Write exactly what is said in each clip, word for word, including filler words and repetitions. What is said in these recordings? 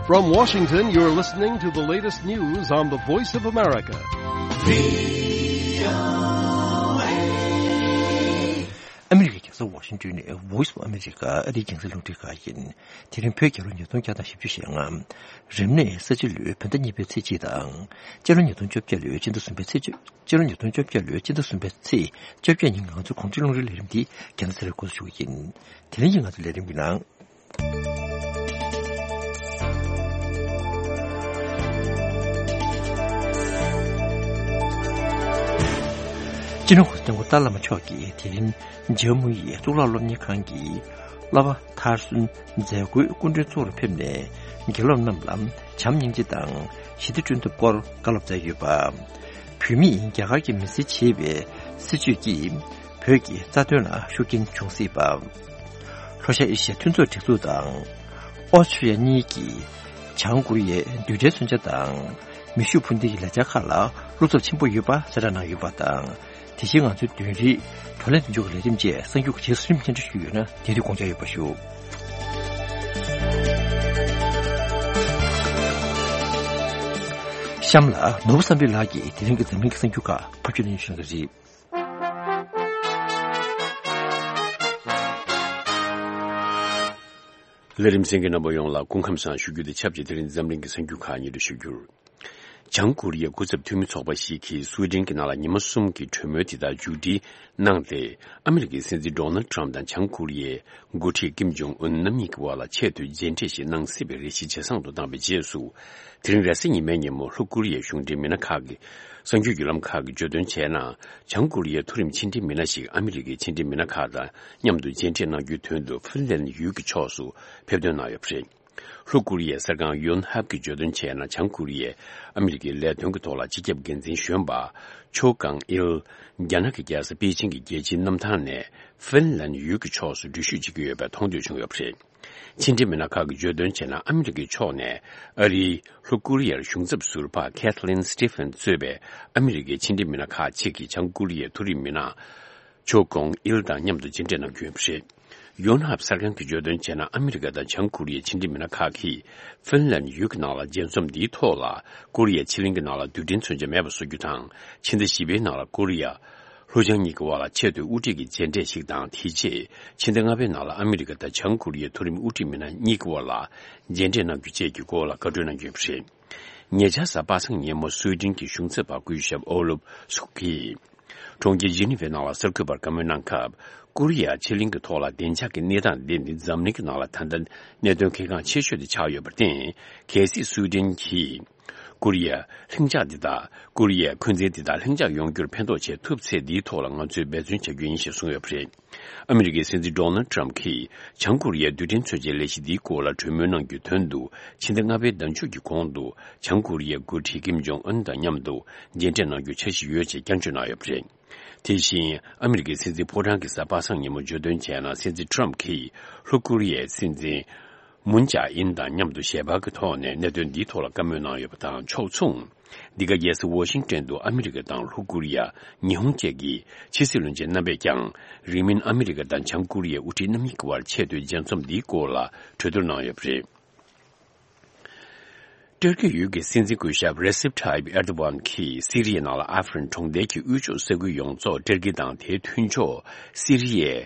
From Washington, you're listening to the latest news on the Voice of America. ཨ་མི་རི་ཀའི་རྒྱལ་ས་ཝ་ཤིང་ཏོན་ནས་Voice of America ཨ་རིའི་རྒྱང་སྲིང་རླུང་འཕྲིན་ཁང་ཡིན། དེ་རིང་བོད་རྒྱལ་ལོ་ཉིས་སྟོང་བརྒྱ་དང་བཞི་བཅུ་ཞེ་ལྔ། རབ་གནས་ས་བྱི་ལོའི་བོད་ཟླ་གཉིས་པའི་ཚེས་གཅིག་དང་། སྤྱི་ལོ་ཉིས་སྟོང་བཅོ་བརྒྱད་ལོའི་སྤྱི་ཟླ་གསུམ་པའི་ཚེས་བཅུ། སྤྱི་ལོ་ཉིས་སྟོང་བཅོ་བརྒྱད་ལོའི་སྤྱི་ཟླ་གསུམ་པའི་ཚེས་བཅོ་བརྒྱད་ཉིན་ང་ཚོའི་གུང་ཁྲན་རླུང་འཕྲིན་ལས་རིམ་འདི་རྒྱང་སྲིང་རུ་འགོ་འཛུགས་ཞུ་གི་ཡིན། དེ་རིང་གི་ང་ཚོའི་ལས་རིམ་གྱི་ནང་། སྤྱི་ནོར་གོང་ས་སྐྱབས་མགོན་ཏཱ་བླ་མ་མཆོག་གིས་དེ་རིང་ཇམ་མུ་ཡི་གཙུག་ལག་སློབ་གཉེར་ཁང་གི་བསླབ་པ་མཐར་སོན་མཛད་སྒོའི་སྐུ་མགྲོན་གཙོ་བོར་ཕེབས་ནས། དགེ་སློབ་རྣམས་ལ་བྱམས་སྙིང་རྗེ་དང་ཞི་བདེ་བསྐྲུན་ཐབས་སྐོར་བཀའ་སློབ་སྩལ་ཡོད་པ། བོད་མིས་རྒྱ་གར་གྱི་མི་སེར་བྱེད་པའི་སྲིད་བྱུས་ཀྱིས་བོད་ཀྱི་རྩ་དོན་ལ་ཤུགས་རྐྱེན་འབྱུང་སྲིད་པ། ལྷོ་ཤར་ཨེ་ཤི་ཡ་མཐུན་ཚོགས་སྒྲིག་འཛུགས་དང་ཨོ་སི་ཁྲུ་ལི་ཡ་གཉིས་ཀྱིས་བྱང་ཀོ་རི་ཡའི་རྡུལ་ཕྲན་མཚོན་ཆ་དང་མེ་ཤུགས་འཕུར་མདེལ་གྱི་ལས་འཆར་ཁག་ལ་བློ་འཚབ་ཆེན་པོ་ཡོད་པ་གསལ་བསྒྲགས་གནང་ཡོད་པ་དང་། དེ་བཞིན་ང་ཚོའི་བདུན་རིག་བགྲོ་གླེང་མདུན་ལྕོག་གི་ལས་རིམ་བཅས་གསར་འགྱུར་རྗེས་སུ་རིམ་སྙན་སྒྲོན་ཞུས་ཡོད་ན་དེ་རིགས་དགོངས་འཇགས་ཡོད་པ་ཞུ། གཤམ་ལ་ནོར་བུ་བསམ་འཕེལ་ལགས་ཀྱིས་དེ་རིང་གི་འཛམ་གླིང་གི་གསར་འགྱུར་ཁག་ཕབ་སྒྱུར་གནང་ཞུ་གི་རེད། ལས་རིམ་གསན་མཁན་རྣམ་པ་ཡོངས་ལ་སྐུ་ཁམས་བཟང་ཞུ་རྒྱུ་དང་ཆབས་ཅིག་དེ་རིང་འཛམ་གླིང་གི་གསར་འགྱུར་ཁག་སྙན་སྒྲོན་ཞུ་རྒྱུར། བྱང་ཀོ་རི་ཡའི་སྐུ་ཚབ་འཐུས་མི་ཚོགས་པ་ཞིག་གིས་སུའེ་ཏེན་གྱི་ནང་ལ་ཉི་མ་གསུམ་གྱི་གྲོས་མོལ་དེ་དག་མཇུག་སྒྲིལ་གནང་སྟེ། ཨ་མི་རི་ཀའི་སྲིད་འཛིན་ཌོ་ནལ་ཊམ་དང་བྱང་ཀོ་རི་ཡའི་འགོ་ཁྲིད་ཀིམ་ཇོང་ཨུན་རྣམ་གཉིས་ཀྱི་དབར་ལ་ཆེས་མཐོའི་མཇལ་འཕྲད་ཞིག་གནང་སྲིད་པའི་རེ་ཞིག་ཇེ་བཟང་དུ་བཏང་བའི་རྗེས་སུ། དེ་རིང་རེས་གཟའ་ཉི་མའི་ཉིན་མོ་ལྷོ་ཀོ་རི་ཡའི་གཞུང་འབྲེལ་མི་སྣ་ཁག་གིས། གསར་འགྱུར་བརྒྱུད་ལམ་ཁག་གིས་བརྗོད་དོན་བྱས་ན། བྱང་ཀོ་རི་ཡའི་མཐོ་རིམ་ཕྱི་འབྲེལ་མི་སྣ་ཞིག་ཨ་མི་རི་ཀའི་ཕྱི་འབྲེལ་མི་སྣ་ཁག་དང་མཉམ་དུ་མཇལ་འཕྲད་གནང་རྒྱུའི་དོན་དུ་ཧྥིན་ལན་ཡུལ་གྱི་ཕྱོགས་སུ་ཕེབས་ཐོན་གནང་ཡོད་པ་རེད། ལྷོ་ཀོ་རི་ཡའི་གསར་ཁང་ཡོན་ཧབ་ཀྱིས་བརྗོད་དོན་བྱས་ན། བྱང་ཀོ་རི་ཡས་ཨ་མི་རི་ཀའི་ལས་དོན་གྱི་ཐོག་ལ་སྤྱི་ཁྱབ་འགན་འཛིན་གཞོན་པ་ཆོ་ཀང་ཨིལ། རྒྱ་ནག་གི་རྒྱལ་ས་པེ་ཅིང་གི་རྒྱལ་སྤྱིའི་གནམ་ཐང་ནས་ཧྥིན་ལན་ཡུལ་གྱི་ཕྱོགས་སུ་འགྲུལ་བཞུད་བྱེད་ཀྱི་ཡོད་པའི་མཐོང་ཐོས་བྱུང་ཡོད་པ་རེད། ཕྱི་འབྲེལ་མི་སྣ་ཁག་གིས་བརྗོད་དོན་བྱས་ན། ཨ་མི་རི་ཀའི་ཕྱོགས་ནས་ཨ་རིའི་ལྷོ་ཀོ་རི་ཡར་གཞུང་ཚབ་ཟུར་པ་Kathleen Stephens གཙོས་པའི་ཨ་མི་རི་ཀའི་ཕྱི་འབྲེལ་མི་སྣ་ཁག་ཅིག་གིས་བྱང་ཀོ་རི་ཡའི་མཐོ་རིམ་མི་སྣ་ཆོ་ཀོང་ཨིལ་དང་མཉམ་དུ་མཇལ་འཕྲད་གནང་རྒྱུ་ཡིན་པ་རེད། ཡོན་ཧབ་གསར་ཁང་གིས་བརྗོད་དོན་བྱས་ན། ཨ་མི་རི་ཀ་དང་བྱང་ཀོ་རི་ཡའི་ཕྱི་འབྲེལ་མི་སྣ་ཁག་གིས་ཧྥིན་ལན་ཡུལ་གྱི་ནང་ལ་མཇལ་འཛོམས་འདིའི་ཐོག་ལ། ཀོ་རི་ཡའི་ཕྱེད་གླིང་གི་ནང་ལ་རྡུལ་ཕྲན་མཚོན་ཆ་མེད་པ་བཟོ་རྒྱུ་དང་། ཕྱི་ཟླ་བཞི་པའི་ནང་ལ་ཀོ་རི་ཡ་ལྷོ་བྱང་གཉིས་ཀྱི་དབར་ལ་ཆེས་མཐོའི་དབུ་ཁྲིད་ཀྱི་མཇལ་འཕྲད་ཞིག་དང་། དེ་རྗེས་ཕྱི་ཟླ་ལྔ་པའི་ནང་ལ་ཨ་མི་རི་ཀ་དང་བྱང་ཀོ་རི་ཡའི་མཐོ་རིམ་དབུ་ཁྲིད་མི་སྣ་གཉིས་ཀྱི་དབར་ལ་མཇལ་འཕྲད་གནང་རྒྱུ་བཅས་ཀྱི་སྐོར་ལ་བཀའ་འཁྲོལ་གནང་རྒྱུ་ཡིན་པ་རེད། ཉེ་ཆར་གཟའ་པ་སངས་ཉིན་མོ་སུའེ་ཏེན་གྱི་གཞུང་ཚབ་པ་སྐུ་ཞབས་ཨོ་ལུབ་སུག་གིས་གྲོང་ཁྱེར་ཇི་ནི་ཝའི་ནང་ལ་གསར་འགོད་པར་བཀའ་མོལ་གནང་སྐབས། ཀོ་རི་ཡ་ཕྱེད་གླིང་གི་ཐོག་ལ་བདེ་འཇགས་ཀྱི་གནས་སྟངས་འདི་ནི་འཛམ་གླིང་གི་ནང་ལ་ད་ལྟ་གནད་དོན་གལ་འགངས་ཆེ་ཤོས་དེ་ཆགས་ཡོད་པར་བརྟེན། གལ་སྲིད་སུའེ་ཏེན་གྱིས་ཀོ་རི་ཡ་ལྷིང་འཇགས་འདི་དག་ཀོ་རི་ཡའི་འཁོན་འཛིན་འདི་དག་ལྷིང་འཇགས་ཡོང་རྒྱུར་ཕན་ཐོགས་བྱེད་ཐུབ་ཚེ། འདིའི་ཐོག་ལ་ང་ཚོས་འབད་བརྩོན་བྱ་རྒྱུ་ཡིན་ཞེས་གསུངས་ཡོད་པ་རེད། ཨ་མི་རི་ཀའི་སྲིད་འཛིན་ཌོ་ནལ་ཊམ་གྱིས་བྱང་ཀོ་རི་ཡའི་རྡུལ་ཕྲན་མཚོན་ཆའི་ལས་གཞི་འདིའི་སྐོར་ལ་གྲོས་མོལ་གནང་རྒྱུའི་དོན་དུ། ཕྱི་ཟླ་ལྔ་པའི་ཟླ་མཇུག་གི་གོང་དུ་བྱང་ཀོ་རི་ཡའི་འགོ་ཁྲིད་ཀིམ་ཇོང་ཨུན་དང་མཉམ་དུ་མཇལ་འཕྲད་གནང་རྒྱུའི་འཆར་གཞི་ཡོད་ཅེས་བསྐྱར་བརྗོད་གནང་ཡོད་པ་རེད། དེ་བཞིན་ཨ་མི་རི་ཀའི་སྲིད་འཛིན་ཕོ་བྲང་གིས་གཟའ་པ་སངས་ཉིན་མོ་བརྗོད་དོན་བྱས་ན། སྲིད་འཛིན་ཊམ་གྱིས་ལྷོ་ཀོ་རི་ཡའི་སྲིད་འཛིན་མུན་ཇཱ་ཨིན་དང་མཉམ་དུ་ཞལ་པར་གྱི་ཐོག་ནས་གནད་དོན་འདིའི་ཐོག་ལ་བཀའ་མོལ་གནང་ཡོད་པ་དང་ཕྱོགས་མཚུངས། འདི་ག་རྒྱལ་ས་ཝ་ཤིང་ཏོན་དུ་ཨ་མི་རི་ཀ་དང་ལྷོ་ཀོ་རི་ཡ། ཉི་ཧོང་བཅས་ཀྱི་ཕྱི་སྲིད་བློན་ཆེན་རྣམ་པས་ཀྱང་། རིང་མིན་ཨ་མི་རི་ཀ་དང་བྱང་ཀོ་རི་ཡའི་དབུ་ཁྲིད་རྣམ་གཉིས་ཀྱི་དབར་ཆེས་མཐོའི་མཇལ་འཛོམས་འདིའི་སྐོར་ལ་གྲོས་བསྡུར་གནང་ཡོད་པ་རེད། ཏུར་ཀི་ཡུལ་གྱི་སྲིད་འཛིན་སྐུ་ཞབས་རེ་སིབ་ཐཱ་ཡིབ་ཨེར་དོ་ཝན་གྱིས་སི་རི་ཡའི་ནང་ལ་ཨ་ཧྥ་རིན་གྲོང་རྡལ་གྱི་དབུས་ཕྱོགས་ས་ཁུལ་ཡོངས་རྫོགས་ཏུར་ཀི་དང་དེའི་མཐུན་ཕྱོགས་སི་རི་ཡའི་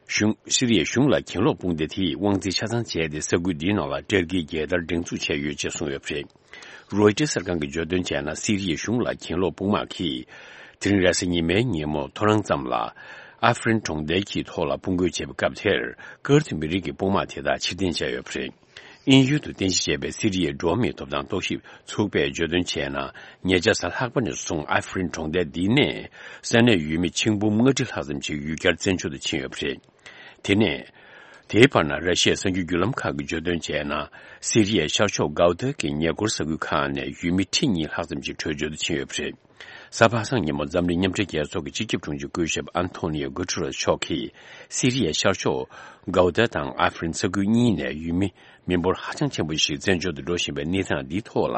གཞུང་། སི་རི་ཡའི་གཞུང་ལ་གྱེན་ལོག་དཔུང་སྡེ་དེས་དབང་འཛིན་ཆ་ཚང་བྱས་ཏེ། ས་ཁུལ་འདིའི་ནང་ལ་ཏུར་ཀིའི་རྒྱལ་དར་སྒྲེང་འཛུགས་བྱས་ཡོད་ཅེས་གསུངས་ཡོད་པ་རེད། རོའི་ཊར་གསར་ཁང་གིས་བརྗོད་དོན་བྱས་ན། སི་རི་ཡའི་གཞུང་ལ་གྱེན་ལོག་དཔུང་དམག་གིས་དེ་རིང་རེས་གཟའ་ཉི་མའི་ཉིན་མོ་ཐོ་རངས་ཙམ་ལ་ཨ་ཧྥ་རིན་གྲོང་རྡལ་གྱི་ཐོག་ལ་དཔུང་རྒོལ་བྱས་པའི་སྐབས་དེར། ཀུར་ཏི་མི་རིགས་ཀྱི་དཔུང་དམག་དེ་དག་ཕྱིར་འཐེན་བྱས་ཡོད་པ་རེད། དབྱིན་ཡུལ་དུ་རྟེན་གཞི་བྱས་པའི་སི་རི་ཡའི་འགྲོ་བ་མིའི་ཐོབ་ཐང་རྟོག་ཞིབ་ཚོགས་པས་བརྗོད་དོན་བྱས་ན། ཉེ་ཆར་གཟའ་ལྷག་པ་ནས་བཟུང་ཨ་ཧྥ་རིན་གྲོང་རྡལ་འདི་ནས་ས་གནས་ཡུལ་མི་ཆིག་འབུམ་ལྔ་ཁྲི་ལྷག་ཙམ་ཞིག་ཡུལ་གྱར་བཙན་བྱོལ་དུ་ཕྱིན་ཡོད་པ་རེད། དེ་ནས། དེའི་བར་ན་ར་ཤི་ཡའི་གསར་འགྱུར་བརྒྱུད་ལམ་ཁག་གིས་བརྗོད་དོན་བྱས་ན། སི་རི་ཡའི་ཤར་ཕྱོགས་གའུ་ཏཱ་གི་ཉེ་འཁོར་ས་ཁུལ་ཁག་ནས་ཡུལ་མི་ཁྲི་གཉིས་ལྷག་ཙམ་ཞིག་བྲོས་བྱོལ་དུ་ཕྱིན་ཡོད་པ་རེད། གཟའ་པ་སངས་ཉིན་མོ་འཛམ་གླིང་མཉམ་འབྲེལ་རྒྱལ་ཚོགས་ཀྱི་སྤྱི་ཁྱབ་དྲུང་ཆེ་སྐུ་ཞབས་ཨན་ཐོ་ནིའོ་གུ་ཏུ་རེས་མཆོག་གིས་སི་རི་ཡའི་ཤར་ཕྱོགས་གའུ་ཏཱ་དང་ཨ་ཧྥ་རིན་ས་ཁུལ་གཉིས་ནས་ཡུལ་མི་མི་འབོར་ཧ་ཅང་ཆེན་པོ་ཞིག་བཙན་བྱོལ་དུ་འགྲོ་བཞིན་པའི་གནས་སྟངས་འདིའི་ཐོག་ལ་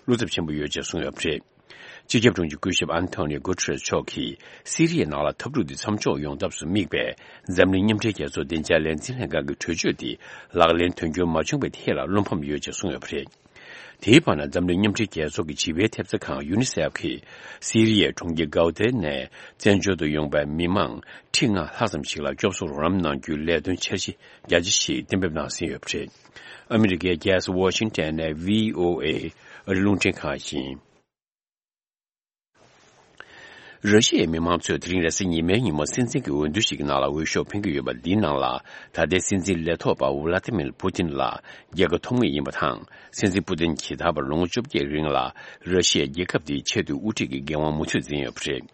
བློ་འཚབ་ཆེན་པོ་ཡོད་ཅེས་གསུངས་ཡོད་པ་རེད། སྤྱི་ཁྱབ་དྲུང་ཆེ་སྐུ་ཞབས་ཨན་ཐོ་ནིའོ་གུ་ཏྲེས་མཆོག་གིས་སི་རི་ཡའི་ནང་ལ་འཐབ་འཁྲུག་འདི་མཚམས་འཇོག་ཡོང་ཐབས་སུ་དམིགས་པའི་འཛམ་གླིང་མཉམ་འབྲེལ་རྒྱལ་ཚོགས་བདེ་འཇགས་ལས་འཛིན་ལྷན་ཁང་གི་གྲོས་ཆོད་དེ་ལག་ལེན་དོན་འཁྱོལ་མ་བྱུང་བའི་ཐད་ལ་བློ་ཕམ་ཡོད་ཅེས་གསུངས་ཡོད་པ་རེད། དེའི་བར་ན་འཛམ་གླིང་མཉམ་འབྲེལ་རྒྱལ་ཚོགས་ཀྱི་བྱིས་པའི་ཐེབས་རྩ་ཁང་ཡུ་ནི་སེབ་ཀྱིས་སི་རི་ཡའི་གྲོང་ཁྱེར་གའོ་ཏེ་ནས་བཙན་བྱོལ་དུ་ཡོང་པའི་མི་མང་ཁྲི་ལྔ་ལྷག་ཙམ་ཞིག་ལ་སྐྱོབ་གསོ་རོགས་རམ་གནང་རྒྱུའི་ལས་དོན་འཆར་གཞི་རྒྱ་ཆེ་ཞིག་གཏན་འབེབས་གནང་ཟིན་ཡོད་པ་རེད། ཨ་མི་རི་ཀའི་རྒྱལ་ས་ཝ་ཤིང་ཊོན་ནས་བྷི་ཨོ་ཨེ་ཨ་རི་རླུང་འཕྲིན་ཁང་ཡིན། ར་ཤི་ཡའི་མི་མང་ཚོས་དེ་རིང་རེས་གཟའ་ཉི་མའི་ཉིན་མོ་སྲིད་འཛིན་གྱི་འོས་བསྡུ་ཞིག་གི་ནང་ལ་འོས་ཤོག་འཕེན་གྱི་ཡོད་པ་འདིའི་ནང་ལ། ད་ལྟའི་སྲིད་འཛིན་ལས་ཐོག་པ་ཝ་ལ་ཏི་མིར་པུ་ཏིན་ལ་རྒྱལ་ཁ་ཐོབ་ངེས་ཡིན་པ་དང་། སྲིད་འཛིན་པུ་ཏིན་གྱིས་ད་བར་ལོ་ངོ་བཅོ་བརྒྱད་རིང་ལ་ར་ཤི་ཡའི་རྒྱལ་ཁབ་འདིའི་ཆེས་མཐོའི་དབུ་ཁྲིད་ཀྱི་འགན་དབང་མུ་མཐུད་འཛིན་ཡོད་པ་རེད།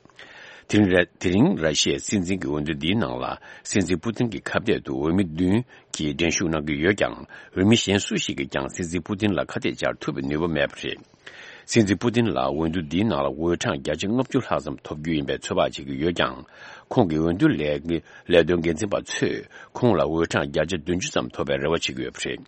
དེ་རིང་ར། དེ་རིང་ར་ཤི་ཡའི་སྲིད་འཛིན་གྱི་འོས་བསྡུ་འདིའི་ནང་ལ། སྲིད་འཛིན་པུ་ཏིན་གྱི་ཁ་གཏད་དུ་འོས་མི་བདུན་གྱིས་འགྲན་ཞུགས་གནང་གི་ཡོད་ཀྱང་། འོས་མི་གཞན་སུ་ཞིག་གིས་ཀྱང་སྲིད་འཛིན་པུ་ཏིན་ལ་ཁ་གཏད་བཅར་ཐུབ་པའི་ནུས་པ་མེད་པ་རེད། སྲིད་འཛིན་པུ་ཏིན་ལ་འོས་བསྡུ་འདིའི་ནང་ལ་འོས་གྲངས་བརྒྱ་ཆ་ལྔ་བཅུ་ལྷག་ཙམ་ཐོབ་རྒྱུ་ཡིན་པའི་ཚོད་དཔག་བྱེད་ཀྱི་ཡོད་ཀྱང་། ཁོང་གི་འོས་བསྡུ་ལས། ལས་དོན་འགན་འཛིན་པ་ཚོས་ཁོང་ལ་འོས་གྲངས་བརྒྱ་ཆ་བདུན་ཅུ་ཙམ་ཐོབ་པའི་རེ་བ་བྱེད་ཀྱི་ཡོད་པ་རེད།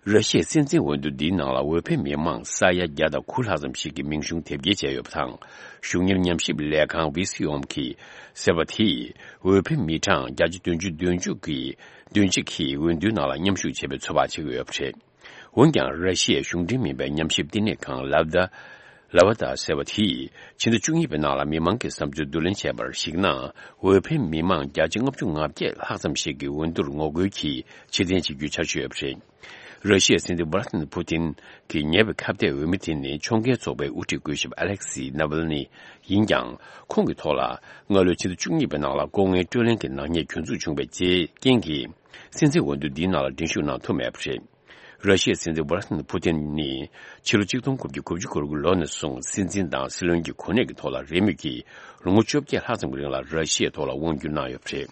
ར་ཤི་ཡའི་སྲིད་འཛིན་འོས་བསྡུ་འདིའི་ནང་ལ་འོས་འཕེན་མི་མང་ས་ཡ་བརྒྱ་དང་དགུ་ལྷག་ཙམ་ཞིག་གིས་མིང་གཞུང་དེབ་སྐྱེལ་བྱས་ཡོད་པ་དང་། གཞུང་གཉེར་ཉམས་ཞིབ་ལས་ཁང་བི་སི་ཨོམ་གྱིས་ཟེར་བ་དེས། འོས་འཕེན་མི་གྲངས་བརྒྱ་ཆ་བདུན་ཅུ་དོན་གཅིག་གིས། དོན་གཅིག་གིས་འོས་བསྡུའི་ནང་ལ་མཉམ་ཞུགས་བྱེད་པའི་ཚོད་དཔག་བྱེད་ཀྱི་ཡོད་པ་རེད། འོན་ཀྱང་། ར་ཤི་ཡའི་གཞུང་འབྲེལ་མིན་པའི་ཉམས་ཞིབ་བསྟི་གནས་ཁང་ལབ་དཱ། ལ་བ་དཱ་ཟེར་བ་དེས། ཕྱི་ཟླ་བཅུ་གཉིས་པའི་ནང་ལ་མི་མང་གི་བསམ་ཚུལ་བསྡུ་ལེན་བྱས་པར་གཞིགས་ན། འོས་འཕེན་མི་མང་བརྒྱ་ཆ་ལྔ་བཅུ་ང་བརྒྱད་ལྷག་ཙམ་ཞིག་གིས་འོས་བསྡུར་ངོ་རྒོལ་གྱིས་ཕྱིར་འཐེན་བྱེད་རྒྱུའི་འཆར་གཞི་ཡོད་པ་རེད། ར་ཤི་ཡའི་སྲིད་འཛིན་ཝ་ལ་ཏི་མིར་པུ་ཏིན་གྱི་ཉེ་བའི་ཁ་གཏད་འོས་མི་དེ་ནི་ཕྱོགས་འགལ་ཚོགས་པའི་དབུ་ཁྲིད་སྐུ་ཞབས་ཨ་ལེག་སི་ནཱ་ཝལ་ནི་ཡིན་ཀྱང་། ཁོང་གི་ཐོག་ལ་སྔ་ལོའི་ཕྱི་ཟླ་བཅུ་གཉིས་པའི་ནང་ལ་ལྐོག་རྔན་སྤྲོད་ལེན་གྱི་ནག་ཉེས་གྱོད་འཛུགས་བྱུང་བའི་རྐྱེན་གྱིས། སྲིད་འཛིན་འོས་བསྡུ་འདིའི་ནང་ལ་འགྲན་ཞུགས་གནང་ཐུབ་མེད་པ་རེད། ར་ཤི་ཡའི་སྲིད་འཛིན་ཝ་ལ་ཏི་མིར་པུ་ཏིན་ནི་ཕྱི་ལོ་གཅིག་སྟོང་དགུ་བརྒྱ་དགུ་བཅུ་གོ་དགུ་ལོ་ནས་བཟུང་སྲིད་འཛིན་དང་སྲིད་བློན་གྱི་གོ་གནས་ཀྱི་ཐོག་ལ་རེས་མོས་ཀྱིས་ལོ་ངོ་བཅོ་བརྒྱད་ལྷག་ཙམ་གྱི་རིང་ལ་ར་ཤི་ཡའི་ཐོག་ལ་དབང་བསྒྱུར་གནང་ཡོད་པ་རེད།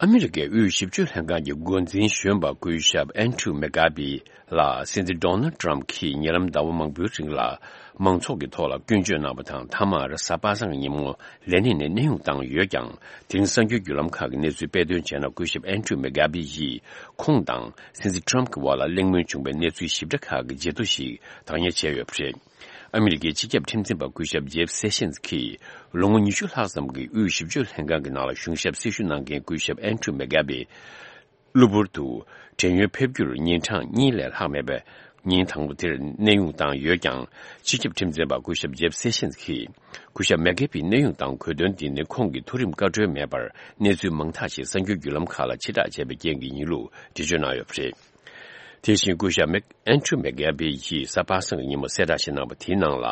ཨ་མི་རི་ཀའི་དབུས་ཞིབ་དཔྱོད་ལྷན་ཁང་གི་འགོ་འཛིན་གཞོན་པ་སྐུ་ཞབས་ཨན་ཌྲུ་མེ་གྷ་བྷི་ལ་སྲིད་འཛིན་ཌོ་ནལ་ཌི་ཊརམ་ཕི་གྱིས་ཉེ་ལམ་ཟླ་བ་མང་པོའི་རིང་ལ་མང་ཚོགས་ཀྱི་ཐོག་ལ་སྐྱོན་བརྗོད་གནང་བ་དང་། མཐའ་མར་གཟའ་པ་སངས་ཀྱི་ཉིན་མོ་ལས་གནས་ནས་གནས་དབྱུང་བཏང་ཡོད་ཀྱང་། དེ་རིང་གསར་འགྱུར་བརྒྱུད་ལམ་ཁག་གིས་གནས་ཚུལ་སྤེལ་དོན་བྱས་ན། སྐུ་ཞབས་ཨན་ཌྲུ་མེ་གྷ་བྷི་ཡིས་ཁོང་དང་སྲིད་འཛིན་ཊརམ་གྱི་དབར་ལ་གླེང་མོལ་བྱུང་བའི་གནས་ཚུལ་ཞིབ་ཕྲ་ཁག་གི་བརྗེད་ཐོ་ཞིག་བདག་གཉེར་བྱས་ཡོད་པ་རེད། ཨ་མི་རི་ཀའི་སྤྱི་ཁྱབ་ཁྲིམས་འཛིན་པ་སྐུ་ཞབས་ཇེབ་སེ་ཤན་གྱིས་ལོ་ངོ་ཉི་ཤུ་ལྷག་ཙམ་གྱི་དབུས་ཞིབ་དཔྱོད་ལྷན་ཁང་གི་ནང་ལ་གཞུང་ཞབས་སྲི་ཞུ་གནང་མཁན་སྐུ་ཞབས་ཨན་ཌྲུ་མེ་གྷ་བྷི་གློ་བུར་དུ་བྲན་གཡོལ་ཕེབས་རྒྱུར་ཉིན་གྲངས་གཉིས་ལས་ལྷག་མེད་པའི་ཉིན་དང་པོ་དེར་གནས་དབྱུང་བཏང་ཡོད་ཀྱང་། སྤྱི་ཁྱབ་ཁྲིམས་འཛིན་པ་སྐུ་ཞབས་ཇེབ་སེ་ཤན་གྱིས། སྐུ་ཞབས་མེ་གྷ་བྷིའི་གནས་དབྱུང་དང་གོ་དོན་འདི་ནི་ཁོང་གི་མཐོ་རིམ་བཀའ་འཁྲོལ་མེད་པར་གནས་ཚུལ་མང་དག་ཞིག་གསར་འགྱུར་བརྒྱུད་ལམ་ཁག་ལ་ཕྱིར་བསྒྲགས་བྱས་པའི་རྐྱེན་གྱིས་ཡིན་ལུགས་འགྲེལ་བརྗོད་གནང་ཡོད་པ་རེད། དེ་བཞིན་སྐུ་ཞབས་མེག་ཨན་ཌྲུ་མེག་གྷེ་བྷི་ཡིས་གཟའ་པ་སངས་ཀྱི་ཉིན་མོ་གསལ་བསྒྲགས་ཤིག་གནང་བ་དེའི་ནང་ལ།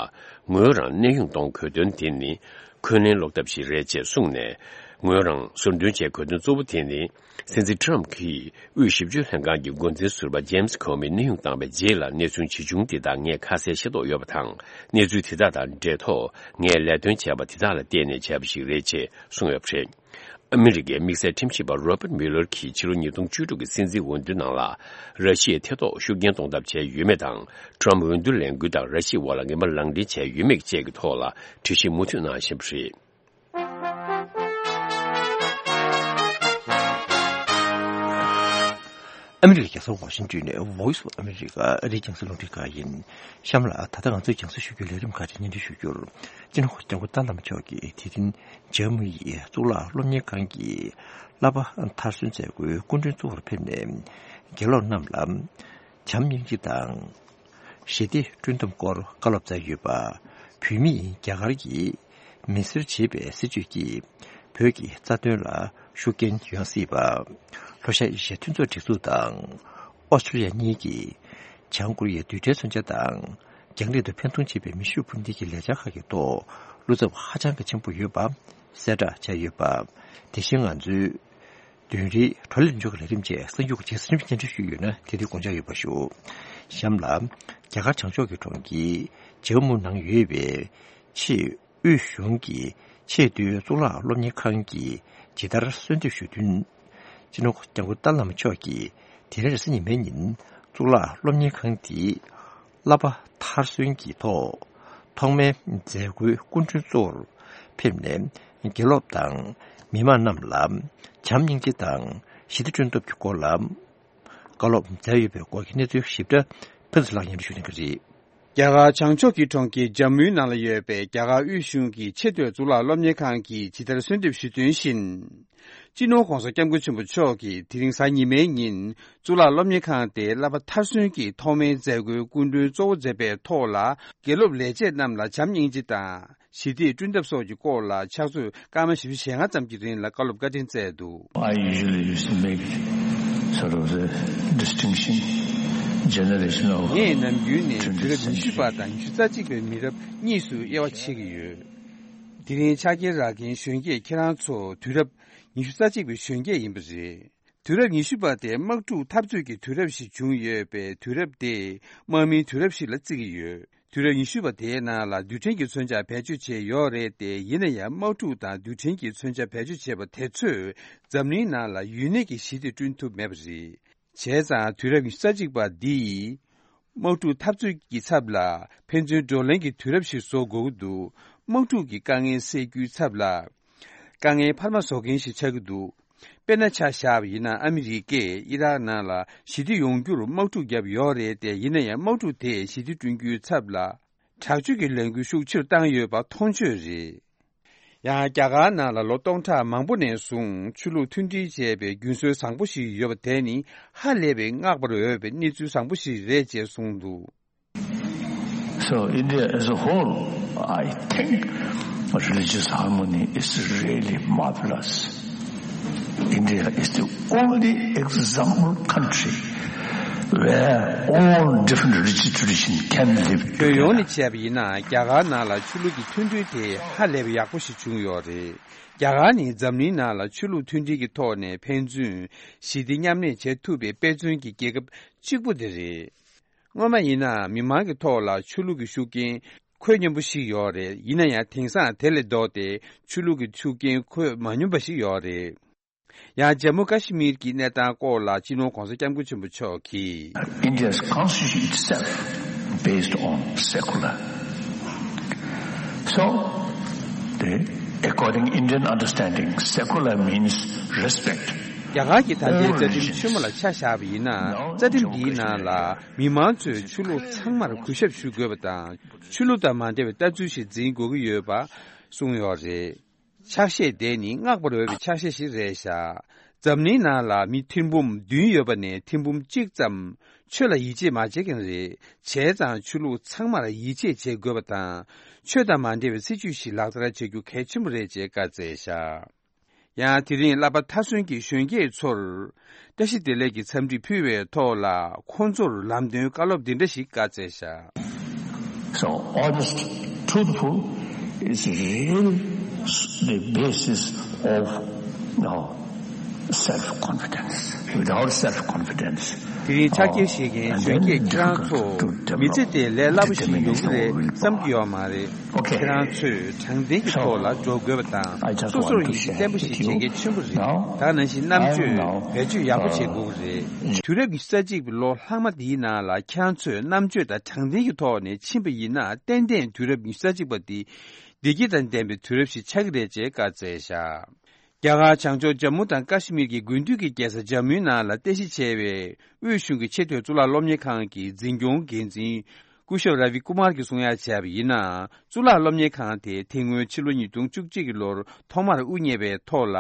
ངོས་རང་གནས་དབྱུང་གཏོང་དགོས་དོན་དེ་ནི་འཁོན་ལན་སློག་ཐབས་ཤིག་རེད་ཅེས་གསུངས་ནས། ངོས་རང་ཟུར་འདོན་བྱེད་དགོས་དོན་གཙོ་བོ་དེ་ནི། སྲིད་འཛིན་ཊརམ་གྱིས་དབུས་ཞིབ་དཔྱོད་ལྷན་ཁང་གི་འགོ་འཛིན་ཟུར་པ་ཇེམ་སི་ཁོ་མི་གནས་དབྱུང་བཏང་བའི་རྗེས་ལ་གནས་ཚུལ་ཇི་བྱུང་དེ་དག་ངས་ཁ་གསལ་ཤེས་རྟོགས་ཡོད་པ་དང་། གནས་ཚུལ་དེ་དག་དང་འབྲེལ་ཐོག་ངས་ལས་དོན་བྱས་པ་དེ་དག་ལ་བརྟེན་ནས་བྱས་པ་ཞིག་རེད་ཅེས་གསུངས་ཡོད་པ་རེད། ཨ་མི་རི་ཀའི་དམིགས་བསལ་ཁྲིམས་ཞིབ་པ་རོ་པར་མིའུ་ལར་གྱིས་ཕྱི་ལོ་ཉིས་སྟོང་བཅུ་དྲུག་གི་སྲིད་འཛིན་འོས་བསྡུ་ནང་ལ་ར་ཤི་ཡའི་ཐེ་གཏོགས་ཤུགས་རྐྱེན་གཏོང་ཐབས་བྱས་ཡོད་མེད་དང་། ཊརམ་འོས་བསྡུ་ལས་འགུལ་དང་ར་ཤི་ཡའི་དབར་ལ་ངན་པ་ལག་འབྲེལ་བྱས་ཡོད་མེད་བཅས་ཀྱི་ཐོག་ལ་དྲི་ཞིབ་མུ་མཐུད་གནང་བཞིན་པ་རེད། ཨ་མི་རི་ཀའི་རྒྱལ་ས་ཝ་ཤིང་ཊོན་ནས་Voice of America ཨ་རིའི་རྒྱང་སྲིང་རླུང་འཕྲིན་ཁང་ཡིན། གཤམ་ལ་ད་ལྟ་ང་ཚོས་རྒྱང་སྲིང་ཞུ་རྒྱུའི་ལས་རིམ་ཁག་ཅིག་སྙན་སྒྲོན་ཞུ་རྒྱུར། སྤྱི་ནོར་སྐྱབས་མགོན་ཏཱ་ལའི་བླ་མ་མཆོག་གིས་དེ་རིང་ཇར་མ་ནི་ཡི་གཙུག་ལག་སློབ་གཉེར་ཁང་གི་བསླབ་པ་མཐར་སོན་མཛད་སྒོའི་སྐུ་མགྲོན་གཙོ་བོར་ཕེབས་ནས། དགེ་སློབ་རྣམས་ལ་བྱམས་སྙིང་རྗེ་དང་། ཞི་བདེ་བསྐྲུན་ཐབས་སྐོར་བཀའ་སློབ་སྩལ་ཡོད་པ། བོད་མིས་རྒྱ་གར་གྱི་མི་སེར་བྱེད་པའི་སྲིད་བྱུས་ཀྱིས་བོད་ཀྱི་རྩ་དོན་ལ་ཤུགས་རྐྱེན་ཡོང་སྲིད་པ། ལྷོ་ཤར་ཨེ་ཤི་ཡའི་མཐུན་ཚོགས་སྒྲིག་འཛུགས་དང་ཨོ་སི་ཀྲི་ལི་ཡ་གཉིས་ཀྱིས་བྱང་ཀོ་རི་ཡའི་རྡུལ་ཕྲན་མཚོན་ཆ་དང་རྒྱང་རིང་དུ་འཕེན་གཏོང་བྱེད་པའི་མེ་ཤུགས་འཕུར་མདེལ་གྱི་ལས་འཆར་ཁག་གི་ཐོག་བློ་འཚབ་ཧ་ཅང་གི་ཆེན་པོ་ཡོད་པ་གསལ་བསྒྲགས་བྱས་ཡོད་པ། དེ་བཞིན་ང་ཚོའི་བདུན་རེའི་བགྲོ་གླེང་ལྷན་ཚོགས་ཀྱི་ལས་རིམ་བཅས་གསར་འགྱུར་གྱི་རྗེས་སུ་རིམ་སྙན་སྒྲོན་ཞུས་ཡོད་ན་དེ་དུས་དགོངས་འཇགས་ཡོད་པ་ཞུ། གཤམ་ལ། རྒྱ་གར་བྱང་ཕྱོགས་ཀྱི་གྲོང་ཁྱེར་ཇམ་མུ་ནང་ཡོད་པའི་ཆེས་དབུས་གཞུང་གི་ཆེས་མཐོའི་གཙུག་ལག་སློབ་གཉེར་ཁང་གིས་ཇི་ལྟར་གསོལ་འདེབས་ཞུ་དོན། སྤྱི་ནོར་སྐྱབས་མགོན་ཏཱ་ལའི་བླ་མ་མཆོག་གིས་དེ་རིང་རེས་གཟའ་ཉི་མའི་ཉིན་གཙུག་ལག་སློབ་གཉེར་ཁང་དེའི་བསླབ་པ་མཐར་སོན་གྱི་ཐོག་ཐོག་མའི་མཛད་སྒོའི་སྐུ་མགྲོན་གཙོ་བོར་ཕེབས་ནས་དགེ་སློབ་དང་མི་མང་རྣམས་ལ་བྱམས་སྙིང་རྗེ་དང་ཞི་བདེ་བསྐྲུན་ཐབས་ཀྱི་སྐོར་ལ་བཀའ་སློབ་མཛད་ཡོད་པའི་སྐོར་གྱི་གནས་ཚུལ་ཞིབ་ཕྲ་ཕུན་ཚོགས་ལགས་སྙན་སྒྲོན་ཞུ་གནང་གི་རེད། རྒྱ་གར་བྱང་ཕྱོགས་ཀྱི་གྲོང་ཁྱེར་ཇམ་མུའི་ནང་ལ་ཡོད་པའི་རྒྱ་གར་དབུས་གཞུང་གི་ཆེས་མཐོའི་གཙུག་ལག་སློབ་གཉེར་ཁང་གིས་ཇི་ལྟར་གསོལ་འདེབས་ཞུས་དོན་བཞིན། སྤྱི་ནོར་༧གོང་ས་༧སྐྱབས་མགོན་ཆེན་པོ་མཆོག་གིས་དེ་རིང་གཟའ་ཉི་མའི་ཉིན་གཙུག་ལག་སློབ་གཉེར་ཁང་དེའི་བསླབ་པ་མཐར་སོན་གྱི་ཐོག་མའི་མཛད་སྒོའི་སྐུ་མགྲོན་གཙོ་བོ་མཛད་པའི་ཐོག་ལ། དགེ་སློབ་ལས་བྱེད་རྣམས་ལ་བྱམས་སྙིང་རྗེ་དང་ཞི་བདེ་བསྐྲུན་ཐབས་སོགས་ཀྱི་སྐོར་ལ་ཕྱག་ཚོད་སྐར་མ་བཞི་བཅུ་ཞེ་ལྔ་ཙམ་གྱི་རིང་ལ་བཀའ་སློབ་བཀའ་དྲིན་སྩལ་འདུག། I usually used to make sort of the distinction, generation of དེ་ཡིན་ན་ནམ་རྒྱུན་ནས་དུས་རབས་ཉི་ཤུ་པ་དང་ཉི་ཤུ་རྩ་གཅིག་པའི་མི་རབས་གཉིས་སུ་དབྱེ་བ་ཕྱེ་གི་ཡོད། དེ་རིང་ཕྱག་འཁྱེར་རག་མཁན་གཞོན་སྐྱེས་ཁྱེད་རང་ཚོ་དུས་རབས་ཉི་ཤུ་རྩ་གཅིག་པའི་གཞོན་སྐྱེས་ཡིན་པ་རེད། དུས་རབས་ཉི་ཤུ་པ་དེ་དམག་འཁྲུག་འཐབ་རྩོད་ཀྱི་དུས་རབས་ཤིག་བྱུང་ཡོད་པས། དུས་རབས་དེ་དམག་མིའི་དུས་རབས་ཤིག་ལ་བརྩི་གི་ཡོད། དུས་རབས་ཉི་ཤུ་པ་དེའི་ནང་ལ་རྡུལ་ཕྲན་གྱི་མཚོན་ཆ་བེད་སྤྱོད་བྱས་ཡོད་རེད་དེ། ཡིན་ན་ཡང་དམག་འཁྲུག་དང་རྡུལ་ཕྲན་གྱི་མཚོན་ཆ་བེད་སྤྱོད་བྱས་པ་དེ་ཚོས་འཛམ་གླིང་ནང་ལ་ཡུན་གནས་ཀྱི་ཞི་བདེ་བསྐྲུན་ཐུབ་མེད་པ་རེད། བྱས་ཙང་དུས་རབས་ཉི་ཤུ་རྩ་གཅིག་པ་འདིས་དམག་འཁྲུག་འཐབ་རྩོད་ཀྱི་ཚབ་ལ་ཕན་ཚུན་བགྲོ་གླེང་གི་དུས་རབས་ཤིག་བཟོ་དགོས་ཀྱི་འདུག། དམག་འཁྲུག་གི་དཀའ་ངལ་སེལ་རྒྱུའི་ཚབ་ལ་དཀའ་ངལ་འཕར་མ་བཟོ་མཁན་ཞིག་ཆགས་ཀྱི་འདུག། དཔེར་ན་ཆ་བཞག་པ་ཡིན་ན། ཨ་མི་རི་ཀས་ཨི་རག་ནང་ལ་ཞི་བདེ་ཡོང་རྒྱུར་དམག་འཁྲུག་བརྒྱབ་ཡོད་རེད་དེ། ཡིན་ན་ཡང་དམག་འཁྲུག་དེས་ཞི་བདེ་བསྐྲུན་རྒྱུའི་ཚབ་ལ་དྲག་སྤྱོད་ཀྱི་ལས་འགུལ་ཤུགས་ཆེ་རུ་བཏང་ཡོད་པ་མཐོང་ཆོས་རེད། ཡང་རྒྱ་གར་ནང་ལ་ལོ་སྟོང་ཕྲག་མང་པོ་ནས་བཟུང་ཆོས་ལུགས་མཐུན་སྒྲིལ་བྱས་པའི་རྒྱུན་སྲོལ་བཟང་པོ་ཞིག་ཡོད་པ་དེ་ནི་ཧ་ལས་པའི་བསྔགས་པར་འོས་པའི་གནས་ཚུལ་བཟང་པོ་ཞིག་རེད་ཅེས་གསུངས་འདུག། So India as a whole, I think religious harmony is really marvelous. India is the only example country where all different religious traditions can live together. ཁྱོན་ཡོངས་ནས་བྱས་པ་ཡིན་ན། རྒྱ་གར་ནང་ལ་ཆོས་ལུགས་ཀྱི་མཐུན་སྒྲིལ་དེ་ཧ་ལས་པའི་ཡག་པོ་ཞིག་བྱུང་ཡོད་རེད། རྒྱ་གར་ནི་འཛམ་གླིང་ནང་ལ་ཆོས་ལུགས་མཐུན་སྒྲིལ་གྱི་ཐོག་ནས་ཕན་ཚུན་ཞི་བདེ་མཉམ་གནས་བྱེད་ཐུབ་པའི་དཔེ་མཚོན་གྱི་རྒྱལ་ཁབ་གཅིག་པུ་དེ་རེད། སྔོན་མ་ཡིན་ན་མི་མང་གི་ཐོག་ལ་ཆོས་ལུགས་ཀྱི་ཤུགས་རྐྱེན་འཁོད་སྙོམས་པོ་ཞིག་ཡོད་རེད། ཡིན་ན་ཡང་དེང་སང་དེ་ལས་ལྡོག་སྟེ་ཆོས་ལུགས་ཀྱི་ཤུགས་རྐྱེན་འཁོད་མ་སྙོམས་པ་ཞིག་ཡོད་རེད། ཡང་ཇམ་མུ་ཀ་ཤི་མིར་གྱི་གནས་སྟངས་སྐོར་ལ་སྤྱི་ནོར་༧གོང་ས་༧སྐྱབས་མགོན་ཆེན་པོ་མཆོག་གིས། India's constitution itself based on secular. So, the according Indian understanding, secular means respect. རྒྱ་གར་གྱི་ད་ལྟའི་རྩ་ཁྲིམས་ཆེན་མོ་ལ་ཆ་བཞག་པ་ཡིན་ན། རྩ་ཁྲིམས་འདིའི་ནང་ལ་མི་མང་ཚོས་ཆོས་ལུགས་ཚང་མར་གུས་ཞབས་ཞུ་དགོས་པ་དང་། ཆོས་ལུགས་དང་མ་འབྲེལ་བའི་ལྟ་ཚུལ་ཞིག་འཛིན་དགོས་ཀྱི་ཡོད་པ་གསུངས་ཡོད་རེད། ཕྱག་བཞེས་དེ་ནི་བསྔགས་པར་འོས་པའི་ཕྱག་བཞེས་ཤིག་རེད་བཞག། འཛམ་གླིང་ནང་ལ་མི་ཐེར་འབུམ་བདུན་ཡོད་པ་ནས་ཐེར་འབུམ་གཅིག་ཙམ་ཆོས་ལ་ཡིད་ཆེས་མ་བྱེད་མཁན་རེད། བྱས་ཙང་ཆོས་ལུགས་ཚང་མར་ཡིད་ཆེས་བྱེད་དགོས་པ་དང་། ཆོས་དང་མ་འབྲེལ་བའི་སྲིད་བྱུས་ཤིག་ལག་བསྟར་བྱེད་རྒྱུ་གལ་ཆེན་པོ་རེད་ཅེས་བཀའ་སྩལ་བཞག། ཡང་དེ་རིང་བསླབ་པ་མཐར་སོན་གྱི་གཞོན་སྐྱེས་ཚོར་བཀྲ་ཤིས་བདེ་ལེགས་ཀྱི་འཚམས་འདྲི་ཕུལ་བའི་ཐོག་ལ། ཁོང་ཚོར་ལམ་སྟོན་བཀའ་སློབ་འདི་འདྲ་ཞིག་བཀའ་སྩལ་བཞག། So honest, truthful is real the basis of, you know, self-confidence. Without self-confidence, དེ་རིང་ཕྱག་འཁྱེར་བཞེས་མཁན་གཞོན་སྐྱེས་ཁྱེད་རང་ཚོ་མི་ཚེ་དེ་ལས་སླ་པོ་ཞིག་ཡོང་གི་རེད་བསམ་གྱི་ཡོད་མ་རེད། ཁྱེད་རང་ཚོས་དྲང་བདེན་གྱི་ཐོག་ལ་འགྲོ་དགོས་པ་དང་། སོ་སོར་ཡིད་ཆེས་བརྟན་པོ་ཞིག་བྱེད་གལ་ཆེན་པོ་རེད། ད་ག་ནང་བཞིན་རྣམ་དཔྱོད་བེད་སྤྱོད་ཡག་པོ་བྱེད་དགོས་ཀྱི་རེད། དུས་རབས་ཉི་ཤུ་རྩ་གཅིག་པའི་ལོ་ལྷག་མ་འདིའི་ནང་ལ་ཁྱེད་རང་ཚོས་རྣམ་དཔྱོད་དང་དྲང་བདེན་གྱི་ཐོག་ནས་ཕྱིན་པ་ཡིན་ན། ཏན་ཏན་དུས་རབས་ཉི་ཤུ་རྩ་གཅིག་པ་འདི་བདེ་སྐྱིད་དང་ལྡན་པའི་དུས་རབས་ཤིག་ཆགས་ཀྱི་རེད་ཅེས་བཀའ་སྩལ་བཞག། རྒྱ་གར་བྱང་ཕྱོགས་ཇམ་མུ་དང་ཀ་ཤི་མིར་གྱི་དགུན་དུས་ཀྱི་རྒྱལ་ས་ཇམ་མུའི་ནང་ལ་རྟེན་གཞི་བྱས་པའི་དབུས་གཞུང་གི་ཆེས་མཐོའི་གཙུག་ལག་སློབ་གཉེར་ཁང་གི་འཛིན་སྐྱོང་འགན་འཛིན་སྐུ་ཞབས་ར་བི་ཀུ་མར་གྱིས་གསུང་ཡ་བྱས་པ་ཡིན་ན། གཙུག་ལག་སློབ་གཉེར་ཁང་དེ་དེ་སྔོན་ཕྱི་ལོ་ཉིས་སྟོང་བཅུ་གཅིག་གི་ལོར་ཐོག་མར་དབུ་བརྙེས་པའི་ཐོག་ལ།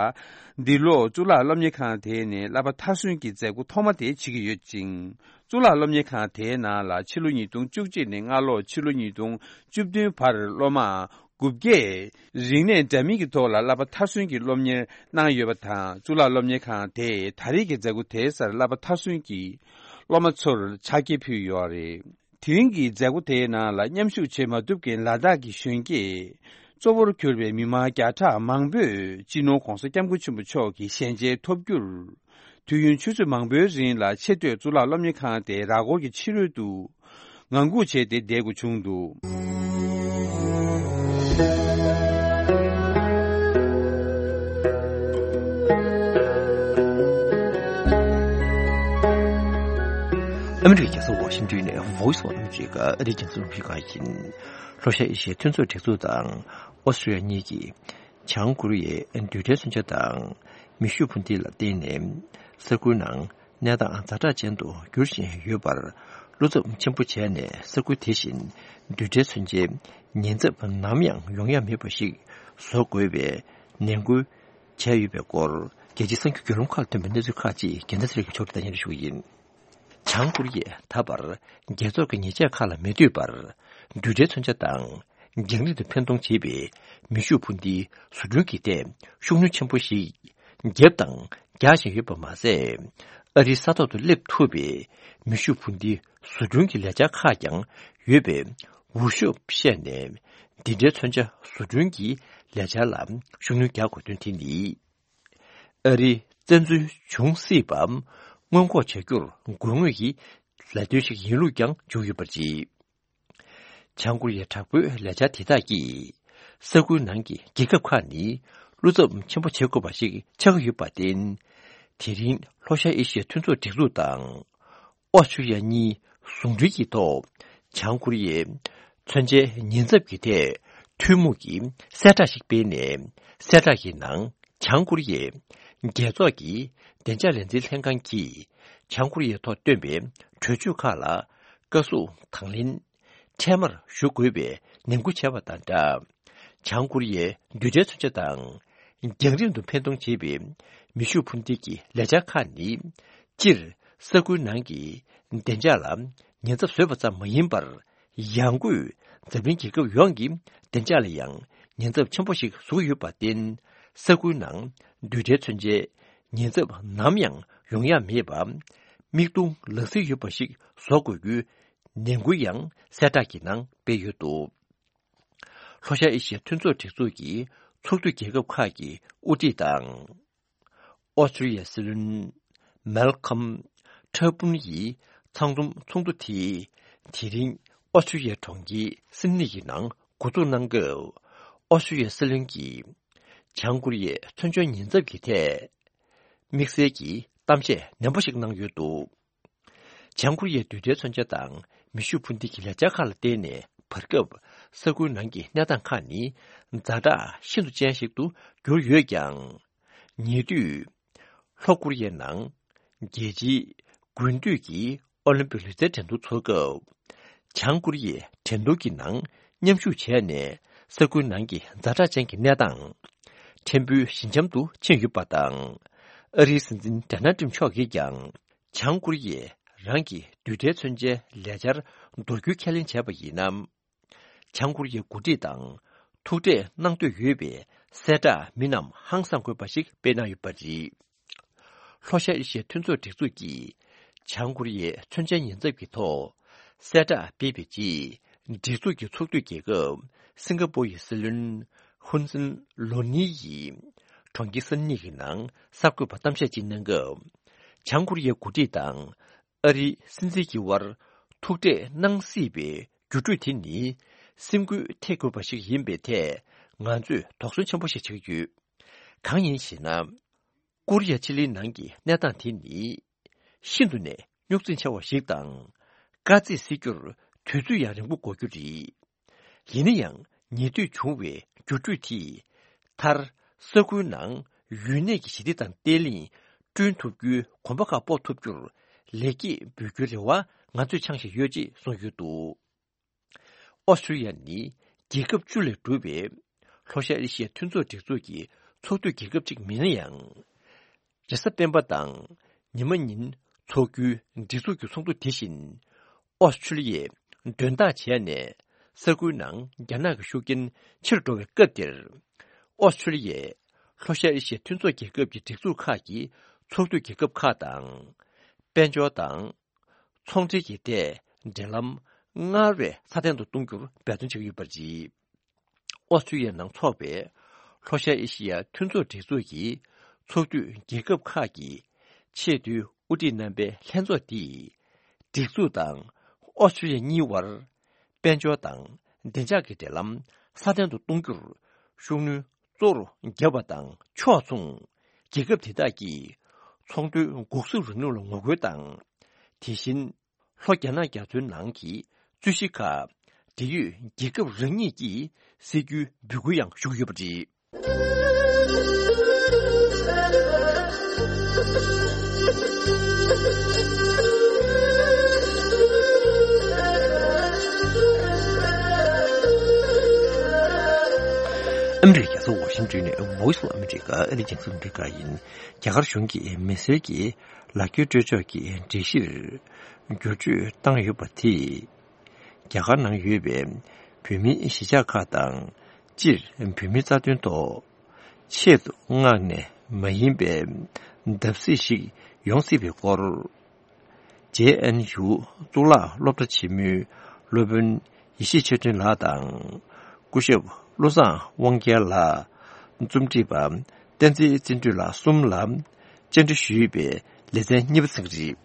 འདི་ལོ་གཙུག་ལག་སློབ་གཉེར་ཁང་དེ་ནས་བསླབ་པ་མཐར་སོན་གྱི་མཛད་སྒོ་ཐོག་མ་དེ་བྱེད་ཀྱི་ཡོད་ཅིང་། གཙུག་ལག་སློབ་གཉེར་ཁང་དེའི་ནང་ལ་ཕྱི་ལོ་ཉིས་སྟོང་བཅུ་གཅིག་ནས་སྔ་ལོ་ཕྱི་ལོ་ཉིས་སྟོང་བཅུ་བདུན་བར་སློབ་མ་དགུ་བརྒྱས་རིག་གནས་འདྲ་མིན་གྱི་ཐོག་ལ་བསླབ་པ་མཐར་སོན་གྱི་སློབ་གཉེར་གནང་ཡོད་པ་དང་། གཙུག་ལག་སློབ་གཉེར་ཁང་དེས་ད་རེས་ཀྱི་མཛད་སྒོ་དེའི་སར་བསླབ་པ་མཐར་སོན་གྱི་སློབ་མ་ཚོར་ཕྱག་འཁྱེར་ཕུལ་ཡོད་རེད། དེ་རིང་གི་མཛད་སྒོ་དེའི་ནང་ལ་མཉམ་ཞུགས་བྱེད་མ་ཐུབ་མཁན་ལ་དྭགས་ཀྱི་གཞོན་སྐྱེས་གཙོ་བོར་གྱུར་པའི་མི་མང་བརྒྱ་ཕྲག་མང་པོས་སྤྱི་ནོར་༧གོང་ས་༧སྐྱབས་མགོན་ཆེན་པོ་མཆོག་གི་ཞལ་མཇལ་ཐོབ་རྒྱུར། དུས་ཡུན་ཆུ་ཚོད་མང་པོའི་རིང་ལ་ཆེས་མཐོའི་གཙུག་ལག་སློབ་གཉེར་ཁང་དེའི་ར་སྐོར་གྱི་ཕྱི་རོལ་དུ་ངང་སྒུག་བྱས་ཏེ་བསྡད་དགོས་བྱུང་འདུག། ཨ་མི་རི་ཀའི་རྒྱལ་ས་ཝ་ཤིང་ཏོན་ནས་Voice of America ཨ་རིའི་རྒྱང་སྲིང་རླུང་འཕྲིན་ཁང་ཡིན། ལྷོ་ཤར་ཨེ་ཤི་ཡའི་མཐུན་ཚོགས་སྒྲིག་འཛུགས་དང་ཨོ་སི་ཀྲི་ཡ་གཉིས་ཀྱིས་བྱང་ཀོ་རི་ཡའི་རྡུལ་ཕྲན་མཚོན་ཆ་དང་མེ་ཤུགས་འཕུར་མདེལ་ལ་བརྟེན་ནས་ས་ཁུལ་ནང་གནས་སྟངས་ཛ་དྲག་ཅན་དུ་འགྱུར་བཞིན་ཡོད་པར། བློ་འཚབ་ཆེན་པོ་བྱས་ནས་ས་ཁུལ་དེ་བཞིན་རྡུལ་ཕྲན་མཚོན་ཆའི་ཉེན་ཚབས་ནམ་ཡང་ཡོང་ཡ་མེད་པ་ཞིག་བཟོ་དགོས་པའི་ནན་སྐུལ་བྱས་ཡོད་པའི་སྐོར། རྒྱལ་སྤྱིའི་གསར་འགྱུར་བརྒྱུད་ལམ་ཁག་ལ་ཐོན་པའི་གནས་ཚུལ་ཁག་ཅིག་རྒྱལ་མཚན་ཚེ་རིང་གིས་ཕྱོགས་སྒྲིག་དང་སྙན་སྒྲོན་ཞུ་གི་ཡིན། བྱང་ཀོ་རི་ཡས་ད་བར་རྒྱལ་ཚོགས་ཀྱི་ཉེས་ཆད་ཁག་ལ་མི་ལྟོས་པར། རྡུལ་ཕྲན་མཚོན་ཆ་དང་རྒྱང་རིང་དུ་འཕེན་གཏོང་བྱེད་པའི་མེ་ཤུགས་འཕུར་མདེལ་བཟོ་སྐྲུན་གྱི་ཐད་ཤུགས་སྣོན་ཆེན་པོ་ཞིག་བརྒྱབ་དང་རྒྱག་བཞིན་ཡོད་པ་མ་ཟད། ཨ་རིའི་ས་ཐོག་ཏུ་སླེབས་ཐུབ་པའི་མེ་ཤུགས་འཕུར་མདེལ་བཟོ་སྐྲུན་གྱི་ལས་འཆར་ཁག་ཀྱང་ཡོད་པའི་འུར་ཤོབ་བཤད་ནས། འདི་འདྲའི་མཚོན་ཆ་བཟོ་སྐྲུན་གྱི་ལས་འཆར་ལ་ཤུགས་སྣོན་རྒྱག་དགོས་དོན་དེ་ནི། ཨ་རིའི་བཙན་འཛུལ་འབྱུང་སྲིད་པ་སྔོན་འགོག་བྱ་རྒྱུར་དགོས་ངེས་ཀྱི་ལས་དོན་ཞིག་ཡིན་ལུགས་ཀྱང་བརྗོད་ཡོད་པར་བརྗོད། བྱང་ཀོ་རི་ཡའི་དྲག་པོའི་ལས་འཆར་དེ་དག་གིས་ས་ཁུལ་ནང་གི་རྒྱལ་ཁབ་ཁག་ནི་བློ་འཚབ་ཆེན་པོ་བྱེད་དགོས་པ་ཞིག་ཆགས་ཀྱི་ཡོད་པར་བརྟེན། དེ་རིང་ལྷོ་ཤར་ཨེ་ཤི་ཡའི་མཐུན་ཚོགས་སྒྲིག་འཛུགས་དང་། ཨོ་སི་ཀྲི་ཡ་གཉིས་ཟུང་འབྲེལ་གྱི་ཐོག་བྱང་ཀོ་རི་ཡའི་མཚོན་ཆའི་ཉེན་ཚབས་ཀྱི་ཐད་ཐུན་མོང་གི་གསལ་བསྒྲགས་ཤིག་སྤེལ་ནས། གསལ་བསྒྲགས་ཀྱི་ནང་བྱང་ཀོ་རི་ཡས་རྒྱལ་ཚོགས་ཀྱི་བདེ་འཇགས་ལས་འཛིན་ལྷན་ཁང་གིས་བྱང་ཀོ་རི་ཡའི་ཐོག་བཏོན་པའི་གྲོས་ཆོད་ཁག་ལ་བཀའ་ཟུར་དང་ལེན་འཕྲལ་མར་ཞུ་དགོས་པའི་ནན་སྐུལ་བྱས་པ་དང་སྦྲགས། བྱང་ཀོ་རི་ཡའི་རྡུལ་ཕྲན་མཚོན་ཆ་དང་། རྒྱང་རིང་དུ་འཕེན་གཏོང་བྱེད་པའི་མེ་ཤུགས་འཕུར་མདེལ་གྱི་ལས་འཆར་ཁག་ནི། སྤྱིར་ས་ཁུལ་ནང་གི་བདེ་འཇགས་ལ་ཉེན་ཚབས་བཟོས་པ་ཙམ་མ་ཡིན་པར། ཡང་སྒོས་འཛམ་གླིང་རྒྱལ་ཁབ་ཡོངས་ཀྱི་བདེ་འཇགས་ལ་ཡང་ཉེན་ཚབས་ཆེན་པོ་ཞིག་བཟོ་གི་ཡོད་པར་བརྟེན། ས་ཁུལ་ནང་རྡུལ་ཕྲན་མཚོན་ཆའི་ཉེན་ཚབས་ནམ་ཡང་ཡོང་ཡ་མེད་པ། མིག་མཐོང་ལག་ཟིན་ཡོད་པ་ཞིག་བཟོ་དགོས་རྒྱུའི་ནན་སྐུལ་ཡང་གསལ་བསྒྲགས་ཀྱི་ནང་སྤེལ་ཡོད་འདུག་ལྷོ་ཤར་ཨེ་ཤི་ཡའི་མཐུན་ཚོགས་སྒྲིག་འཛུགས་ཀྱི་ཚོགས་འཐུས་རྒྱལ་ཁབ་ཁག་གི་དབུ་ཁྲིད་དང་། ཨོ་སི་ཀྲི་ཡའི་སྲིད་བློན་མལ་ཁམ་ཁྲ་པུན་ཡིས་ཚང་འཛོམས་ཚོགས་འདུ་དེ་དེ་རིང་ཨོ་སི་ཀྲི་ཡའི་གྲོང་ཁྱེར་སིད་ནི་ཡི་ནང་འགོ་འཛུགས་གནང་སྐབས། ཨོ་སི་ཀྲི་ཡའི་སྲིད་བློན་གྱིས་བྱང་ཀོ་རི་ཡའི་མཚོན་ཆའི་ཉེན་ཚབས་ཀྱི་ཐད་དམིགས་བསལ་གྱི་གཏམ་བཤད་ནན་པོ་ཞིག་གནང་ཡོད་འདུག་བྱང་ཀོ་རི་ཡའི་རྡུལ་ཕྲན་མཚོན་ཆ་དང་མེ་ཤུགས་འཕུར་མདེལ་གྱི་ལས་འཆར་ཁག་ལ་བརྟེན་ནས། བར་སྐབས་ས་ཁུལ་ནང་གི་གནས་སྟངས་ཁག་ནི་ཛ་དྲག་ཤིན་ཏུ་ཅན་ཞིག་ཏུ་གྱུར་ཡོད་ཀྱང་། ཉེ་དུས་ལྷོ་ཀོ་རི་ཡའི་ནང་རྒྱལ་སྤྱིའི་དགུན་དུས་ཀྱི་ཨོ་ལིམ་པིག་ལུས་རྩལ་འགྲན་བསྡུར་འཚོགས་སྐབས། བྱང་ཀོ་རི་ཡས་འགྲན་བསྡུར་གྱི་ནང་མཉམ་ཞུགས་བྱས་ནས། ས་ཁུལ་ནང་གི་ཛ་དྲག་ཅན་གྱི་གནས་སྟངས་ཕྲན་བུ་ཞི་འཇམ་དུ་ཕྱིན་ཡོད་པ་དང་། ཨ་རིའི་སྲིད་འཛིན་ཌོ་ནལ་ཊམ་མཆོག་གིས་ཀྱང་། བྱང་ཀོ་རི་ཡས་རང་གི་རྡུལ་ཕྲན་མཚོན་ཆའི་ལས་འཆར་མདོར་བསྡུས་ཁས་ལེན་བྱས་པ་ཡིན་ན། བྱང་ཀོ་རི་ཡའི་འགོ་ཁྲིད་དང་ཐུག་འཕྲད་གནང་འདོད་ཡོད་པའི་གསལ་བསྒྲགས་མི་རྣམས་ཧང་སང་དགོས་པ་ཞིག་སྤེལ་གནང་ཡོད་པ་རེད། ལྷོ་ཤར་ཨེ་ཤི་ཡའི་མཐུན་ཚོགས་སྒྲིག་འཛུགས་ཀྱིས་བྱང་ཀོ་རི་ཡའི་མཚོན་ཆའི་ཉེན་ཚབས་ཀྱི་ཐོག་གསལ་བསྒྲགས་སྤེལ་བའི་རྗེས། སྒྲིག་འཛུགས་ཀྱི་ཚོགས་འཐུས་རྒྱལ་ཁབ་སིང་ག་པོ་ཡི་སྲིད་བློན་ཧུན་སིན་ལོ་ནི་ཡིས་གྲོང་ཁྱེར་སིད་ནི་ཡི་ནང་གསར་འགོད་པར་གཏམ་བཤད་ཅིག་གནང་སྐབས། བྱང་ཀོ་རི་ཡའི་འགོ་ཁྲིད་དང་ཨ་རིའི་སྲིད་འཛིན་གྱི་དབར་ཐུག་འཕྲད་གནང་སྲིད་པའི་འགྱུར་འགྲོས་དེ་ནི་སེམས་འགུལ་ཐེབས་དགོས་པ་ཞིག་ཡིན་པའི་ཐད་ང་ཚོས་དོགས་ཟོན་ཆེན་པོ་ཞིག་བྱེད་ཀྱི་ཡོད། གང་ཡིན་ཞེ་ན། ཀོ་རི་ཡ་ཕྱེད་གླིང་ནང་གི་གནས་སྟངས་དེ་ནི་ཤིན་ཏུ་ནས་རྙོག་འཛིང་ཆེ་བ་ཞིག་དང་། དཀའ་ཚེགས་སེལ་རྒྱུར་དུས་ཚོད་ཡང་རིང་པོ་འགོར་རྒྱུ་རེད། ཡིན་ན་ཡང་ཉེ་དུས་བྱུང་བའི་འགྱུར་འགྲོས་དེས་མཐར་ས་ཁུལ་ནང་ཡུན་གནས་ཀྱི་ཞི་བདེ་དང་བརྟན་ལྷིང་བསྐྲུན་ཐུབ་རྒྱུའི་གོམ་པ་ཁག་སྤོ་ཐུབ་རྒྱུར་ལེགས་སྐྱེས་འབུལ་རྒྱུའི་རེ་བ་ང་ཚོས་འཆང་བཞིན་ཡོད་ཅེས་གསུངས་ཡོད་འདུག་ཨོ་སི་ཀྲི་ཡ་ནི་རྒྱལ་ཁབ་བཅུ་ལས་གྲུབ་པའི་ལྷོ་ཤར་ཨེ་ཤི་ཡའི་མཐུན་ཚོགས་སྒྲིག་འཛུགས་ཀྱི་ཚོགས་འཐུས་རྒྱལ་ཁབ་ཅིག་མིན་ན་ཡང་། རེས་གཟའ་སྤེན་པ་དང་ཉི་མ་ཉིན་འཚོགས་རྒྱུའི་སྒྲིག་འཛུགས་ཀྱི་ཚོགས་འདུ་དེ་བཞིན་ཨོ་སི་ཀྲི་ལི་ཡས་མགྲོན་བདག་བྱས་ནས། ས་ཁུལ་ནང་རྒྱ་ནག་གི་ཤུགས་རྐྱེན་ཆེ་རུ་འགྲོ་བའི་སྐབས་འདིར། ཨོ་སི་ཀྲི་ལི་ཡས་ལྷོ་ཤར་ཨེ་ཤི་ཡའི་མཐུན་ཚོགས་རྒྱལ་ཁབ་ཀྱི་སྒྲིག་འཛུགས་ཁག་གི་ཚོགས་འཐུས་རྒྱལ་ཁབ་ཁག་དང་། དཔལ་འབྱོར་དང་། ཚོང་འབྲེལ་གྱི་ཐད་འབྲེལ་ལམ་སྔར་བས་སྲ་བརྟན་དུ་གཏོང་རྒྱུར་འབད་བརྩོན་བྱེད་ཀྱི་ཡོད་པ་རེད། ཨོ་སི་ཀྲི་ཡའི་ནང་འཚོགས་པའི་ལྷོ་ཤར་ཨེ་ཤི་ཡ་མཐུན་ཚོགས་སྒྲིག་འཛུགས་ཀྱི་ཚོགས་འཐུས་རྒྱལ་ཁབ་ཁག་གི་ཆེས་མཐོའི་དབུ་ཁྲིད་རྣམ་པའི་ལྷན་ཚོགས་འདིས། སྒྲིག་འཛུགས་དང་ཨོ་སི་ཀྲི་ཡ་གཉིས་དབར་དཔལ་འབྱོར་དང་བདེ་འཇགས་ཀྱི་འབྲེལ་ལམ་སྲ་བརྟན་དུ་གཏོང་རྒྱུར་ཤུགས་སྣོན་གཙོ་བོར་བརྒྱབ་པ་དང་ཕྱོགས་མཚུངས། རྒྱལ་ཁབ་དེ་དག་གིས་ཚོང་དོན་འགོག་སྲུང་རིང་ལུགས་ལ་ངོ་རྒོལ་དང་། དེ་བཞིན་ལྷོ་རྒྱ་ནག་རྒྱ་མཚོའི་ནང་གི་རྩོད་གཞི་ཁག་འབྲེལ་ཡོད་རྒྱལ་ཁབ་རང་ཉིད་ཀྱིས་སེལ་རྒྱུའི་འབོད་སྐུལ་ཡང་ཞུ་གི་ཡོད་པ་རེད། ཨ་མི་རི་ཀའི་རྒྱལ་ས་ཝ་ཤིང་ཏོན་ནས་Voice of America ཨ་རིའི་རྒྱང་སྲིང་རླུང་འཕྲིན་ཁང་ཡིན། རྒྱ་གར་གཞུང་གིས་མི་སེར་གྱི་ལག་འཁྱེར་སྤྲོད་ཕྱོགས་ཀྱི་སྒྲིག་གཞིར་བསྒྱུར་བཅོས་བཏང་ཡོད་པ་དེས། རྒྱ་གར་ནང་ཡོད་པའི་བོད་མིའི་གཞིས་ཆགས་ཁག་དང་། སྤྱིར་བོད་མིའི་རྩ་དོན་ཐོག་ཆེད་དུ་མངགས་ནས་མ་ཡིན་པའི་བརྡབ་གསིག་ཞིག་ཡོང་སྲིད་པའི་སྐོར། ཇེ་ཨེན་ཡུ་གཙུག་ལག་སློབ་གྲྭ་ཆེན་མོའི་སློབ་དཔོན་ཡེ་ཤེས་ཆོས་སྒྲོན་ལགས་དང་། སྐུ་ཞབས་བློ་བཟང་དབང་རྒྱལ་ལགས། རྩོམ་སྒྲིག་པ་བསྟན་འཛིན་བརྩོན་འགྲུས་ལགས་གསུམ་ལ་བཅར་འདྲི་ཞུས་པའི་ལེ་ཚན་གཉིས་པ་ཚིག་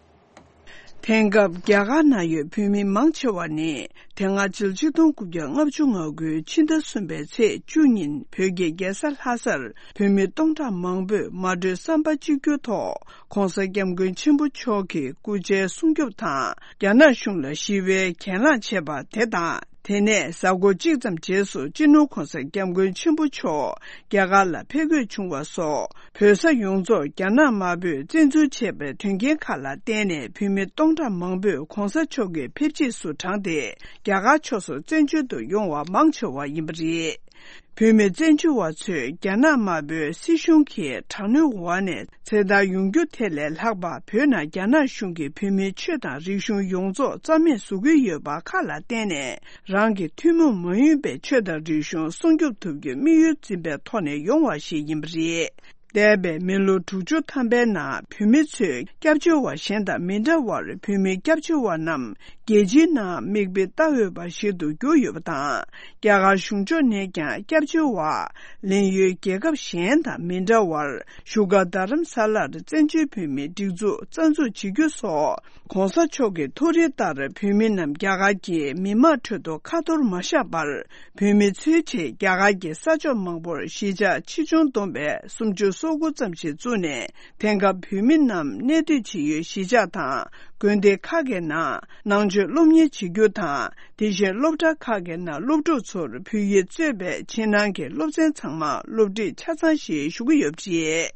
རེད། དེང་སྐབས་རྒྱ་གར་ནང་ཡོད་བོད་མི་མང་ཆེ་བ་ནི་དེ་སྔ་ཕྱི་ལོ་ཆིག་སྟོང་དགུ་བརྒྱ་ལྔ་བཅུ་ང་དགུ་ཕྱི་ཟླ་གསུམ་པའི་ཚེས་བཅུ་ཉིན་བོད་ཀྱི་རྒྱལ་ས་ལྷ་སར་བོད་མི་སྟོང་ཕྲག་མང་པོས་མ་གྲོས་བསམ་པ་གཅིག་གྱུར་ཐོག་༧གོང་ས་༧སྐྱབས་མགོན་ཆེན་པོ་མཆོག་གི་སྐུ་ཕྱྭའི་སྲུང་སྐྱོབ་དང་། རྒྱ་ནག་གཞུང་ལ་ཞི་བའི་གྱེན་ལངས་བྱས་པ་དེ་དང་། དེ་ནས་གཟའ་འཁོར་གཅིག་ཙམ་རྗེས་སུ་སྤྱི་ནོར་༧གོང་ས་༧སྐྱབས་མགོན་ཆེན་པོ་མཆོག་རྒྱ་གར་ལ་ཕེབས་འཁོད་བྱུང་བ་སོགས་བོད་ས་ཡོངས་རྫོགས་རྒྱ་ནག་དམར་པོས་བཙན་འཛུལ་བྱས་པའི་དོན་རྐྱེན་ཁག་ལ་བརྟེན་ནས་བོད་མི་སྟོང་ཕྲག་མང་པོས་༧གོང་ས་མཆོག་གི་ཕེབས་རྗེས་སུ་དྲངས་ཏེ་རྒྱ་གར་ཕྱོགས་སུ་བཙན་བྱོལ་དུ་ཡོང་བ་མང་ཆེ་བ་ཡིན་པ་རེད། བོད་མི་བཙན་བྱོལ་བ་ཚོས་རྒྱ་ནག་དམར་པོའི་སྲིད་གཞུང་གི་དྲག་གནོན་འོག་ནས་ཚེ་ཐར་ཡོང་རྒྱུ་དེ་ལས་ལྷག་པ་བོད་ནང་རྒྱ་ནག་གཞུང་གིས་བོད་མིའི་ཆོས་དང་རིག་གཞུང་ཡོངས་རྫོགས་རྩ་མེད་བཟོ་གི་ཡོད་པ་ཁག་ལ་བརྟེན་ནས་རང་གི་ཐུན་མོང་མ་ཡིན་པའི་ཆོས་དང་རིག་གཞུང་སྲུང་སྐྱོབ་ཐུབ་རྒྱུའི་དམིགས་ཡུལ་འཛིན་པའི་ཐོག་ནས་ཡོང་བ་ཞིག་ཡིན་པ་རེད། འདས་པའི་མི་ལོ་དྲུག་ཅུ་ཐམ་པའི་ནང་བོད་མི་ཚོས་སྐྱབས་བཅོལ་བ་གཞན་དང་མི་འདྲ་བར་བོད་མི་སྐྱབས་བཅོལ་བ་རྣམས་རྒྱལ་སྤྱིའི་ནང་མིག་དཔེ་ལྟ་འོས་པ་ཞིག་ཏུ་གྱུར་ཡོད་པ་དང་། རྒྱ་གར་གཞུང་ཕྱོགས་ནས་ཀྱང་སྐྱབས་བཅོལ་བ་ལེན་ཡུལ་རྒྱལ་ཁབ་གཞན་དང་མི་འདྲ་བར་བཞུགས་སྒར་རྡ་རམ་ས་ལར་བཙན་བྱོལ་བོད་མིའི་སྒྲིག་འཛུགས་རྩ་འཛུགས་བྱེད་རྒྱུ་སོགས་༧གོང་ས་མཆོག་གི་ཐུགས་རེ་ལྟར་བོད་མི་རྣམས་རྒྱ་གར་གྱི་མི་དམངས་ཁྲོད་དུ་ཁ་འཐོར་མ་བཞག་པར། བོད་མི་ཚོའི་ཆེད་རྒྱ་གར་གྱི་ས་ཕྱོགས་མང་པོར་གཞིས་ཆགས་ཆེ་ཆུང་བསྡོམས་པས་སུམ་ཅུ་སོ་དགུ་ཙམ་ཞིག་བཙུགས་ནས། དེང་སྐབས་བོད་མི་རྣམས་གནས་སྡོད་བྱེད་ཡུལ་གཞིས་ཆགས་དང་དགོན་སྡེ་ཁག་གི་ནང་ནང་ཆོས་སློབ་གཉེར་བྱེད་རྒྱུ་དང་། དེ་བཞིན་སློབ་གྲྭ་ཁག་གི་ནང་སློབ་ཕྲུག་ཚོར་བོད་ཡིག་གཙོས་པའི་ཕྱི་ནང་གི་སློབ་ཚན་ཚང་མ་སློབ་ཁྲིད་ཆ་ཚང་ཞིག་ཞུ་གི་ཡོད་པ་རེད།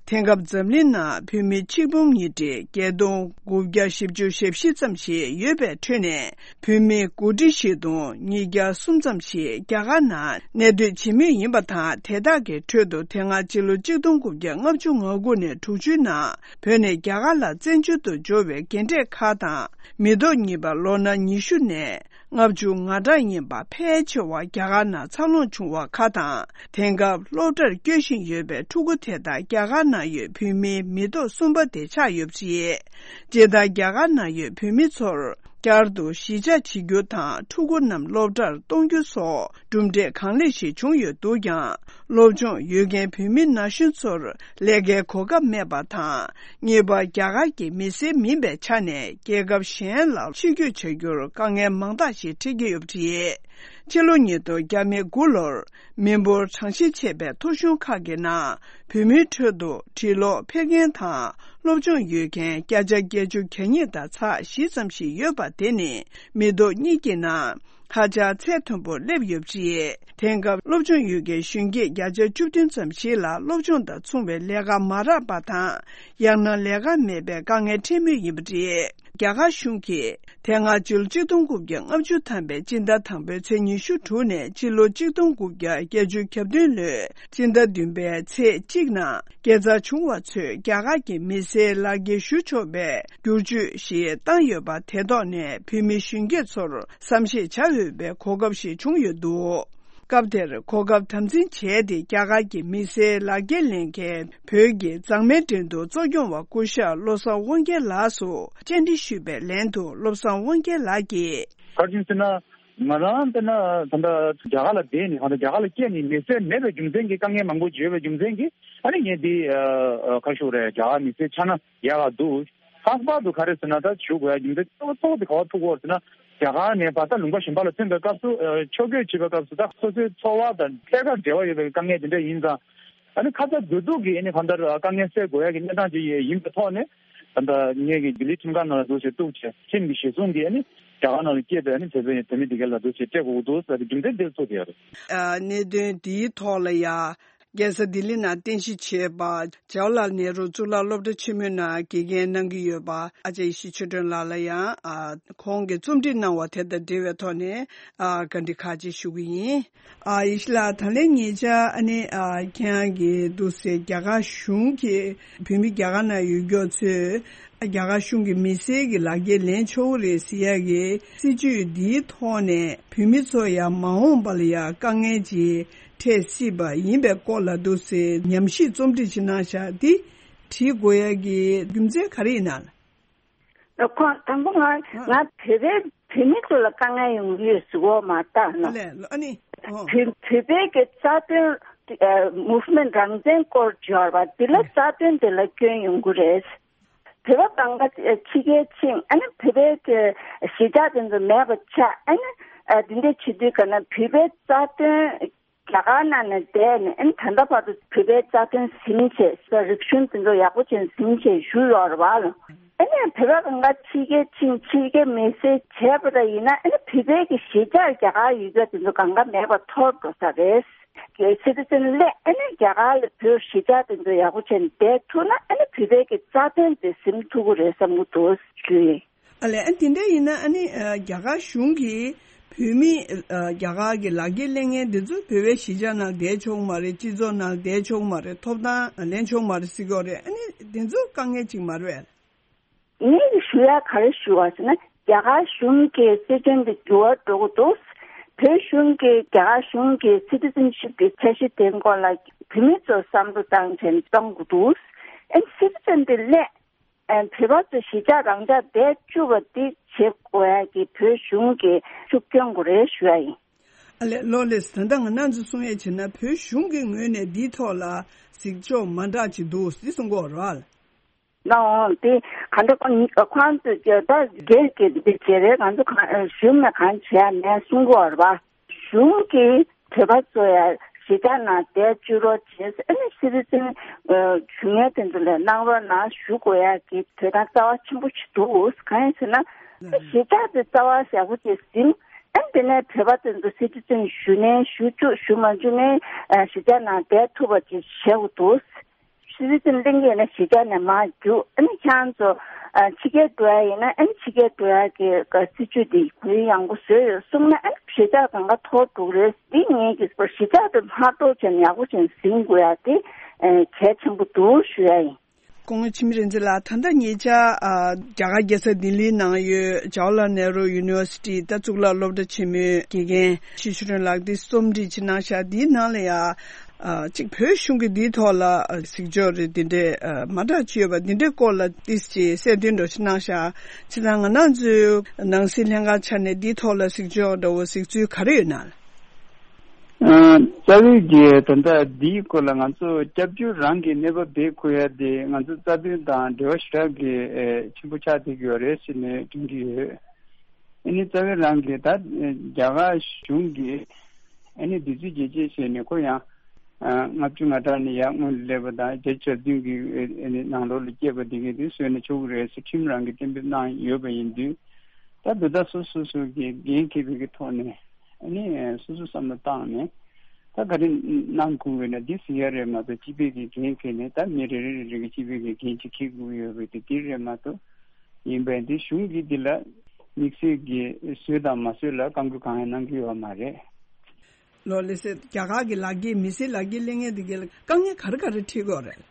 དེང་སྐབས་འཛམ་གླིང་ནང་བོད་མི་ཆིག་སྟོང་ཉིས་བརྒྱ་དགུ་བརྒྱ་བཞི་བཅུ་ཞེ་བཞི་ཙམ་ཞིག་ཡོད་པའི་ཁྲོད་ནས། བོད་མི་དགུ་ཁྲི་བཞི་སྟོང་ཉིས་བརྒྱ་གསུམ་ཙམ་ཞིག་རྒྱ་གར་ནང་གནས་སྡོད་བྱེད་མུས་ཡིན་པ་དང་། དེ་དག་གི་ཁྲོད་དུ་དེ་སྔ་ཕྱི་ལོ་ཆིག་སྟོང་དགུ་བརྒྱ་ལྔ་བཅུ་ང་དགུ་ནས་དྲུག་ཅུའི་ནང་བོད་ནས་རྒྱ་གར་ལ་བཙན་བྱོལ་དུ་འབྱོར་བའི་རྒན་གྲས་ཁག་དང་། མི་ཐོག་གཉིས་པ་ལོ་ན་ཉི་ཤུ་ནས་ལྔ་བཅུ་ང་གྲངས་ཡིན་པ་ཕལ་ཆེ་བ་རྒྱ་གར་ནང་འཚར་ལོངས་བྱུང་བ་ཁག་དང་། དེང་སྐབས་སློབ་གྲྭར་སྐྱོད་བཞིན་ཡོད་པའི་ཕྲུ་གུ་དེ་དག་རྒྱ་གར་ནང་ཡོད་བོད་མིའི་མི་ཐོག་གསུམ་པ་དེ་ཆགས་ཡོད་པ་རེད། སྤྱིར་བཏང་རྒྱ་གར་ནང་ཡོད་བོད་མི་ཚོར་བསྐྱར་དུ་གཞིས་ཆགས་བྱེད་རྒྱུ་དང་ཕྲུ་གུ་རྣམས་སློབ་གྲྭར་གཏོང་རྒྱུ་སོགས་གྲུབ་འབྲས་གང་ལེགས་ཤིག་བྱུང་ཡོད་འདུག་ཀྱང་། སློབ་སྦྱོང་ཡོད་མཁན་བོད་མི་ན་གཞོན་ཚོར་ལས་ཀའི་གོ་སྐབས་མེད་པ་དང་། གཉིས་པ། རྒྱ་གར་གྱི་མི་སེར་མིན་པའི་ཆ་ནས་རྒྱལ་ཁབ་གཞན་ལ་ཕྱིར་སྐྱོད་བྱ་རྒྱུར་དཀའ་ངལ་མང་དག་ཞིག་འཕྲད་ཀྱི་ཡོད་པ་རེད། ཕྱི་ལོ་ཉིས་སྟོང་དགུ་ལོར་མི་འབོར་གྲངས་བཤེར་བྱས་པའི་ཐོ་གཞུང་ཁག་གི་ནང་བོད་མིའི་ཁྲོད་དུ་འབྲི་ཀློག་ཕལ་མཁན་དང་སློབ་སྦྱོང་ཡོད་མཁན་བརྒྱ་ཆ་བརྒྱད་ཅུ་གྱ་གཉིས་དང་ཚེག་བཞི་ཙམ་ཞིག་ཡོད་པ་དེ་ནི་མི་ཐོག་གཉིས་ཀྱི་ནང་ཧ་ཅང་ཚད་མཐོན་པོར་སླེབས་ཡོད་པ་རེད། དེང་སྐབས་སློབ་སྦྱོང་ཡོད་མཁན་གཞོན་སྐྱེས་བརྒྱ་ཆ་བཅུ་བདུན་ཙམ་ཞིག་ལ་སློབ་སྦྱོང་དང་མཚུངས་པའི་ལས་ཀ་མ་རག་པ་དང་། ཡང་ན་ལས་ཀ་མེད་པའི་དཀའ་ངལ་འཕྲད་མུས་ཡིན་པ་རེད། རྒྱ་གར་གཞུང་གིས་དེ་སྔ་ཕྱི་ལོ་ཆིག་སྟོང་དགུ་བརྒྱ་ལྔ་བཅུ་ཐམ་པའི་སྤྱི་ཟླ་དང་པོའི་ཚེས་ཉི་ཤུ་དྲུག་ནས་ཕྱི་ལོ་ཆིག་སྟོང་དགུ་བརྒྱ་བརྒྱད་ཅུ་གྱ་བདུན་ལོའི་སྤྱི་ཟླ་བདུན་པའི་ཚེས་གཅིག་ནང་སྐྱེས་འཚར་བྱུང་བ་ཚོས་རྒྱ་གར་གྱི་མི་སེར་ལག་འཁྱེར་ཞུ་ཆོག་པའི་བསྒྱུར་བཅོས་ཤིག་བཏང་ཡོད་པ་དེ་ཐོག་ནས་བོད་མི་གཞོན་སྐྱེས་ཚོར་བསམ་ཤེས་བྱ་འོས་པའི་གོ་སྐབས་ཤིག་བྱུང་ཡོད་འདུག་སྐབས་དེར་གོ་སྐབས་དམ་འཛིན་བྱས་ཏེ་རྒྱ་གར་གྱི་མི་སེར་ལག་འཁྱེར་ལེན་མཁན་བོད་ཀྱི་མཛངས་མའི་འགྲན་བསྡུར་གཙོ་སྐྱོང་བ་སྐུ་ཞབས་བློ་བཟང་དབང་རྒྱལ་ལགས་སུ་བཅར་འདྲི་ཞུས་པའི་ལན་དུ། བློ་བཟང་དབང་རྒྱལ་ལགས་ཀྱིས། ག་རེ་ཟེར་ན། ང་རང་ལྟར་ན་ད་ལྟ་རྒྱ་གར་ལ་བསྡད་ནས་ད་ལྟ་རྒྱ་གར་ལ་སྐྱེས་ནས་མི་སེར་མེད་པའི་རྒྱུ་མཚན་གྱིས། དཀའ་ངལ་མང་པོ་ཡོད་པའི་རྒྱུ་མཚན་གྱིས། ཨ་ནི་ངས་འདི་ཨ་ཨ་ག་རེ་ཞུ་དགོས་རེད། རྒྱ་གར་མི་སེར་ཆགས་ན་ཡག་ག་འདུག་ལྷག་པར་དུ་ག་རེ་ཟེར་ན། ད་ཞུ་དགོས་ཡ་རྒྱུ་མཚན་གཙོ་བོ་གཙོ་བོ་དེ་ག་པར་ཐུག་གི་ཡོད་ཟེར་ན། རྒྱ་གར་ནས་བར་ཐག་ལུང་པ་གཞན་པ་ལ་ཐོན་པའི་སྐབས་སུ། ཨ་ཕྱོགས་བསྐྱོད་བྱེད་པའི་སྐབས་སུ། ད་སོ་སོའི་འཚོ་བ་དང་ཐད་ཀར་འབྲེལ་བ་ཡོད་པའི་དཀའ་ངལ་དེ་འདྲ་ཡིན་ཙང་། ཨ་ནི་ཁ་ཚ་དགོས་གཏུགས་ཀྱིས་ཨ་ནི་གང་ལྟར་དཀའ་ངལ་སེལ་དགོས་ཡ་གི་གནས་སྟངས་ཅིག་ཡིན་པའི་ཐོག་ནས། ད་ལྟ་ངེད་ཀྱི་ལྡི་ལི་ཁྲིམས་ཁང་ནང་ལ་འདུག་སེ་གཏུགས་བྱས། ཁྲིམས་ཀྱི་གཞི་བཟུང་གིས་ཨ་ནི་རྒྱ་གར་ནང་ལ་སྐྱེས་པའི་ཨ་ནི་བོད་པའི་བོད་མི་དེ་ག་ལ་འདུག་སེ་སྤྲད་དགོས་འདུག་ཟེར་བའི་རྒྱུ་མཚན་དེ་ཚོ་དེ་ཡོད་རེད། ཨ་གནད་དོན་འདིའི་ཐོག་ལ་ཡ། རྒྱལ་ས་ལྡི་ལི་ནང་རྟེན་གཞི་བྱས་པ་ཇ་ཝ་ལལ་ནེ་རུ་གཙུག་ལག་སློབ་གྲྭ་ཆེན་མོའི་ནང་དགེ་རྒན་གནང་གི་ཡོད་པ་ཨ་ཅག་ཡེ་ཤེས་ཆོས་སྒྲོན་ལགས་ལ་ཡང་ཨ་ཁོང་གིས་རྩོམ་སྒྲིག་གནང་བ་དེ་དང་འབྲེལ་བའི་ཐོག་ནས་ཨ་བཀའ་འདྲི་ཁག་ཅིག་ཞུ་གི་ཡིན། ཨ་ཡེ་ཤེས་ལགས། ད་ལན་ཉེ་ཆར་ཨ་ནི་ཨ་ཁྱེད་རང་གིས་འདུག་སེ་རྒྱ་གར་གཞུང་གིས་བོད་མི་རྒྱ་གར་ནང་ཡོད་མཁན་ཚོས་རྒྱ་གར་གཞུང་གི་མི་སེར་གྱི་ལག་འཁྱེར་ལེན་ཆོག་གི་རེད་ཟེར་ཡག་གི་སྲིད་ཇུས་འདིའི་ཐོག་ནས་བོད་མི་ཚོ་ཡང་མ་འོངས་པ་ལ་ཡང་དཀའ་ངལ་ཅིག་འཕྲད་སྲིད་པ་ཡིན་པའི་སྐོར་ལ་འདུག་སེ་ཉམས་ཞིབ་རྩོམ་སྒྲིག་ཅིག་གནང་བཞག་འདི་བྲིས་དགོས་ཡག་གི་རྒྱུ་མཚན་ག་རེ་ཡིན་ན། ཁོང་དང་པོ་ང་ང་བོད་པའི་བོད་མི་ཚོ་ལ་དཀའ་ངལ་ཡོང་གི་ཡོད་ཟེར་གོ་མ་བཏང་ན། ཨ་ལས་ཨ་ནི། ཨོ། བོད་བོད་པའི་གི་རྩ་དོན་ཨ་movement་རང་བཙན་སྐོར་བརྗོད་པ་འདི་ལ་རྩ་དོན་འདི་ལ་སྐྱོན་ཡོང་གི་རེད། བོད་པ་གང་ག་ཕྱི་རྒྱལ་ཕྱིན་ཨ་ནི་བོད་པའི་གི་གཞིས་ཆགས་དེ་ཚོ་མེད་པ་ཆགས་ཨ་ནི་ཨ་འདི་འདྲ་བྱེད་དུས་ག་ན་བོད་པའི་རྩ་དོན་རྒྱ་གར་ནང་ནས་བསྡད་ནས་ཨ་ནི་ད་ལྟ་བར་དུ་བོད་པའི་རྩ་དོན་ཟིན་བྱས་རིག་གཞུང་དེ་ཚོ་ཡག་པོ་བྱས་ཟིན་བྱས་བཞུགས་ཡོད་རེད་བ་ལ། ཨ་ནི་བོད་པ་གང་ག་ཕྱི་རྒྱལ་ཕྱིན་ཕྱི་རྒྱལ་མི་སེར་བྱས་པ་འདྲ་ཡིན་ན་ཨ་ནི་བོད་པའི་གི་གཞིས་ཆགས་རྒྱ་གར་ཡོད་ཚད་དེ་ཚོ་གང་ག་མེད་པ་འཐོར་འགྲོ་ས་རེད། གལ་སྲིད་དེ་ནས་ཨ་ནི་རྒྱ་གར་ལ་བོད་གཞིས་ཆགས་དེ་ཚོ་ཡག་པོ་བྱས་ནས་བསྡད་ཐུབ་ན་ཨ་ནི་བོད་པའི་གི་རྩ་དོན་དེ་ཟིན་ཐུབ་ཀྱི་རེད་བསམ་གྱི་འདུག་ཞུ་ཡིན། ཨ་ལས་ཨ་དེ་འདྲ་ཡིན་ན་ཨ་ནི་ཨ་རྒྱ་གར་གཞུང་གིས་བོད་མི་ཨ་རྒྱ་གར་གྱི་ལག་འཁྱེར་ལེན་མཁན་འདི་ཚོ་བོད་པའི་གཞིས་ཆགས་ནང་བསྡད་ཆོག་མ་རེད། སྤྱི་ཚོགས་ནང་བསྡད་ཆོག་མ་རེད། ཐོབ་ཐང་ལེན་ཆོག་མ་རེད་ཟེར་གྱི་ཡོད་རེད། ཨ་ནི་འདི་ཚོ་དཀའ་ངལ་ཅིག་མ་རེད་པས། ངས་ཞུ་ཡ་ག་རེ་ཞུ་བ་ཟེར་ན་རྒྱ་གར་གཞུང་གི་སྲིད་དོན་འདི་འགྱུར་བ་འགྲོ་གི་འདུག་བོད་གཞུང་གིས་རྒྱ་གར་གཞུང་གི་citizenship་གི་འཆར་གཞི་དེའི་སྐོར་ལ་བོད་མི་ཚོ་བསམ་བློ་བཏང་བྱས་ནས་གཏོང་གི་འདུག་ཨ་ནི་སྲིད་དོན་འདི་སླད། ཨ་བོད་པ་ཚོ་གཞིས་ཆགས་རང་འཇགས་བསྡད་བཅུག་པ་འདི་བྱེད་དགོས་ཡ་གི་བོད་གཞུང་གི་ཤུགས་སྐྱོན་དགོས་རེད་ཞུ་ཡ་ཡིན། ཨ་ལས་ལོ་ལེགས། ད་ལྟ་ང་རང་ཚོ་གསུང་ཡ་བྱས་ན་བོད་གཞུང་གི་ངོས་ནས་འདིའི་ཐོག་ལ་གཟིགས་ཕྱོགས་མ་འདྲ་ཅིག་འདུག་ཟེར་གསུང་གི་ཡོད་རེད་བ། ལའང་དེ་ག་འདྲ་ཁོང་ཁོང་ཚོས་ཀྱི་ད་སྒེར་གྱི་འདི་བྱེད་རེད། ང་ཚོ་གང་གཞུང་ནས་གང་བྱེད་ཡ་མེད་གསུང་གི་ཡོད་རེད་བ། གཞུང་གིས་བོད་པ་ཚོ་ཡ་གཞིས་ཆགས་ནང་བསྡད་བཅུག་རོགས་བྱས། ཨ་ནི་སི་ཊི་ཛེན་ཞུ་མཁན་དེ་ཚོ་ལ་གནང་རོགས་གནང་ཞུ་དགོས་ཡ་གི་དོན་དག་རྩ་བ་ཆེན་པོ་ཞིག་འདུག་གང་ཡིན་ཟེར་ན་ཨ་གཞིས་ཆགས་དེ་རྩ་བ་ཡག་པོ་ཅིག་ཟིན། ཨ་ནི་དེ་ནས་བོད་པ་དེ་ཚོ་སི་ཊི་ཛེན་ཞུ་ནའི་ཞུ་བཅུག་ཞུ་མ་བཅུག་ནའི་ཨ་གཞིས་ཆགས་ནང་བསྡད་ཐུབ་པ་ཅིག་བྱེད་དགོས་འདུག་སི་ཊི་ཛེན་ལེན་གྱི་ཡོད་ན་གཞིས་ཆགས་ནས་མར་རྒྱུགས། ཨ་ནི་ཁྱེད་རང་ཚོ་ཨ་ཕྱི་རྒྱལ་འགྲོ་ཡ་ཡིན་ན་ཨ་ནི་ཕྱི་རྒྱལ་འགྲོ་ཡ་གི་ག་སྲིད་ཇུས་དེ་གུ་ཡངས་པོ་བཟོས་ཡོད་གསུངས་ན་ཨ་ནི་གཞིས་ཆགས་གང་ག་འཐོར་འགྲོ་གི་རེད། འདི་ངེད་ཀྱིས་གཞིས་ཆགས་དེ་མ་གཏོགས་ཅན་ཡག་པོ་ཅན་ཟིན་དགོས་ཡ་དེ་ཨ་གལ་ཆེན་པོ་འདུག་ཞུ་ཡ་ཡིན། སྐུ་ངོ་འཆི་མེད་རིག་འཛིན་ལགས། ད་ལྟ་ཉེ་ཆར་ཨ་རྒྱ་གར་རྒྱལ་ས་ལྡི་ལིའི་ནང་ཡོད་ཇ་ཝ་ལལ་ནེ་རུ་ཡུ་ནི་ཝར་སི་ཊི་ད་གཙུག་ལག་སློབ་གྲྭ་ཆེན་མོའི་དགེ་རྒན་ཡེ་ཤེས་ཆོས་སྒྲོན་ལགས་འདི་རྩོམ་སྒྲིག་ཅིག་གནང་བཞག་འདིའི་ནང་ལ་ཡ། ཨ་གཅིག་བོད་གཞུང་གིས་འདིའི་ཐོག་ལ་ཨ་གཟིགས་ཕྱོགས་རེ་འདི་འདྲའི་ཨ་མ་འདྲ་ཅིག་ཡོད་པ་འདི་འདྲའི་སྐོར་ལ་ཏིས་ཅིག་གསལ་སྟོན་འདྲ་ཅིག་གནང་ཤག་བྱས་ཙང་ང་རང་ཚོའི་ནང་སྲིད་ལྷན་ཁང་ཆ་ནས་འདིའི་ཐོག་ལ་གཟིགས་ཕྱོགས་འདྲ་བོ་གཟིགས་ཚུལ་ག་རེ་ཡོད་ན། ཨ་རྩ་བའི་གི་ད་ལྟ་འདིའི་སྐོར་ལ་ང་ཚོ་སྐྱབས་བཅོལ་རང་གི་གནས་བབ་དེ་ཁོ་ཡ་དེ་ང་ཚོ་རྩ་དོན་དང་འབྲེལ་བ་ཞེ་དྲག་གི་ཨེ་ཆེན་པོ་ཆགས་བསྡད་ཀྱི་ཡོད་རེད་ཟེར་ནས་དྲན་གྱི་ཡོད། ཨ་ནི་རྩ་བའི་རང་གི་ད་རྒྱ་གར་གཞུང་གི་ཨ་ནི་དུས་ཚོད་རྒྱས་བཅད་བྱས་ནས་ཁོ་ཡང་ཨ་ལྔ་བཅུ་ང་གྲངས་ནས་ཡར་སྔོན་ལ་སླེབས་པ་དང་བརྒྱད་ཅུ་གྱ་བདུན་གྱི་ཨ་ནི་ནང་ལོགས་ལ་སྐྱེས་པ་དེ་གས་དེ་བཟོས་ན་ཆོག་གི་རེད་ཟེར་ཁྲིམས་རང་གིས་གཏན་འབེབས་གནང་ཡོད་པ་ཡིན་དུས་ད་འདི་ལྟར་སོ་སོ་སོ་གི་འགན་འཁྱེར་བའི་གི་ཐོག་ནས་ཨ་ནི་སོ་སོ་བསམ་བློ་བཏང་ནས་ད་ག་རེ་གནང་དགོས་པས་ན་འདི་ཟེར་ཡ་རེད་མ་གཏོགས་སྤྱི་པའི་གི་འགན་འཁྱེར་ནས་ད་མི་རེ་རེ་རེ་རེ་གི་སྤྱི་པའི་གི་འགན་ཅིག་འཁྱེར་དགོས་ཡོད་པའི་དེ་འདི་རེད་མ་གཏོགས་ཡིན་པས་འདི་གཞུང་གིས་འདི་ལ་དམིགས་བསལ་གྱི་བཟོས་དང་མ་བཟོས་ལ་བཀའ་འགུལ་གང་ཡང་གནང་གི་ཡོད་མ་རེད། ལོ་ལེ་སེ་རྒྱ་གར་གྱི་ལག་འཁྱེར་མི་སེར་ལག་འཁྱེར་ལེན་མཁན་དེ་གའི་ལ་དཀའ་ངལ་ག་རེ་ག་རེ་འཕྲད་ཀྱི་ཡོད་རེད།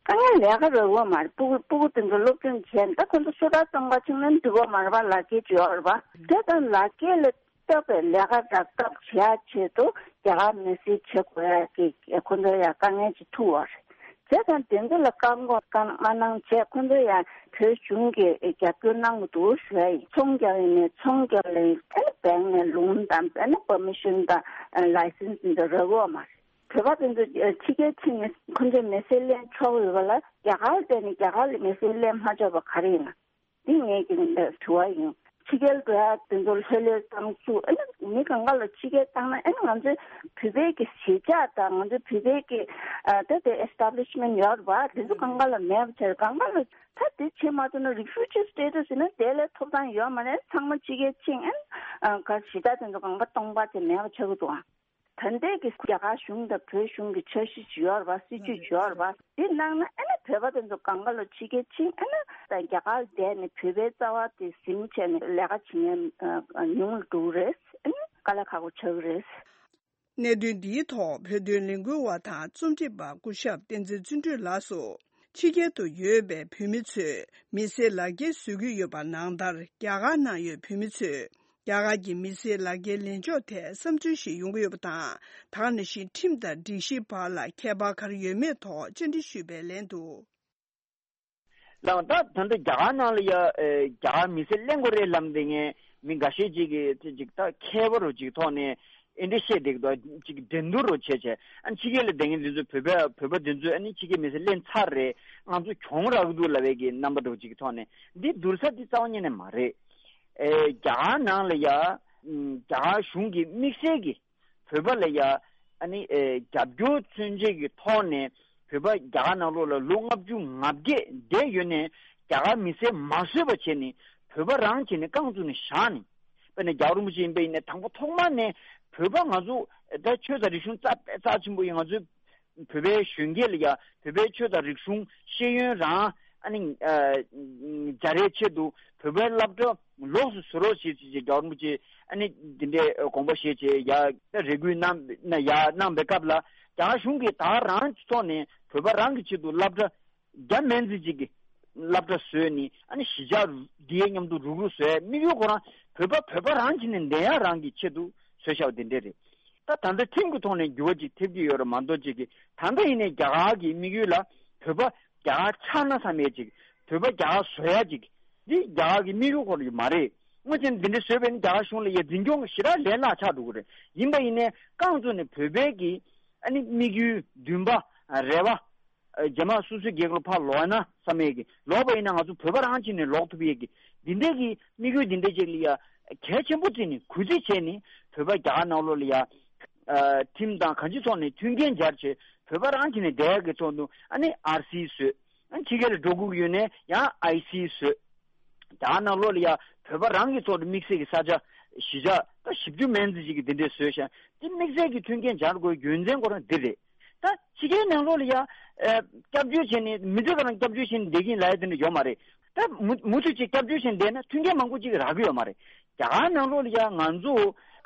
དཀའ་ངལ་ལས་ཀ་རག་གི་ཡོད་མ་རེད། སྤུ་གུ་སྤུ་གུ་དེ་ཚོ་སློབ་སྦྱོང་བྱས་ད་ཁོ་ཚོ་སོ་ཐར་གཏོང་ག་ཕྱིན་ན་འགྲིག་གི་ཡོད་མ་རེད་པ། ལག་འཁྱེར་ཅིག་ཡོད་རེད་པ། དེ་དང་ལག་འཁྱེར་ལ་བཏགས་པའི་ལས་ཀ་རག་ཐབས་བྱེད་ཡ་ཆེད་དུ་རྒྱ་གར་མི་སེར་བྱེད་དགོས་ཡ་གི་ཁོ་ཚོ་ཡ་དཀའ་ངལ་ཅིག་ཐུག་ཡོད་རེད། བྱས་ཙང་དེ་ཚོ་ལ་བཀག་འགོག་བཀག་མ་གནང་བྱས་ཁོ་ཚོ་ཡང་བོད་གཞུང་གིས་རྒྱབ་སྐྱོར་གནང་གི་འདུག་ཞུ་ཡ་ཡིན། ཚོང་རྒྱག་ཡིན་ནའི་ཚོང་རྒྱག་ལ་ཡིན་ཨ་ནི་བེང་ནས་ལོན་དང་ཨ་ནི་པར་མི་ཤོན་དང་ལའི་སེན་སི་འདི་ཚོ་རག་གི་ཡོད་མ་རེད། བོད་པ་དེ་ཚོ་ཕྱི་རྒྱལ་ཕྱིན་ནས་ཁོ་ཚོས་མི་སེར་ལེན་ཆོག་ཡོད་པ་ལ་རྒྱ་གར་བསྡད་ནས་རྒྱ་གར་ལ་མི་སེར་ལེན་མ་ཆོག་པ་ག་རེ་ཡིན་ན། འདི་ངེད་ཀྱི་དྲི་བ་ཡིན། ཕྱི་རྒྱལ་འགྲོ་ཡ་དེ་ཚོ་ལྷོད་ལྷོད་བཏང་ཚུལ་ཨ་ནི་མི་གང་ག་ལ་ཕྱི་རྒྱལ་བཏང་ན་ཨ་ནི་ང་ཚོའི་བོད་པའི་གི་གཞིས་ཆགས་དང་ང་ཚོའི་བོད་པའི་གི་ཨ་ད་དེ་ཨེ་སི་ཊབ་ལི་ཤི་མེན་ཊི་ཡོད་རེད་པ། དེ་ཚོ་གང་ག་ལ་མེད་པ་བྱས་གང་ག་ལ་ད་དེ་བྱེད་མ་ཐུབ་ན་རི་ཕུ་ཇི་སི་ཊེ་ཊ་སི་ཡིན་ན་དེ་ལས་ཐོབ་ཐང་ཡོད་མ་རེད། ཚང་མ་ཕྱི་རྒྱལ་ཕྱིན་ཨ་ནི་ག་གཞིས་ཆགས་དེ་ཚོ་གང་ག་སྟོང་པ་དེ་མེད་པ་ཆགས་ཀྱི་འདུག་ཨ། ད་ལྟའི་གི་རྒྱ་གར་གཞུང་དང་བོད་གཞུང་གི་འཆར་གཞི་ཅིག་ཡོད་རེད་པ། སྲིད་ཇུས་ཅིག་ཡོད་རེད་པ། དེ་གནང་ན་ཨ་ནི་བོད་པ་དེ་ཚོ་གང་ག་ལ་ཕྱི་རྒྱལ་ཕྱིན་ཨ་ནི་ད་རྒྱ་གར་བསྡད་ནས་བོད་པའི་རྩ་བ་དེ་ཟིན་བྱས་ནས་ལས་ཀ་བྱེད་མཁན་ཉུང་རུ་འགྲོ་གི་རེད། ཨ་ནི་དཀའ་ལས་ཁག་པོ་ཆགས་ཀྱི་རེད། གནད་དོན་འདིའི་ཐོག་བོད་དོན་ལས་འགུལ་བ་དང་རྩོམ་སྒྲིག་པ་སྐུ་ཞབས་བསྟན་འཛིན་བརྩོན་འགྲུས་ལགས་སུ། ཕྱི་རྒྱལ་དུ་ཡོད་པའི་བོད་མི་ཚོས་མི་སེར་ལག་འཁྱེར་བཟོ་གི་ཡོད་པ་ནང་ལྟར། རྒྱ་གར་ནང་ཡོད་བོད་མི་ཚོས་རྒྱ་གར་གྱི་མི་སེར་ལག་འཁྱེར་ལེན་ཕྱོགས་ཐད་བསམ་ཚུལ་ཞིག་ཡོང་གི་ཡོད་པ་དང་། ད་ག་ནང་བཞིན་ཁྲིམས་དང་སྒྲིག་གཞིའི་བར་ལ་ཁྱད་པར་ག་རེ་ཡོད་མེད་ཐོག་བཅར་འདྲི་ཞུས་པའི་ལན་དུ། ལགས། ད་ད་ལྟ་རྒྱ་གར་ནང་ལ་ཡ་ཨེ་རྒྱ་གར་མི་སེར་ལེན་དགོས་རེད་ལབ་བསྡད་མཁན་མི་འགའ་ཤས་ཅིག་གིས་དེ་ཅིག་ད་མཁས་པ་རུ་ཅིག་ཐོག་ནས་ཨེ་འདྲ་བཤད་བསྡད་ཀྱི་འདུག་ཅིག་འགྲན་བསྡུར་རུ་བྱས་བྱས། ཨ་ནི་ཕྱི་རྒྱལ་ལ་བསྡད་མཁན་འདི་ཚོ་བོད་པ་བོད་པ་འདི་ཚོས་ཨ་ནི་ཕྱི་རྒྱལ་མི་སེར་ལེན་ཚར་རེད། ང་ཚོ་གྱོང་རག་གི་འདུག་ལབ་པའི་གི་རྣམ་པ་འདྲ་བོ་ཅིག་གི་ཐོག་ནས། འདི་བསྡུར་ས་འདི་རྩ་བ་ཉིད་ནས་མ་རེད། ཨེ་རྒྱ་གར་ནང་ལ་ཡ་ཨམ་རྒྱ་གར་གཞུང་གིས་དམིགས་བསལ་གྱི་བོད་པ་ལ་ཡ་ཨ་ནི་ཨེ་རྒྱབ་སྐྱོར་མཚོན་བྱེད་ཀྱི་ཐོག་ནས། བོད་པ་རྒྱ་གར་ནང་ལོགས་ལ་ལོ་ལྔ་བཅུ་ང་བརྒྱད་བསྡད་ཡོད་ནས་རྒྱ་གར་མི་སེར་མ་བཟོས་པ་བྱས་ནས་བོད་པ་རང་བྱས་ནས་རྐང་བཙུགས་ནས་བཞག་ནས། དཔེར་ན་རྒྱལ་བ་རིན་པོ་ཆེ་ཡིན་པ་ཡིན་ན་དང་པོ་ཐོག་མ་ནས་བོད་པ་ང་ཚོ་ད་ཆོས་དང་རིག་གཞུང་རྩ་རྩ་ཆེན་པོ་ཡིན། ང་ཚོའི་བོད་པའི་གཞོན་སྐྱེས་ལ་ཡ་བོད་པའི་ཆོས་དང་རིག་གཞུང་ཤེས་ཡོན་རང་ཨ་ནི་ཨ་སྦྱར་ཡའི་ཆེད་དུ་བོད་པའི་སློབ་གྲྭ་ལོགས་སུ་བཟོ་རོགས་བྱེད་ཅེས་རྒྱལ་བ་རིན་པོ་ཆེ་ཨ་ནི་འདི་འདྲའི་དགོངས་པ་བཞེས་བྱས་ཡ་ད་རེ་སྐུལ་གནང་ན་ཡ་གནང་པའི་སྐབས་ལ། རྒྱ་གར་གཞུང་གིས་ད་རང་གི་ཐོག་ནས་བོད་པ་རང་གི་ཆེད་དུ་སློབ་གྲྭ་རྒྱ་མན་ཙི་ཅིག་གི་སློབ་གྲྭ་བཟོས་ནས་ཨ་ནི་གཞིས་ཆགས་འདིའི་མཉམ་དུ་རུག་རུག་བཟོས། དམིགས་ཡུལ་ཁོ་རང་བོད་པ་བོད་པ་རང་བྱས་ནས་བསྡད་ཡ་རང་གི་ཆེད་དུ་བཟོས་བཞག་པ་འདི་འདྲ་རེད། ད་ད་ལྟ་ཁྲིམས་ཀྱི་ཐོག་ནས་འགྱུར་བ་ཅིག་ཐེབས་ཀྱི་ཡོད་རེད་མ་གཏོགས་ཅིག་གི། ད་ལྟ་ཡིན་ནའི་རྒྱ་གར་གྱི་དམིགས་ཡུལ་ལ་བོད་པ་རྒྱ་གར་ཆགས་ན་བསམ་ཡས་ཅིག། བོད་པ་རྒྱ་གར་བཟོ་ཡ་ཅིག། འདི་རྒྱ་གར་གྱི་དམིགས་ཡུལ་ཁོ་རང་མ་རེད། དངོས་ཆེན་འདི་འདྲ་བཟོས་པས་ནི་རྒྱ་གར་གཞུང་ལ་ཡ་འཛིན་སྐྱོང་གི་ཞེ་དྲག་ལས་སླ་ཆགས་འགྲོ་གི་རེད། ཡིན་པ་ཡིན་ནའི་རྐང་བཙུགས་ནས་བོད་པའི་གི་ཨ་ནི་དམིགས་ཡུལ་འདུན་པ་རེ་བ། རྗེས་མ་སོ་སོའི་རྒྱལ་ཁབ་ལ་ཕར་ལོག་ན་བསམ་ཡས་ཀྱི། ལོག་པ་ཡིན་ན་ང་ཚོ་བོད་པ་རང་བྱས་ནས་ལོག་ཐུབ་ཡས་ཀྱི་འདི་འདྲའི་གི་དམིགས་ཡུལ་འདི་འདྲ་ཅིག་ལ་ཡ་གལ་ཆེན་པོ་བརྩིས་ནས་གུས་བརྩི་བྱས་ནས་བོད་པ་རྒྱ་གར་ནང་ལོགས་ལ་ཡ་ཁྲིམས་དང་གང་ཅིའི་ཐོག་ནས་མཐུན་རྐྱེན་སྦྱར་བྱས་བོད་པ་རང་བྱས་ནས་བསྡད་ཡས་ཀྱི་ཐོག་ཏུ་ཨ་ནི་ཨར་སི་བཟོས། ཨ་ནི་ཕྱི་རྒྱལ་ལ་འགྲོ་དགོས་ཀྱི་ཡོད་ནའི་ཡང་ཨའི་སི་བཟོས། རྒྱ་གར་ནང་ལོགས་ལ་ཡ་བོད་པ་རང་གི་ཐོག་ཏུ་དམིགས་བསལ་གྱི་ས་ཆ་གཞིས་ཆགས་ད་བཞི་བཅུ་མན་ཙི་ཅིག་གི་འདི་འདྲས་བཟོས་ཤག། འདི་དམིགས་བསལ་གྱི་མཐུན་རྐྱེན་སྦྱར་དགོས་རྒྱུ་མཚན་ཁོ་རང་འདི་རེད། ད་ཕྱི་རྒྱལ་ནང་ལོགས་ལ་ཡ་ཨ་སྐྱབས་བཅོལ་བྱས་ནས་མི་ཚེ་ག་རང་སྐྱབས་བཅོལ་བྱས་ནས་བསྡད་ཀྱིན་ལབ་ཡ་དེ་འདྲ་ཡོད་མ་རེད། ད་མུ་མུ་མཐུད་ཅིག་སྐྱབས་བཅོལ་བྱས་ནས་བསྡད་ན་མཐུན་རྐྱེན་མང་པོ་ཅིག་རག་གི་ཡོད་མ་རེད། རྒྱ་གར་ནང་ལོགས་ལ་ཡ་ང་ཚོ་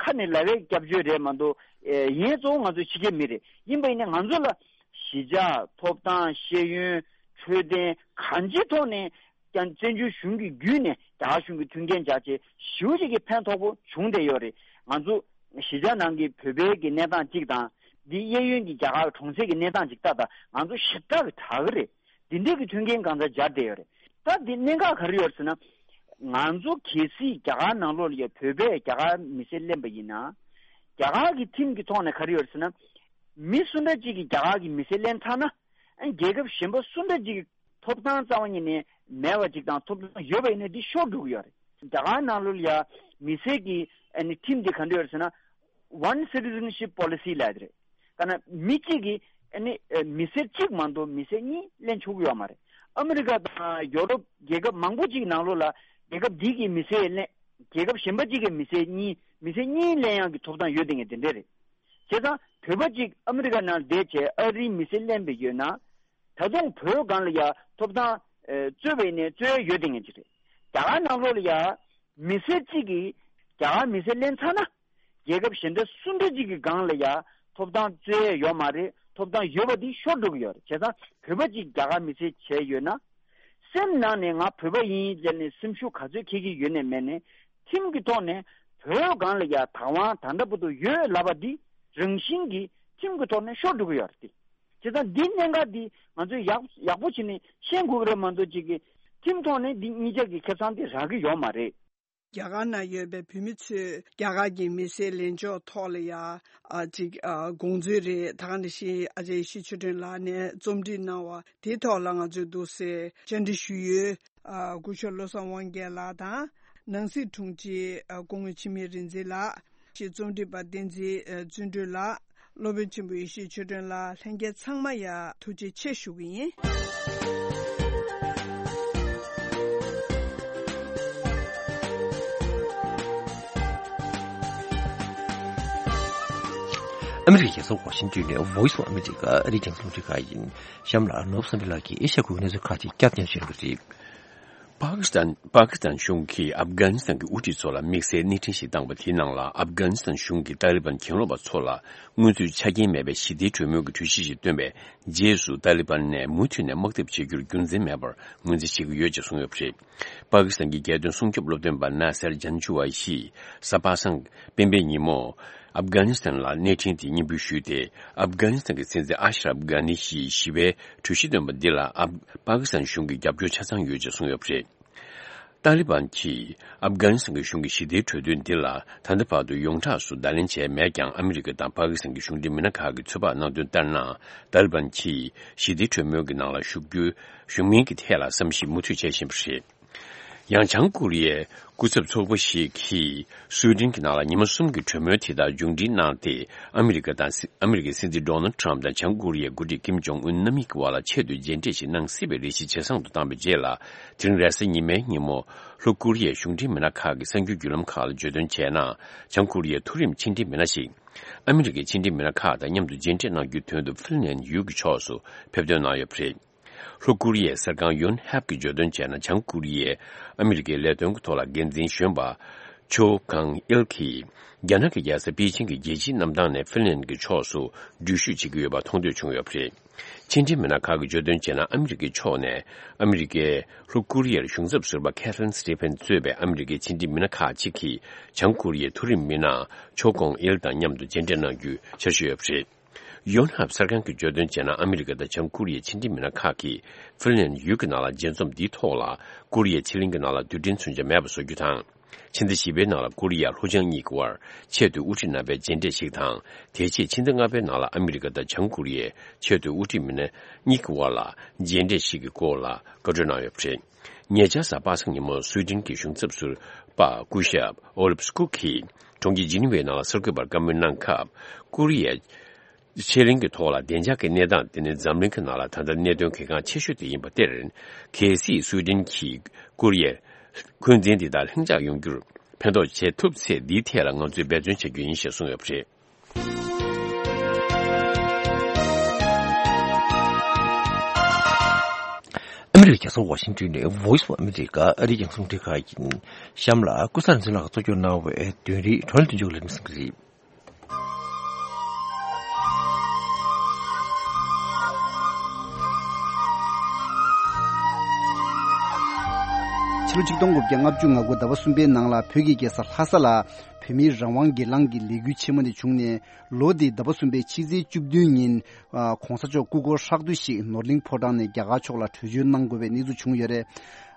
ཁ་ནས་ལབ་པའི་སྐྱབས་བཅོལ་རེད་མ་གཏོགས་ཨེ་ཡིན་གཙོ་བོ་ང་ཚོ་ཕྱི་རྒྱལ་མི་རེད། ཡིན་པ་ཡིན་ན་ང་ཚོ་ལ་གཞིས་ཆགས་ཐོབ་ཐང་ཤེས་ཡོན་འཕྲོད་བསྟེན་གང་ཅིའི་ཐོག་ནས་ཀྱང་བཙན་བྱོལ་གཞུང་གི་བརྒྱུད་ནས་རྒྱ་གར་གཞུང་གི་མཐུན་རྐྱེན་སྦྱར་བྱས་ཞེ་པོ་ཅིག་གི་ཕན་ཐོགས་པོ་བྱུང་བསྡད་ཡོད་རེད། ང་ཚོ་གཞིས་ཆགས་ནང་གི་བོད་པའི་གི་གནས་སྟངས་གཅིག་དང་། འདི་གཡས་གཡོན་གྱི་རྒྱ་གར་གྲོང་གསེབ་ཀྱི་གནས་སྟངས་གཅིག་ལྟ་དང་ང་ཚོ་ཞེ་དྲག་གི་དྲག་གི་རེད། འདི་འདྲས་ཀྱི་མཐུན་རྐྱེན་གང་ཙམ་སྦྱར་བསྡད་ཡོད་རེད། ད་འདི་གནད་འགག་ག་རེ་ཡོད་ཟེར་ན། ང་ཚོ་གལ་སྲིད་རྒྱ་གར་ནང་ལོགས་ལ་ཡ་བོད་པས་རྒྱ་གར་མི་སེར་ལེན་པ་ཡིན་ན། རྒྱ་གར་གྱི་ཁྲིམས་ཀྱི་ཐོག་ནས་ག་རེ་ཡོད་རེད་ཟེར་ན། མི་སུ་འདྲ་གཅིག་གིས་རྒྱ་གར་གྱི་མི་སེར་ལེན་ཚར་ན། ཨ་རྒྱལ་ཁབ་གཞན་པ་སུ་འདྲ་གཅིག་གི་ཐོབ་ཐང་རྩ་བ་ཉིད་ནས་མེད་པ་ཅིག་དང་ཐོབ་ཐང་ཡོད་པ་ཡིན་ན་འདི་ཤོར་འགྲོ་གི་ཡོད་རེད། རྒྱ་གར་ནང་ལོགས་ལ་ཡ་མི་སེར་གྱི་ཨ་ནི་ཁྲིམས་འདི་ག་འདྲ་ཡོད་རེད་ཟེར་ན། One Citizenship Policy ལབ་ཡ་དེ་རེད། ད་ནི་མི་གཅིག་གིས་ཨ་ནི་ཨ་མི་སེར་གཅིག་མ་གཏོགས་མི་སེར་གཉིས་ལེན་ཆོག་གི་ཡོད་མ་རེད། ཨ་མི་རི་ཀ་དང་ཡོ་རོབ་རྒྱལ་ཁབ་མང་པོ་ཅིག་ནང་ལོགས་ལ་རྒྱལ་ཁབ་འདི་གི་མི་སེར་ལེན། རྒྱལ་ཁབ་གཞན་པ་ཅིག་གི་མི་སེར་གཉིས་མི་སེར་གཉིས་ལེན་ཡག་གི་ཐོབ་ཐང་ཡོད་དེ་ངས་དེ་འདྲས་རེད། བྱས་ཙང་བོད་པ་ཅིག་ཨ་མི་རི་ཀ་ནང་བསྡད་བྱས་ཨ་རིའི་མི་སེར་ལེན་པའི་ཡོད་ན། ད་དུང་བོད་སྒང་ལ་ཡ་ཐོབ་ཐང་ཨེ་རྩོད་པ་ཡིན་ནའི་རྩོད་ཡ་ཡོད་དེ་ངས་ཅིག་རེད། རྒྱ་གར་ནང་ལོགས་ལ་ཡ་མི་སེར་གཅིག་གིས་རྒྱ་གར་མི་སེར་ལེན་ཚར་ན། རྒྱལ་ཁབ་གཞན་དག་སུ་འདྲ་ཅིག་གི་སྒང་ལ་ཡ་ཐོབ་ཐང་རྩོད་ཡ་ཡོད་མ་རེད། ཐོབ་ཐང་ཡོད་པ་དེ་ཤོར་འགྲོ་གི་ཡོད་རེད། བྱས་ཙང་བོད་པ་ཅིག་རྒྱ་གར་མི་སེར་བྱས་ཡོད་ན། སེམས་ནང་ནས་ང་བོད་པ་ཡིན་ཟེར་ནས་སེམས་ཤུགས་ག་ཚོད་འཁྱེར་གྱི་ཡོད་ནས་མེད་ནས་ཁྲིམས་ཀྱི་ཐོག་ནས་བོད་སྒང་ལ་ཡ་བདག་དབང་ད་ལྟ་བར་དུ་ཡོད་ལབ་པ་འདི་རང་བཞིན་གྱིས་ཁྲིམས་ཀྱི་ཐོག་ནས་ཤོར་འགྲོ་གི་ཡོད་རེད་དེ། བྱས་ཙང་འདི་གནད་འགག་འདི་ང་ཚོས་ཡག་ཡག་པོ་བྱས་ནས་ཤེས་དགོས་ཀྱི་རེད་མ་གཏོགས་ཅིག་གི་ཁྲིམས་ཐོག་ནས་འདི་གཉིས་ཆ་གི་ཁེ་བཟང་འདི་རག་གི་ཡོད་མ་རེད། རྒྱ་གར་ནང་ཡོད་པའི་བོད་མི་ཚོས་རྒྱ་གར་གྱི་མི་སེར་ལེན་ཕྱོགས་ཐོག་ལ་ཡ་ཨ་ཅིག་ཨ་དགོངས་ཚུལ་རེད། ད་ག་ནང་བཞིན་ཨ་ཅག་ཡེ་ཤེས་ཆོས་སྒྲོན་ལགས་ནས་རྩོམ་སྒྲིག་གནང་བ་དེའི་ཐོག་ལ་ང་ཚོས་འདུག་སེ་བཅར་འདྲི་ཞུས་ཡོད། ཨ་སྐུ་ཞབས་བློ་བཟང་དབང་རྒྱལ་ལགས་དང་ནང་སྲིད་དྲུང་ཆེ་ཨ་སྐུ་ངོ་འཆི་མེད་རིག་འཛིན་ལགས། ཞེས་རྩོམ་སྒྲིག་པ་བསྟན་འཛིན་བརྩོན་འགྲུས་ལགས། སློབ་དཔོན་ཆེན་པོ་ཡེ་ཤེས་ཆོས་སྒྲོན་ལགས། ལྷན་རྒྱས་ཚང་མ་ཡ་ཐུགས་རྗེ་ཆེ་ཞུ་གི་ཡིན། ཨ་མི་རི་ཀའི་རྒྱལ་ས་ཝ་ཤིང་ཏོན་ནས་Voice of America ཨ་རིའི་རྒྱང་སྲིང་རླུང་འཕྲིན་ཁང་ཡིན། གཤམ་ལ་ནོར་བུ་བསམ་འཕེལ་ལགས་ཀྱིས་ཨེ་ཤ་ཁུལ་གྱི་གནས་ཚུལ་ཁག་ཅིག་བསྐྱར་ཟློས་ཞུ་གི་རེད། པ་ཀི་སི་ཐན། པ་ཀི་སི་ཐན་གཞུང་གིས་ཨབ་གྷ་ནི་སི་ཐན་གྱི་དབུ་ཁྲིད་ཚོ་ལ་དམིགས་བསལ་གནས་འཕྲིན་ཞིག་བཏང་བ་དེའི་ནང་ལ། ཨབ་གྷ་ནི་སི་ཐན་གཞུང་གིས་ཏཱ་ལི་བན་གྱེན་ལོག་པ་ཚོ་ལ་དངོས་འཛུལ་ཆ་རྐྱེན་མེད་པའི་ཞི་བདེའི་གྲོས་མོལ་གྱི་གྲོས་གཞི་ཞིག་བཏོན་པའི་རྗེས་སུ། ཏཱ་ལི་བན་ནས་མུ་མཐུད་ནས་དམག་འཐབ་བྱེད་རྒྱུར་རྒྱུ་མཚན་མེད་པར་ངོས་འཛིན་བྱེད་ཀྱི་ཡོད་ཅེས་གསུངས་ཡོད་པ་རེད། པ་ཀི་སི་ཐན་གྱི་རྒྱལ་དོན་སྲུང་སྐྱོབ་སློབ་སྟོན་པ་ནཱ་སེར་ཇན་ཆུ་ཝའི་ཡིས་གཟའ་པ་སངས་སྤེན་པའི་ཉིན་མོ། ཨབ་གྷ་ནི་སི་ཐན་ལ་གནས་འཕྲིན་དེ་སྙན་འབུལ་ཞུས་ཏེ། ཨབ་གྷ་ནི་སི་ཐན་གྱི་སྲིད་འཛིན་ཨ་ཤ་རབ་གྷ་ནི་ཡིས་ཞི་བའི་གྲོས་གཞི་བཏོན་པ་འདི་ལ་ཨབ། པ་ཀི་སི་ཐན་གཞུང་གིས་རྒྱབ་སྐྱོར་ཆ་ཚང་ཡོད་ཅེས་གསུངས་ཡོད་པ་རེད། ཏཱ་ལི་བན་གྱིས་ཨབ་གྷ་ནི་སི་ཐན་གྱི་གཞུང་གི་ཞི་བདེའི་གྲོས་མཐུན་འདི་ལ་ད་ལྟ་བར་དུ་ཡོངས་གྲགས་སུ་བརྡ་ལན་བྱས་མེད་ཀྱང་། ཨ་མི་རི་ཀ་དང་པ་ཀི་སི་ཐན་གྱི་གཞུང་འབྲེལ་མི་སྣ་ཁག་གིས་ཚོད་དཔག་གནང་དོན་ལྟར་ན། ཏཱ་ལི་བན་གྱིས་ཞི་བདེའི་གྲོས་མོལ་གྱི་ནང་ལ་ཞུགས་རྒྱུའི་ཞུགས་མིན་གྱི་ཐད་ལ་བསམ་གཞིག་མུ་མཐུད་བྱེད་བཞིན་པ་རེད། ཡང་བྱང་ཀོ་རི་ཡའི་སྐུ་ཚབ་ཚོགས་པ་ཞིག་གིས་སུའེ་ཏེན་གྱི་ནང་ལ་ཉི་མ་གསུམ་གྱི་གྲོས་མོལ་དེ་དག་མཇུག་སྒྲིལ་གནང་སྟེ། ཨ་མི་རི་ཀ་དང་སྲིད། ཨ་མི་རི་ཀའི་སྲིད་འཛིན་ཌོ་ནལ་ཊམ་དང་བྱང་ཀོ་རི་ཡའི་འགོ་ཁྲིད་ཀིམ་ཇོང་ཨུན་རྣམ་གཉིས་ཀྱི་བར་ལ་ཆེད་དུ་མཇལ་འཕྲད་ཞིག་གནང་སྲིད་པའི་རེ་ཞིག་ཇེ་བཟང་དུ་བཏང་བའི་རྗེས་ལ། དེ་རིང་རེས་གཟའ་ཉི་མའི་ཉིན་མོ་ལྷོ་ཀོ་རི་ཡའི་གཞུང་འབྲེལ་མི་སྣ་ཁག་གིས་གསར་འགྱུར་བརྒྱུད་ལམ་ཁག་ལ་བརྗོད་དོན་བྱས་ན། བྱང་ཀོ་རི་ཡའི་མཐོ་རིམ་ཕྱི་འབྲེལ་མི་སྣ་ཞིག་ཨ་མི་རི་ཀའི་ཕྱི་འབྲེལ་མི་སྣ་ཁག་དང་མཉམ་དུ་མཇལ་འཕྲད་གནང་རྒྱུའི་དོན་དུ་ཧྥིན་ལན་ཡུལ་གྱི་ཕྱོགས་སུ་ཕེབས་ཐོན་གནང་ཡོད་པ་རེད། ལྷོ་ཀོ་རི་ཡའི་གསར་ཁང་ཡོན་ཧབ་ཀྱིས་བརྗོད་དོན་བྱས་ན། བྱང་ཀོ་རི་ཡའི་ཨ་མི་རི་ཀའི་ལས་དོན་གྱི་ཐོག་ལ་འགན་འཛིན་གཞོན་པ་ཆོ་ཀང་ཨིལ་གྱིས། རྒྱ་ནག་གི་རྒྱལ་ས་པེ་ཅིང་གི་རྒྱལ་སྤྱིའི་གནམ་ཐང་ནས་ཧྥིན་ལན་གྱི་ཕྱོགས་སུ་འགྲུལ་བཞུད་བྱེད་ཀྱི་ཡོད་པ་མཐོང་ཐོས་བྱུང་ཡོད་པ་རེད། ཕྱི་འབྲེལ་མི་སྣ་ཁག་གིས་བརྗོད་དོན་བྱས་ན། ཨ་མི་རི་ཀའི་ཕྱོགས་ནས་ཨ་མི་རི་ཀའི་ལྷོ་ཀོ་རི་ཡར་གཞུང་ཚབ་ཟུར་པ་ཁེ་ཐི་རིན་སི་ཊི་ཕན་གཙོས་པའི་ཨ་མི་རི་ཀའི་ཕྱི་འབྲེལ་མི་སྣ་ཁག་ཅིག་གིས་བྱང་ཀོ་རི་ཡའི་མཐོ་རིམ་མི་སྣ་ཆོ་ཀོང་ཨིལ་དང་མཉམ་དུ་མཇལ་འཕྲད་གནང་རྒྱུའི་འཆར་གཞི་ཡོད་པ་རེད། ཡོན་ཧབ་གསར་ཁང་གིས་བརྗོད་དོན་བྱས་ན། ཨ་མི་རི་ཀ་དང་བྱང་ཀོ་རི་ཡའི་ཕྱི་འབྲེལ་མི་སྣ་ཁག་གིས་ཧྥིན་ལན་ཡུལ་གྱི་ནང་ལ་མཇལ་འཛོམས་འདིའི་ཐོག་ལ། ཀོ་རི་ཡའི་ཕྱེད་གླིང་གི་ནང་ལ་རྡུལ་ཕྲན་མཚོན་ཆ་མེད་པ་བཟོ་རྒྱུ་དང་། ཕྱི་ཟླ་བཞི་པའི་ནང་ལ་ཀོ་རི་ཡ་ལྷོ་བྱང་གཉིས་ཀྱི་དབར་ཆེད་དུ་དབུ་ཁྲིད་རྣམ་པའི་མཇལ་འཕྲད་ཞིག་དང་། དེ་རྗེས་ཕྱི་ཟླ་ལྔ་པའི་ནང་ལ་ཨ་མི་རི་ཀ་དང་བྱང་ཀོ་རི་ཡའི་ཆེད་དུ་དབུ་ཁྲིད་མི་སྣ་གཉིས་ཀྱི་དབར་ལ་མཇལ་འཕྲད་ཞིག་གི་སྐོར་ལ་བཀའ་འཁྲོལ་གནང་ཡོད་པ་རེད། ཉེ་ཆར་གཟའ་པ་སངས་ཉིན་མོ་སུའེ་ཏེན་གྱི་གཞུང་ཚབ་ཟུར་པ་སྐུ་ཞབས་ཨོ་ལིབ་སྐུ་གིས་གྲོང་ཁྱེར་ཇི་ནི་ཝའི་ནང་ལ་གསར་འགོད་པར་བཀའ་མོལ་གནང་སྐབས། ཀོ་རི་ཡའི་ཕྱེད་གླིང་གི་ཐོག་ལ་བདེ་འཇགས་ཀྱི་གནས་སྟངས་དེ་ནི་འཛམ་གླིང་གི་ནང་ལ་ད་ལྟ་གནད་དོན་གལ་འགངས་ཆེ་ཤོས་དེ་ཡིན་པ་སྟེ། གལ་སྲིད་སུའེ་ཏེན་གྱིས་ཀོ་རི་ཡའི་འཁོན་འཛིན་འདི་དག་ལྷིང་འཇགས་ཡོང་རྒྱུར་ཕན་ཐོགས་བྱེད་ཐུབ་ཚེ། འདིའི་ཐད་ལ་ང་ཚོས་འབད་བརྩོན་བྱ་རྒྱུ་ཡིན་ཞེས་གསུངས་ཡོད་པ་རེད། ཨ་མི་རི་ཀའི་རྒྱལ་ས་ཝ་ཤིང་ཏོན་ནས་Voice of America ཨ་རིའི་རྒྱང་སྲིང་རླུང་འཕྲིན་ཁང་ཡིན། གཤམ་ལ་ཀུན་བཟང་རིག་འཛིན་ལགས་གཙོ་སྐྱོང་གནང་བའི་དོན་རིག་བགྲོ་གླེང་མདུན་ལྗོངས་ལ་གསན་གྱི་རེད། ཕྱི་ལོ་ཆིག་སྟོང་དགུ་བརྒྱ་ལྔ་བཅུ་ང་དགུ་ཟླ་བ་གསུམ་པའི་ནང་ལ་བོད་ཀྱི་རྒྱལ་ས་ལྷ་ས་ལ་བོད་མིའི་རང་དབང་སྒེར་ལངས་ཀྱི་ལས་འགུལ་ཆེན་མོ་དེ་བྱུང་ནས། ལོ་འདིའི་ཟླ་བ་གསུམ་པའི་ཕྱི་ཚེས་བཅུ་བདུན་ཉིན། ཨ། གོང་ས་མཆོག་སྐུ་འཁོར་ཧྲག་བསྡུས་ཤིག་ནོར་གླིང་ཕོ་བྲང་ནས་རྒྱ་གར་ཕྱོགས་ལ་བྲོས་བྱོལ་གནང་དགོས་པའི་གནས་ཚུལ་བྱུང་ཡོད་རེད།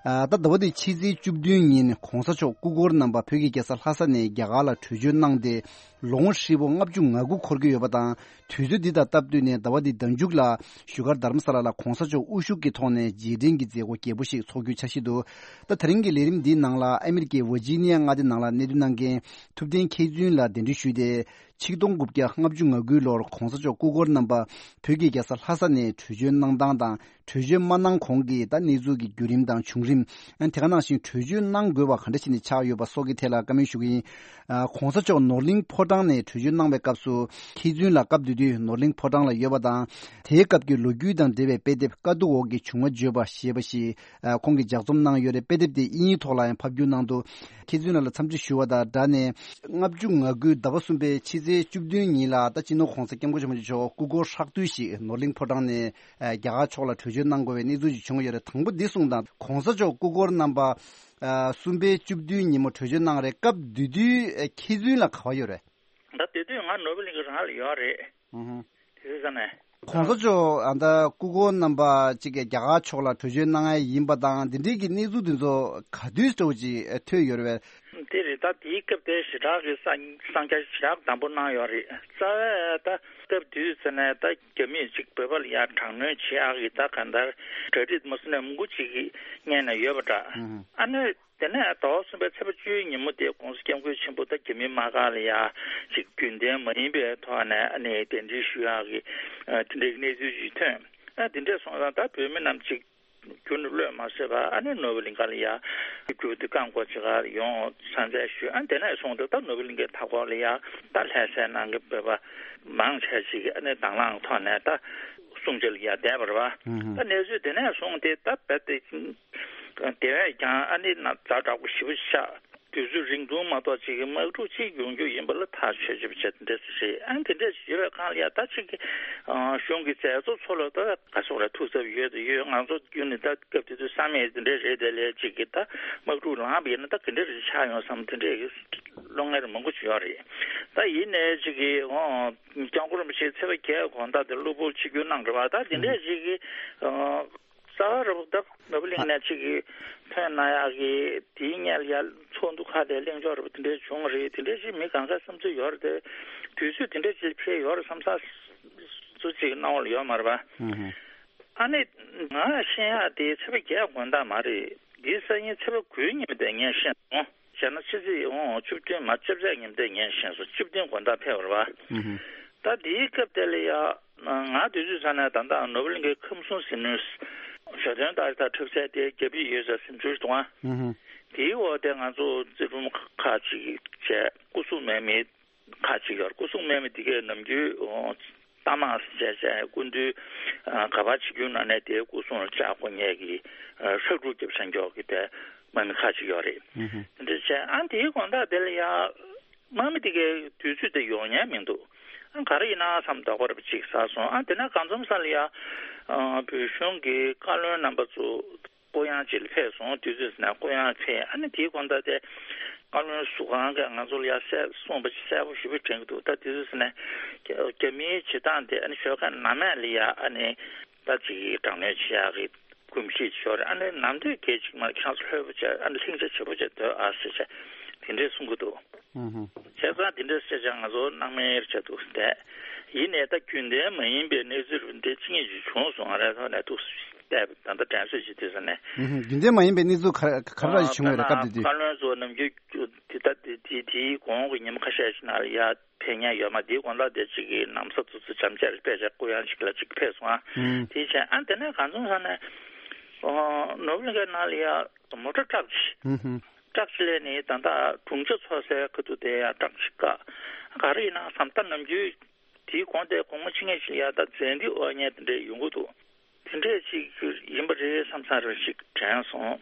ཨ། ད་ཟླ་བ་འདིའི་ཕྱི་ཚེས་བཅུ་བདུན་ཉིན་གོང་ས་མཆོག་སྐུ་འཁོར་རྣམ་པ་བོད་ཀྱི་རྒྱལ་ས་ལྷ་ས་ནས་རྒྱ་གར་ལ་བྲོས་བྱོལ་གནང་སྟེ། ལོ་ངོ་ཧྲིལ་པོ་ལྔ་བཅུ་ང་དགུ་འཁོར་གྱི་ཡོད་པ་དང་། དུས་ཚོད་འདི་དང་སྟབས་བསྟུན་ནས་ཟླ་བ་འདིའི་ཟླ་མཇུག་ལ་བཞུགས་སྒར་རྡ་རམ་ས་ལ་ལ་གོང་ས་མཆོག་དབུ་བཞུགས་ཀྱི་ཐོག་ནས་རྗེས་དྲན་གྱི་མཛད་སྒོ་རྒྱས་པོ་ཞིག་ཚོགས་རྒྱུའི་འཆར་གཞི་འདུག་ད་དེ་རིང་གི་ལས་རིམ་འདིའི་ནང་ལ་ཨ་མི་རི་ཀའི་ཝར་ཇི་ནི་ཡ་མངའ་སྡེ་ནང་ལ་གནས་སྡོད་གནང་མཁན་ཐུབ་བསྟན་མཁས་བཙུན་ལ་གདན་འདྲེན་ཞུས་ཏེ། ཆིག་སྟོང་དགུ་བརྒྱ་ལྔ་བཅུ་ང་དགུའི་ལོར་གོང་ས་མཆོག་སྐུ་འཁོར་རྣམ་པ་བོད་ཀྱི་རྒྱལ་ས་ལྷ་ས་ནས་བྲོས་བྱོལ་གནང་སྟངས་དང་། བྲོས་བྱོལ་མ་གནང་གོང་གི་ད་གནས་ཚུལ་གྱི་བརྒྱུད་རིམ་དང་བྱུང་རིམ། ཨ། དེ་ག་ནང་བཞིན་བྲོས་བྱོལ་གནང་དགོས་པ་ག་འདྲ་བྱས་ནས་ཆགས་ཡོད་པ་སོགས་ཀྱི་ཐད་ལ་བཀའ་མོལ་ཞུ་གི་ཡིན། ཨ། གོང་ས་མཆོག་ནོར་གླིང་ཕོ་བྲང་ནས་བྲོས་བྱོལ་གནང་བའི་སྐབས་སུ། མཁས་བཙུན་ལགས་སྐབས་དེ་དུས་ནོར་གླིང་ཕོ་བྲང་ལ་ཡོད་པ་དང་། དེའི་སྐབས་ཀྱི་ལོ་རྒྱུས་དང་འབྲེལ་བའི་དཔེ་དེབ་དཀའ་སྡུག་འོག་གི་བྱུང་བ་བརྗོད་པ་ཞེས་པ་ཞིག་ཨ། ཁོང་གིས་ལྗགས་རྩོམ་གནང་ཡོད་རེད། དཔེ་དེབ་དེ་དབྱིན་ཡིག་ཐོག་ལ་ཡང་ཕབ་བསྒྱུར་གནང་འདུག་མཁས་བཙུན་ལགས་ལ་འཚམས་འདྲི་ཞུ་བ་དང་སྦྲགས་ནས། ལྔ་བཅུ་ང་དགུའི་ཟླ་བ་གསུམ་པའི་ཕྱི་ཚེས་བཅུ་བདུན་ཉིན་ལ་ད་སྤྱི་ནོར་༸གོང་ས་༸སྐྱབས་མགོན་ཆེན་པོ་མཆོག་སྐུ་འཁོར་ཧྲག་བསྡུས་ཤིག་ནོར་གླིང་ཕོ་བྲང་ནས། ཨ། རྒྱ་གར་ཕྱོགས་ལ་བྲོས་བྱོལ་གནང་དགོས་པའི་གནས་ཚུལ་ཞིག་བྱུང་ཡོད་རེད། དང་པོ་འདི་གསུངས་དང་། གོང་ས་མཆོག་སྐུ་འཁོར་རྣམ་པ། ཨ། གསུམ་པའི་བཅུ་བདུན་ཉིན་མོ་བྲོས་བྱོལ་གནང་རེད། སྐབས་དེ་དུས་མཁས་བཙུན་ལགས་ག་པར་ཡོད་རེད། ད་དེ་དུས་ང་ནོར་བུ་གླིང་གི་རང་ལ་ཡོད་རེད། ཨུ་ཧུ། དེ་དུས་ས་ནས། གོང་ས་མཆོག་ཨ་ད་སྐུ་འཁོར་རྣམ་པ་གཅིག་གིས་རྒྱ་གར་ཕྱོགས་ལ་བྲོས་བྱོལ་གནང་ཡ་ཡིན་པ་དང་། འདི་འདྲའི་གི་གནས་ཚུལ་འདི་ཚོ་ག་དུས་འདྲ་བོ་ཅིག་ཐོས་ཡོད་རེད་པས། དེ་རེད། ད་དེའི་སྐབས་དེ་ཞེ་དྲག་གི་གསང་གསང་རྒྱ་ཞེ་དྲག་དམ་པོ་གནང་ཡོད་རེད། རྩ་བའི་ད་སྐབས་དུས་ཚོད་ནས་ད་རྒྱ་མིས་ཅིག་བོད་པ་ལ་ཡ་དྲག་གནོན་བྱེད་ཡག་གི་ད་གང་ལྟར་གྲ་སྒྲིག་མ་སུ་ནས་མང་པོ་ཅིག་གི་སྔོན་ནས་ཡོད་པ་འདྲ། ཨ་ནི་དེ་ནས་ཟླ་བ་གསུམ་པའི་ཚེས་པ་བཅུའི་ཉིན་མོ་དེ་༸གོང་ས་༸སྐྱབས་མགོན་ཆེན་པོ་ད་རྒྱ་མི་དམག་སྒར་ལ་ཡ་ཅིག་རྒྱུན་ལྡན་མ་ཡིན་པའི་ཐོག་ནས་ཨ་ནི་གདན་འདྲེན་ཞུ་ཡག་གི་ཨ་དེ་འདྲའི་གནས་ཚུལ་ཅིག་ཐོན། ཨ་དེ་འདྲས་སོང་ཙང་ད་བོད་མི་རྣམས་ཅིག་ རྒྱུན་དུ་གློད་མ་བཟོད་པར་ཨ་ནི་ནོར་བུ་གླིང་ག་ལ་ཡ་རྒྱུག་དུས་རྐང་འཁོར་ཅིག་ག་ཡོང་ས་མཚན་ཞུས། ཨ་དེ་ནས་བཟུང་སྟེ་ད་ནོར་བུ་གླིང་གའི་མཐའ་འཁོར་ལ་ཡ་ད་ལྷ་སའི་ནང་གི་བོད་པ་མང་ཆེ་ཅིག་གིས་ཨ་ནི་དང་བླངས་ཐོག་ནས་ད་སྲུང་བྱ་ལ་ཡ་བསྡད་པ་རེད་བ། ད་གནས་ཚུལ་དེ་ནས་བཟུང་སྟེ་ད་རྦད་དེ་དེ་བས་ཀྱང་ཨ་ནི་ཛ་དྲག་པོ་ཞེ་པོ་ཆགས། དུས་ཚོད་རིང་ཐུང་མ་གཏོགས་ཅིག་གི་དམག་འཁྲུག་ཅིག་ཡོང་རྒྱུ་ཡིན་པ་ལ་ཐག་ཆོད་ཆོད་པ་བྱས་འདྲ་ཞིག་རེད། ཨ་ནི་དེ་འདྲ་ཞིག་ཡོད་པའི་སྒང་ལ་ཡ་ད་ཅིག་གི་གཞུང་གི་མཛད་གཙོ་ཚོ་ལ་ད་ག་སོག་ར་ཐུགས་འཚབ་ཡོད་དུ་ཡོད། ང་ཚོ་རྒྱུན་ནས་ད་སྐབས་དེ་དུས་བསམ་ཡས་དེ་འདྲ་རེད། དེ་ལས་ཅིག་གི་ད་དམག་འཁྲུག་ལངས་པ་ཡིན་ན་ད་ག་འདྲ་རེ་ཆགས་ཡོང་བསམ་དེ་འདྲའི་བློ་ངལ་མང་པོ་ཅིག་ཡོད་རེད། ད་ཡིན་ནའི་ཅིག་གི་འོ་སྐྱབས་མགོན་རིན་པོ་ཆེ་ཚེས་པ་བརྒྱད་དགོང་དག་དེ་གློ་བུར་ཆིབས་བསྒྱུར་གནང་རེད་བ། ད་དེ་འདྲའི་ཅིག་གི་རྩ་བ་རུ་ད་ནོར་བུ་གླིང་ནས་ཅིག་གིས་ཐོན་གནང་ཡག་གི་དེའི་སྔོན་ལ་ཡ་ཚོགས་འདུ་ཁག་དེ་གླེང་ཕྱོགས་རུ་དེ་འདྲའི་བྱུང་རེད། དེ་འདྲའི་ཅིག་མི་གང་ག་བསམ་ཚུལ་ཡོད་རེད་དེ། དུས་ཚོད་དེ་འདྲའི་ཅིག་ཕེབས་ཡོད་རེད་བསམ་ས་ཚོ་ཅིག་སྣང་བ་ལ་ཡོད་མ་རེད་པ། ཨ་ནི་ང་ཤེས་ཡག་དེ་ཚེས་པ་བརྒྱད་དགོང་དག་མ་རེད། འདིའི་སང་ཉིན་ཚེས་པ་དགུའི་ཉིན་དེ་ངས་ཤེས་སོང་། བྱས་ན་ཕྱི་ཚེས་ཨོ་བཅུ་བདུན་མ་བཅོ་བརྒྱད་ཉིན་དེ་ངས་ཤེས་སོང་། བཅུ་བདུན་དགོང་དག་ཕེབས་པ་རེད་པ། ད་དེའི་སྐབས་དེ་ལ་ཡ། ང་དུས་ཚོད་ཚ་ནས་ད་ལྟ་ནོར་བུ་གླིང་གའི་ཁམས་གསུམ་ཟིལ་གནོན་ཞོ་སྟོན་ལྟར་ད་འཁྲབ་སའི་དེ་རྒྱབ་ཡིག་ཡོད་ས་སེམས་ཚོར་འདུག་ཨ། དེའི་འོག་དེ་ང་ཚོ་རྩེ་ཕྲུམ་ཁག་ཅིག་བྱས་སྐུ་སྲུང་མེད་མི་ཁག་ཅིག་ཡོད། སྐུ་སྲུང་མེད་མི་དེ་གས་ནམ་རྒྱུན་རྟ་དམག་བྱས་བྱས་སྐུ་མདུན་ག་པར་ཆིབས་བསྒྱུར་གནང་ནས་དེའི་སྐུ་སྲུང་ལ་ལྕགས་སྒོ་ཉལ་གྱི་ཧྲག་སྒྲུག་རྒྱབ་ས་མགྱོགས་ཀྱི་དེ་དམག་མི་ཁག་ཅིག་ཡོད་རེད། དེ་འདྲ་བྱས་ཨ་དེའི་དགོང་དག་དེ་ལ་ཡ། དམག་མི་དེ་གའི་དུས་ཚོད་དེ་ཡོང་ཉན་མི་འདུག་ཨ་ག་རེ་ཡིན་ན་བསམ་དོགས་པ་རེ་བ་ཅིག་ཟ་སོང་། ཨ་དེ་ན་གང་འཛོམས་ས་ལ་ཡ། ཨ་བོད་གཞུང་གི་བཀའ་བློན་རྣམ་པ་ཚོ་སྐུ་ཡང་ཅིག་ལ་ཕེབས་སོང་། དུས་ཚོད་ཟིན་ན་སྐུ་ཡང་ཕེབས། ཨ་ནི་དེའི་དགོང་དག་དེ་བཀའ་བློན་ཟུར་ཁང་གིས་ང་ཚོ་ལ་ཡ་གསལ་གསུངས་པ་ཅིག་གསལ་པོ་ཞེ་པོ་དྲན་གྱི་འདུག་ད་དུས་ཚོད་ཟིན་ན་རྒྱ་རྒྱ་མིའི་བྱེད་སྟངས་དེ་ཨ་ནི་ཞོགས་ཀ་ནམ་ཡང་ལ་ཡ་ཨ་ནི་ད་ཅིག་དྲག་གནོན་བྱེད་ཡག་གི་གོམས་གཤིས་ཤོར་རེད། ཨ་ནི་ནམ་དུས་སྐད་ཅིག་མ་ཁྱེད་རང་ཚོ་ལྷོད་པོ་བྱས་ཨ་ནི་ལྷིང་འཇགས་བྱེད་པོ་བྱས་སྡོད་ཨ་ཟེར་བྱས་དེ་འདྲས་གསུང་གི་འདུག་ཨུ་ཧུ། བྱས་ཙང་དེ་འདྲས་བཤད་ཀྱང་ང་ཚོ་སྣང་མེད་བྱས་འདུག་བསྡད། ཡིན་ནའི་ད་རྒྱུན་ལྡན་མ་ཡིན་པའི་གནས་ཚུལ་འདི་ཅི་ངེས་ཅིག་བྱུང་སོང་། ང་རང་ཐོག་ནས་འདུག་བལྟས་ད་ལྟ་དྲན་གསོས་ཅིག་དུས་ས་ནས། ཨུ་ཧུ། རྒྱུན་ལྡན་མ་ཡིན་པའི་གནས་ཚུལ་ག་ག་རེ་ར་ཞིག་བྱུང་ཡོད་རེད། སྐབས་དེ་དུས། དེ་ད་དེ་དེའི་གོང་དེ་གང་ལྟར་དེ་དེའི་གོང་གི་ཉིན་མོ་ཁ་ཤས་ཤིག་ནང་ལ་ཡ། ཕེབས་མཁན་ཡོད་མ་རེད། དེའི་དགོང་དག་དེ་གཅིག་གི་ནམ་གསར་དུས་ཚོད་འཇམ་ཅིག་ལ་དཔེ་ཆ་སྐུ་ཡང་གཅིག་ལ་གཅིག་ཕེབས་སོང་ཨ། ཨུམ། དེའི་ཕྱིར་ཨ་དེ་ནས་གང་བྱུང་ས་ནས་ཨོ་ནོར་བུ་གླིང་གའི་ནང་ལ་ཡ་མོ་ཊ་ཊག་ཅིག་ཨུམ་ཧུམ། ཊག་ཅིག་སླེབས་ནས་ད་ལྟ་དྲུང་ཆེ་ཚོགས་སའི་ཁ་ཐུག་དེ་ཡ་ཊག་ཅིག་བཀག་ག་རེ་ཡིན་ན་བསམ། ད་ནམ་རྒྱུན་དེའི་གོང་དེ་དགོང་མོ་ཕྱི་ཉིན་ཞིག་ལ་ཡ་ད་མཛད་འདི་དབོར་མཁན་དེ་འདྲས་ཡོང་གི་འདུག་དེ་འདྲས་ཅིག་ཡིན་པ་རེད་བསམ་བསམ་རེ་ཞིག་དྲན་སོང་།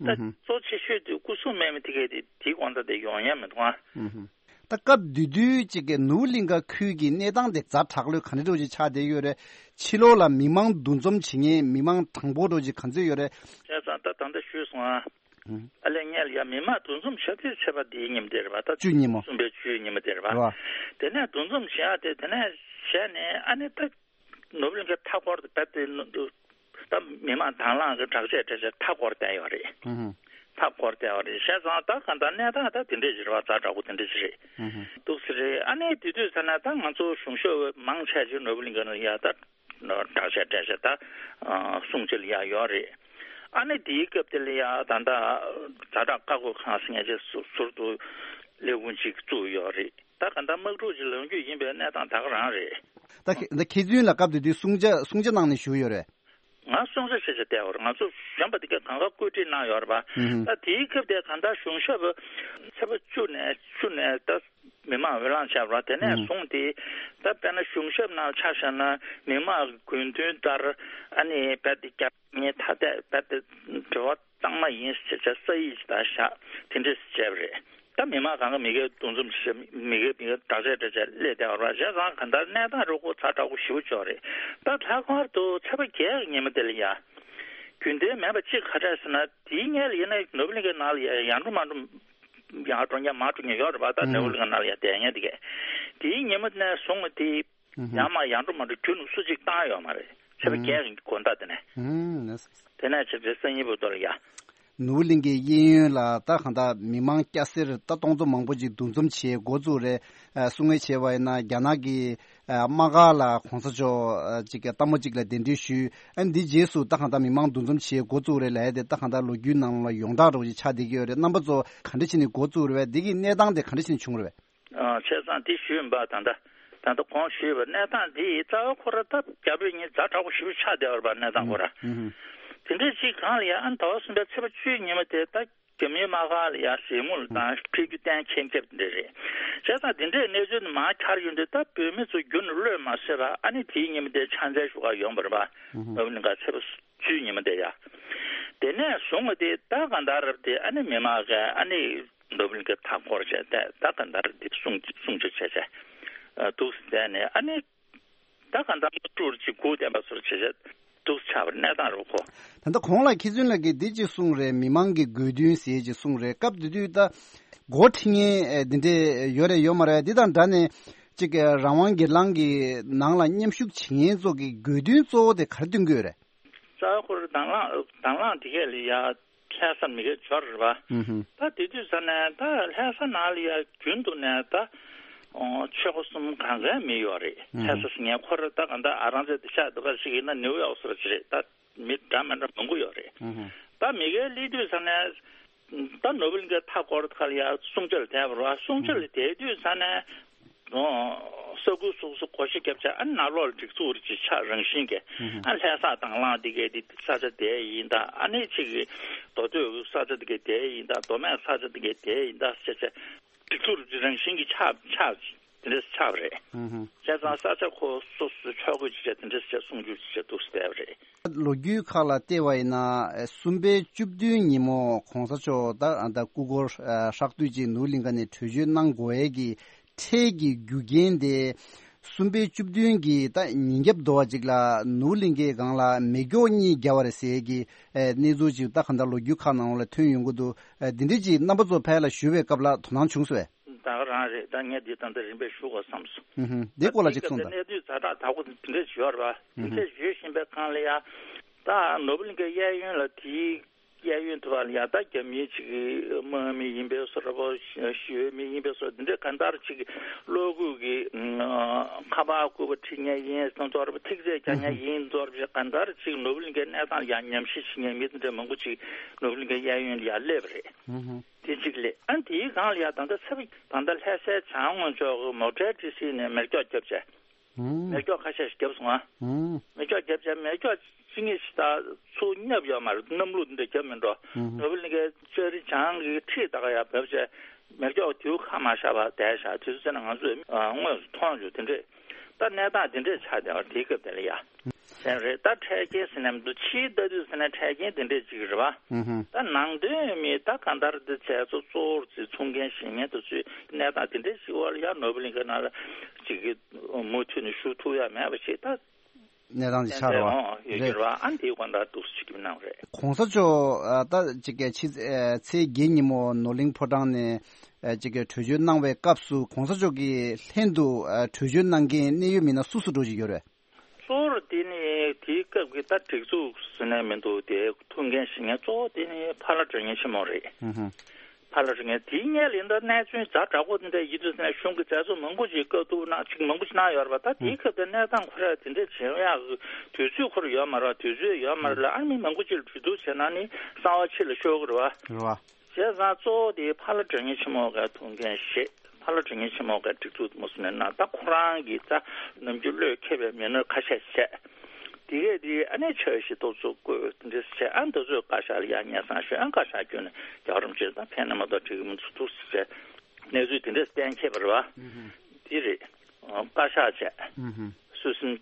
ད་ཨུ་ཧུ། གཙོ་ཆེ་ཤོས་དེ་སྐུ་སྲུང་མེད་མི་དེ་གས་དེ་དེའི་དགོང་དག་དེ་ཡོང་ཡ་མི་འདུག་ཨ། ཨུ་ཧུ། ད་སྐབས་དེ་དུས་ཅིག་གི་ནོར་བུ་གླིང་ག་ཁུལ་གྱི་གནས་སྟངས་དེ་ཛ་དྲག་ལོས་ག་འདྲ་འདྲ་ཅིག་ཆགས་བསྡད་ཡོད་རེད། ཕྱི་ལོགས་ལ་མི་མང་འདུ་འཛོམས་བྱེད་མཁན་མི་མང་གྲངས་འབོར་འདྲ་ཅིག་ག་ཚོད་ཡོད་རེད། བྱས་ཙང་ད་ད་ལྟ་ཞུས་སོང་ཨ། ཨུ། ཨ་ལས་ངས་ལ་ཡ་མི་མང་འདུ་འཛོམས་བྱ་དུས་ཚེས་པ་དེའི་ཉིན་དེ་རེད་པ། ད་བཅུ་ཉིན་མོ། གསུམ་པའི་བཅུའི་ཉིན་མོ་དེ་རེད་པ། རེད་པ། དེ་ནས་འདུ་འཛོམས་བྱེད་ཡ་དེ་དེ་ནས་བྱས་ནས་ཨ་ནི་ད། ནོར་བུ་གླིང་གའི་མཐའ་འཁོར་དུ་བབས་ཏེ་ད་མི་མང་དང་བླངས་ཀྱི་དྲག་ཆས་དྲག་ཆས་མཐའ་འཁོར་བསྡད་ཡོད་རེད། ཧུམ་ཧུམ། མཐའ་འཁོར་བསྡད་ཡོད་རེད། བྱས་ཙང་ད་གང་ལྟར་གནས་སྟངས་ད་དེ་འདྲས་ཅིག་རེད་བ། ཛ་དྲག་པོ་དེ་འདྲས་ཅིག་རེད། ཧུམ་ཧུམ། འདུག་སེ་རེད། ཨ་ནི་དེ་དུས་ཚོད་ན་ད་ང་ཚོ་གཞུང་ཞབས་མང་ཆེ་ཅིག་ནོར་བུ་གླིང་ག་ནང་ཡ་ད་དྲག་ཆས་དྲག་ཆས་ད་སྲུང་བྱེད་ལ་ཡ་ཡོད་རེད། ཨ་ནི་དེའི་སྐབས་དེ་ལ་ཡ་ད་ད་ཛ་དྲག་བཀག་འགོག་ཁང་ཟེར་མཁན་ཅིག་ཟུར་དུ་ལས་ཁུངས་ཅིག་བཙུགས་ཡོད་རེད། ད་ག་ད་དམག་འཁྲུག་ཅིག་ལངས་རྒྱུ་ཡིན་པའི་གནས་སྟངས་ད་ག་རང་རེད། ད་ཁྱེད་ད་ཁྱེད་ཚོའི་ལ་སྐབས་དེ་དུས་སྲུང་བྱ་སྲུང་བྱ་གནང་ནས་བཞུགས་ཡོད་རེད། ང་སྲུང་བྱ་བྱེད་བྱ་བསྡད་ཡོད་རེད། ང་ཚོ་གཞོན་པ་དེ་གས་གང་ག་བཀོད་སྒྲིག་གནང་ཡོད་རེད་པ། ཧུམ་ཧུམ། ད་དེའི་སྐབས་དེ་ག་ད་གཞུང་ཞབས་ཚེས་པ་བཅུ་ནས་བཅུ་ནས་ད་མི་མང་འོས་ལངས་བྱས་པ་རེད། དེ་ནས་ཧུམ་ཧུམ། བཟུང་སྟེ་ད་དཔེར་ན་གཞུང་ཞབས་ནང་ཆ་བཞག་ན་མི་མང་གི་དགོས་འདུན་ལྟར་ཨ་ནི་རྦད་དེ་རྒྱ་ངའི་ཐ་དད་རྦད་དེ་འབྲེལ་བ་གཙང་མ་ཡིན་ཟེར་བྱས་ས་ཡིག་ཅིག་ད་བཞག་དེ་འདྲས་བྱས་པ་རེད། ད་མི་མང་གང་ག་མི་སྒེར་འདུ་འཛོམས་བྱེད་མི་སྒེར་མི་སྒེར་དྲག་ཆས་དྲག་ཆས་སླེབས་བསྡད་པ་རེད། བྱས་ཙང་ག་འདྲ་གནས་སྟངས་རུ་ཁོ་ཚ་དྲག་པོ་ཞེ་པོ་ཅིག་རེད། ད་ལྷག་པར་དུ་ཚེས་པ་བརྒྱད་ཀྱི་ཉིན་མོ་དེ་ལ་ཡ་རྒྱུན་ལྡན་མེད་པ་གཅིག་ག་རེ་རེད་ཟེར་ན། དེའི་སྔོན་ལ་ཡིན་ན་ནོར་བུ་གླིང་གའི་ནང་ལ་ཡ་ཡར་འགྲོ་མར་འགྲོ་ཡར་འགྲོ་མཁན་མར་འགྲོ་མཁན་ཡོད་རེད་པ། ད་ནོར་བུ་གླིང་གའི་ནང་ལ་ཡ་བསྡད་མཁན་དེ་གས་དེའི་ཉིན་མོ་ནས་བཟུང་སྟེ། ཨུ་ཧུ། ཡང་མ་ཡར་འགྲོ་མར་འགྲོ་རྒྱུན་སུ་གཅིག་བཏང་ཡོད་མ་རེད། ཚེས་པ་ཨུ། བརྒྱད་ཀྱི་དགོང་དག་དེ་ནས། ཨུ། ལགས་སོ། དེ་ནས་ཆེ་བའི་སང་ཉིན་བར་དུ་ལ་ཡ། ནོར་བུ་གླིང་གའི་གཡས་གཡོན་ལ་ད་གང་ལྟར་མི་མང་སྐྱ་སེར་ད་སྟོང་ཚོ་མང་པོ་ཅིག་འདུ་འཛོམས་བྱེད་འགོ་བཙུགས་རེད། ཨ་གསུང་ངེས་བྱས་པ་ཡིན་ན་རྒྱ་ནག་གི་ཨ་དམག་སྒར་ལ་གོང་ས་མཆོག་ཨ་ཅིག་གི་ལྟད་མོ་ཅིག་ལ་གདན་འདྲེན་ཞུས། ཨ་འདི་རྗེས་སུ་ད་གང་ལྟར་མི་མང་འདུ་འཛོམས་བྱེད་འགོ་བཙུགས་རེད་ལབ་ཡ་དེ་ད་གང་ལྟར་ལོ་རྒྱུས་ནང་ལ་ཡོངས་གྲགས་འདྲ་བོ་ཅིག་ཆགས་བསྡད་ཀྱི་ཡོད་རེད། རྣམ་པ་ཚོ་ག་འདྲ་བྱས་ནས་འགོ་བཙུགས་རེད་པས། འདི་གི་གནས་སྟངས་དེ་ག་འདྲ་བྱས་ནས་བྱུང་རེད་པས། ཨ་བྱས་ཙང་དེ་ཞུས་ཡིན་པ། ད་ལྟ་ད་ལྟ་གོང་ཞུས་པ་གནས་སྟངས་དེ་རྩ་བ་ཁོ་ར་ད་རྒྱ་བོད་གཉིས་ཛ་དྲག་པོ་ཞེ་པོ་ཆགས་བསྡད་པ་རེད་པ། གནས་སྟངས་ཁོ་ར། ཨུ་ཧུ། དེ་འདྲའི་ཅིག་གང་ལ་ཡ་ཨ་ཟླ་བ་གསུམ་པའི་ཚེས་པ་བཅུའི་ཉིན་མོ་དེ་ད་རྒྱ་མིའི་དམག་ཁང་ལ་ཡ་གཟིགས་མོ་ལ་དང་ཁྲིད་རྒྱུ་གཏན་འཁེལ་འཁེལ་དེ་འདྲ་རེད། བྱས་ཙང་དེ་འདྲའི་གནས་ཚུལ་མང་ཆར་ཡོང་དུས་ད་བོད་མི་ཚོ་རྒྱུན་ནས་གློད་མ་བསྲེས་པ་ཨ་ནི་དེའི་ཉིན་མོ་དེ་ཕྱག་འཚལ་ཞུ་ག་ཡོང་བ་རེད་པ། ནོར་བུ་གླིང་ག་ཚེས་པ་བཅུའི་ཉིན་མོ་དེ་ཡ། དེ་ནས་བཟུང་བ་དེ་ད་གང་ལྟར་རབ་དེ་ཨ་ནི་མི་མང་གིས་ཨ་ནི་ནོར་བུ་གླིང་གའི་མཐའ་བསྐོར་བྱས་ཏེ་ད་གང་ལྟར་དེ་སྲུང་སྲུང་སྐྱོབ་བྱས་བྱས་འདུག་སེ་བསྡད་ནས་ཨ་ནི། ད་གང་ལྟར་དམག་འཁྲུག་ཅིག་སྒུག་བསྡད་པ་ཚོར་བྱེད་བྱེད་འདུག་ཆགས་པའི་གནས་སྟངས་རེད་ཁོ། ད་ལྟ་གོང་ལ་མཁས་བཙུན་ལགས་ཀྱིས་འདི་ཅིག་གསུངས་རེད། མི་མང་གི་དགོས་འདུན་ཟེར་ཅིག་གསུངས་རེད། སྐབས་དེ་དུས་ད་འགོ་ཁྲིད་མཁན་འདི་འདྲས་ཡོད་རེད་ཡོད་མ་རེད། འདི་དང་འདྲ་ནས་ཅིག་རང་དབང་སྒེར་ལངས་ཀྱི་ནང་ལ་མཉམ་ཞུགས་བྱེད་མཁན་ཚོ་གི་དགོས་འདུན་གཙོ་བོ་དེ་ག་རེ་འདོན་གྱི་ཡོད་རེད། རྩ་བ་ཁོ་རང་དང་བླངས་དང་བླངས་དེ་གས་ལ་ཡ། ལྷ་ས་མི་སྒེར་འབྱོར་རེད་པ། ཨུ་ཧུ། ད་དེ་དུས་ཙ་ནས་ད་ལྷ་ས་ནང་ལ་ཡ་རྒྱུན་དུ་ནས་ད་ཨོ་ཆོལ་ཁ་གསུམ་གང་གའི་མི་ཡོད་རེད། ཨུ་ཧུ། ལྷ་ས་ཟེར་མཁན་ཁོ་རང་ད་གང་ལྟར་ཨ་རང་རྩེ་དེ་ཤག་འདི་ག་ཞིག་ཡིན་ན་ནིའུ་ཡོག་སོགས་ཅིག་རེད། ད་མི་འདྲ་མི་འདྲ་མང་པོ་ཡོད་རེད། ཨུ་ཧུ། ད་མི་སྒེར་སླེབས་དུས་ཙ་ནས་ད་ནོར་བུ་གླིང་གའི་མཐའ་སྐོར་ཁ་ལ་ཡ་སྲུང་བྱ་ལ་བསྡད་པ་རེད་པ། སྲུང་བྱ་ལ་བསྡད་དུས་ཙ་ནས། ཨོ། ས་ཁུལ་སོ་སོ་བགོ་བཤའ་བརྒྱབ་བྱས་ཨ་ནང་ལོགས་ལ་སྒྲིག་འཛུགས་རེ་ཅིག་ཆགས་རང་བཞིན་གྱི། ཨ་ལྷ་ས་དང་བླངས་དེ་གའི་དེ་ས་ཆ་དེ་ཡིན་ད་ཨ་ནི་ཅིག་གི་མདོ་སྟོད་ས་ཆ་དེ་གའི་དེ་ཡིན་ད་མདོ་སྨད་ས་ཆ་དེ་གའི་དེ་ཡིན་ད་ཟེར་བྱས་སྒྲིག་འཛུགས་རེ་རང་བཞིན་གྱི་ཆགས་ཆགས་དེ་འདྲ་ཆགས་པ་རེད། བྱས་ཙང་ས་ཆ་ཁོ་སོ་སོའི་ཕྱོགས་བགོས་ཅིག་བྱས་དེ་འདྲ་ཟེར་བྱས་སྲུང་སྐྱོབ་ཅིག་བྱས་འདུག་སེ་བསྡད་པ་རེད། ལོ་རྒྱུས་ཁག་ལ་བལྟས་པ་ཡིན་ན་གསུམ་པའི་བཅུ་བདུན་ཉིན་མོ་གོང་ས་མཆོག་ད་ད་སྐུ་འཁོར་ཧྲག་བསྡུས་ཀྱིས་ནོར་བུ་གླིང་ག་ནས་བྲོས་བྱོལ་གནང་དགོས་ཡས་ཀྱི་འཕྲལ་གྱི་རྒྱུ་རྐྱེན་དེ་གསུམ་པའི་བཅུ་བདུན་གྱི་ད་ཉིན་རྒྱབ་དོ་བ་ཅིག་ལ་ནོར་བུ་གླིང་གའི་སྒང་ལ་མེ་སྒྱོགས་གཉིས་བརྒྱབ་པ་རེད་ཟེར་ཡས་ཀྱི་གནས་ཚུལ་ཅིག་ད་གང་ལྟར་ལོ་རྒྱུས་ཁག་ནང་ལ་ཐོན་ཡོང་གི་འདུག་འདི་འདྲ་ཅིག་རྣམ་པ་ཚོ་ཕར་ལ་ཞུ་བའི་སྐབས་ལ་དོ་སྣང་བྱུང་སོང་ངས། ད་ག་རང་རེད། ད་ངས་འདི་ད་ལྟ་རིམ་པས་ཞུ་དགོས་བསམ་སོང་། ཨུ་ཧུ། འདི་སྐོར་ལ་ཅིག་གསུངས་དང་། གནས་ཚུལ་ཛ་དྲག་དག་པོ་འདི་འདྲས་ཡོད་རེད་པ། འདི་འདྲས་ཡོད་བཞིན་པའི་སྒང་ལ་ཡ། ད་ནོར་བུ་གླིང་གའི་གཡས་གཡོན་ལ་དེའི་གཡས་གཡོན་དུ་བ་ལ་ཡ་ད་རྒྱ་མིའི་ཅིག་གི་དམག་མི་ཡིན་པའི་བཟོ་འདྲ་པོ་ཞི་བའི་མི་ཡིན་པའི་བཟོ་འདི་འདྲས་གང་ལྟར་ཅིག་གློག་སྐུད་ཀྱི་ཁ་པར་སྐུད་པ་ཁྲིད་མཁན་ཡིན་བཟོ་འདྲ་པོ་ཐིག་ཚད་རྒྱག་མཁན་ཡིན་བཟོ་འདྲ་པོ་གང་ལྟར་ཅིག་ནོར་བུ་གླིང་གའི་གནས་སྟངས་ལ་ཡ་ཉམས་ཞིབ་བྱེད་མཁན་མི་འདི་འདྲས་མང་པོ་ཅིག་ནོར་བུ་གླིང་གའི་གཡས་གཡོན་ལ་ཡ་སླེབས་པ་རེད། དེ་གཅིག་ལས་ཨ་དེའི་སྒང་ལ་ཡ་ད་ལྟ་ཚེ་ད་ལྟ་ལྷ་སའི་བྱང་ངོས་ཕྱོགས་ཀྱི་མོ་ཊའི་ཊི་སི་ནས་མེ་སྒྱོགས་བརྒྱབ་བྱས། ཨུམ། མེ་སྒྱོགས་ཁ་ཤས་ཤིག་བརྒྱབ་སོང་ཨ། ཨུམ། མེ་སྒྱོགས་བརྒྱབ་བྱས་མེ་སྒྱོགས་ཅི་ངེས་ཤིག་ད་ཚུར་བརྙབ་ཡོད་མ་རེད། གནམ་ལོ་འདི་འདྲ་བརྒྱབ་མི་འགྲོ། ཨུམ། ནོར་བུ་གླིང་གའི་ལྕགས་རི་བྱང་གི་ཁྲིད་ད་ག་ཡ་བབས་བྱས་མེ་སྒྱོགས་དེའུ་ཁ་མ་ཤར་བ་བསྡད་ཤག་དུས་ཚོད་ན་ང་ཚོས་དངོས་སུ་མཐོང་བྱུང་དེ་འདྲས། ད་གནས་སྟངས་དེ་འདྲས་ཆགས་བསྡད་པ་དེའི་སྐབས་དེ་ལ་ཡ། དེ་རེད། ད་འཕྲལ་རྐྱེན་ཟེར་ནས་མི་འདུག་ཕྱིའི་ལྟ་དུས་ཟེར་ན་འཕྲལ་རྐྱེན་དེ་འདྲས་ཅིག་རེད་བ། ཨུ་ཧུ། ད་ནང་དོན་མི་ད་གང་ལྟར་འདི་བྱས་ཚོ་གཙོ་བོར་ཚོས་ཚོང་མཁན་བྱེད་མཁན་དེ་ཚོས་གནས་སྟངས་དེ་འདྲས་ཅིག་བར་ལ་ཡ་ནོར་བུ་གླིང་ག་ནང་ལ་ཅིག་གི་མུ་མཐུད་ནས་ཞུགས་ཐུབ་ཡ་མེད་པ་ཞིག་ད་གནས་སྟངས་ཅིག་ཆགས་རེད་བ། ཡོད་ཀྱི་རེད་བ། ཨ་འདིའི་དབང་ད་འདུག་སེ་ཅིག་གི་གནང་རེད། གོང་ས་མཆོག་ཨ་ད་ཅིག་གི་ཕྱི་ཨ་ཚེས་བརྒྱད་ཉིན་མོ་ནོར་གླིང་ཕོ་བྲང་ནས་ཨ་ཅིག་གི་བྲོས་བྱོལ་གནང་བའི་སྐབས་སུ་གོང་ས་མཆོག་གི་ལྷན་དུ་ཨ་བྲོས་བྱོལ་གནང་མཁན་གནད་ཡོད་མི་སྣ་སུ་སུ་འགྲོ་བཞིན་ཡོད་རེད། གཙོ་བོར་དེ་ནི་དེའི་སྐབས་ཀྱི་ད་སྒྲིག་འཛུགས་ཟེར་ནས་མི་འདུག་དེ་ཐུགས་འགན་བཞེས་མཁན་གཙོ་བོ་དེ་ནི་ཕ་ལྷ་དྲང་ངེས་ཆེན་མོ་རེད། ཨུ་ཧུ། ཕ་ལྷ་དྲང་ངེས་དེའི་སྔོན་ལ་ཡིན་ད་གནས་ཚུལ་ཛ་དྲག་པོ་དེ་འདྲ་ཡིན་དུས་ནས་གཞུང་གི་མཛད་གཙོ་མང་པོ་ཞིག་བཀའ་བསྡུར་གནང་ཅིག་མང་པོ་ཞིག་གནང་ཡོད་རེད་པ། ད་དེའི་སྐབས་དེ་གནས་སྟངས་ཁོ་རང་དེ་འདྲ་བྱེད་ཡག་གི་དུས་ཚོད་ཁོ་རང་ཡོད་མ་རེད་པ། དུས་ཚོད་ཡོད་མ་རེད་ལ་ཨ་ནི་མི་མང་པོ་ཅིག་ལ་གྲོས་བསྡུར་བྱས་ན་ནི་གསང་བ་ཕྱི་ལ་ཤོར་གི་རེད་པ། རེད་པ། བྱས་ཙང་གཙོ་བོ་དེ་ཕ་ལྷ་དྲང་ངེས་ཆེན་མོ་ག་ཐུགས་འགན་བཞེས། ཕ་ལྷ་དྲང་ངེས་ཆེན་མོ་ག་སྒྲིག་འཛུགས་མུ་སུ་ནས་གནང་། ད་ཁོ་རང་གིས་ད་ནམ་རྒྱུན་བློས་འཁེལ་བའི་མི་སྣ་ཁ་ཤས་བྱས། དེ་གས་དེ་ཨ་ནི་ཆ་ཤས་ཏོག་ཙམ་བསྐོས་འདྲ་བྱས། ཨ་འདི་ཚོས་བཀའ་ཤག་ལ་ཡ་སྙན་སེང་ཞུས། ཨ་བཀའ་ཤག་བསྐྱོན་ནས་རྒྱལ་བ་རིན་པོ་ཆེ་ད་ཕན་ན་མ་གཏོགས་འགྲིག་གི་མི་འདུག་འདུག་ཟེར་བྱས་གནས་ཚུལ་དེ་འདྲས་གཏན་འཁེལ་བ་རེད་པ། དེ་རེད། བཀའ་ཤག་བྱས། སྲོལ་གསུམ།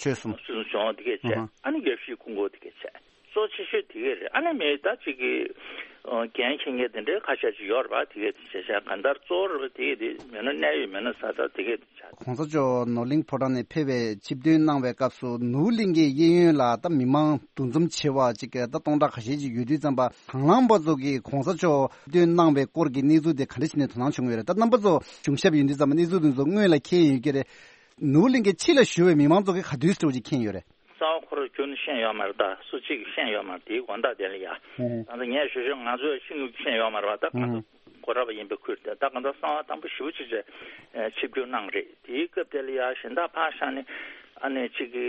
ཆོལ་གསུམ། སྲོལ་གསུམ་སྦྱོང་བ་དེ་གས་བྱས། ཨ་ནི་ཡབ་གཞིས་ཀུན་གོ་དེ་གས་བྱས། གཙོ་ཆེ་ཤོས་དེ་གས་རེད། ཨ་ནི་མི་ད་ཅིག་གི་འགན་འཁྱེར་མཁན་དེ་འདྲའི་ཁ་ཤས་ཅིག་ཡོད་རེད་པ། དེ་གས་དེ་བྱས་བྱས་གང་ལྟར་གཙོ་བོ་རེད་པ། དེ་གས་དེ་མི་སྣ་གནད་ཡོད་མི་སྣ་ས་ད་དེ་གས་དེ་བྱས། གོང་ས་མཆོག་ནོར་གླིང་ཕོ་བྲང་ནས་ཕེབས་པའི་ཆིབས་ཐོན་གནང་བའི་སྐབས་སུ་ནོར་བུ་གླིང་གའི་གཡས་གཡོན་ལ་ད་མི་མང་འདུ་འཛོམས་ཆེ་བ་ཅིག་གི་ད་སྟོང་ཕྲག་ཁ་ཤས་ཅིག་ཡོད་དུས་ཙམ་པ་དང་བླངས་པ་ཚོ་གིས་གོང་ས་མཆོག་ཆིབས་ཐོན་གནང་བའི་སྐོར་གྱི་གནས་ཚུལ་དེ་ག་འདྲ་བྱས་ནས་དོ་སྣང་བྱུང་ཡོད་རེད། ད་རྣམ་པ་ཚོ་གཞུང་ཞབས་ཡིན་དུས་ཙམ་པ་གནས་ཚུལ་དེ་ཚོ་སྔོན་ལ་མཁྱེན་ཡོད་ཀྱི་རེད། ནོར་བུ་གླིང་གའི་ཕྱི་ལ་བཞུགས་པའི་མི་མང་ཚོ་གིས་ག་དུས་སུ་འདྲ་བོ་ཅིག་མཁྱེན་ཡོད་རེད། རྩ་བ་ཁོ་རང་རྒྱུན་ཤེས་ཡོད་མ་རེད། ད་སུ་གཅིག་གིས་ཤེས་ཡོད་མ་རེད། དེའི་དགོངས་དག་དེ་ལ་ཡ། ཨང་། ད་ལྟ་ངས་ཞུ་ཞུ་ང་ཚོས་ཤེས་ཤེས་ཡོད་མ་རེད་པ། ད་ང་ཚོ་ཨང་། གོ་ར་པ་ཡིན་པའི་ཁུལ་དེ་ད་གང་ལྟར་གསང་བ་དམ་པོ་ཞེ་པོ་ཅིག་བྱས་ཆིབས་བསྒྱུར་གནང་རེད། དེའི་སྐབས་དེ་ལ་ཡ་གཞན་དག་ཕར་བཞག་ནས་ཨ་ནེ་གཅིག་གི་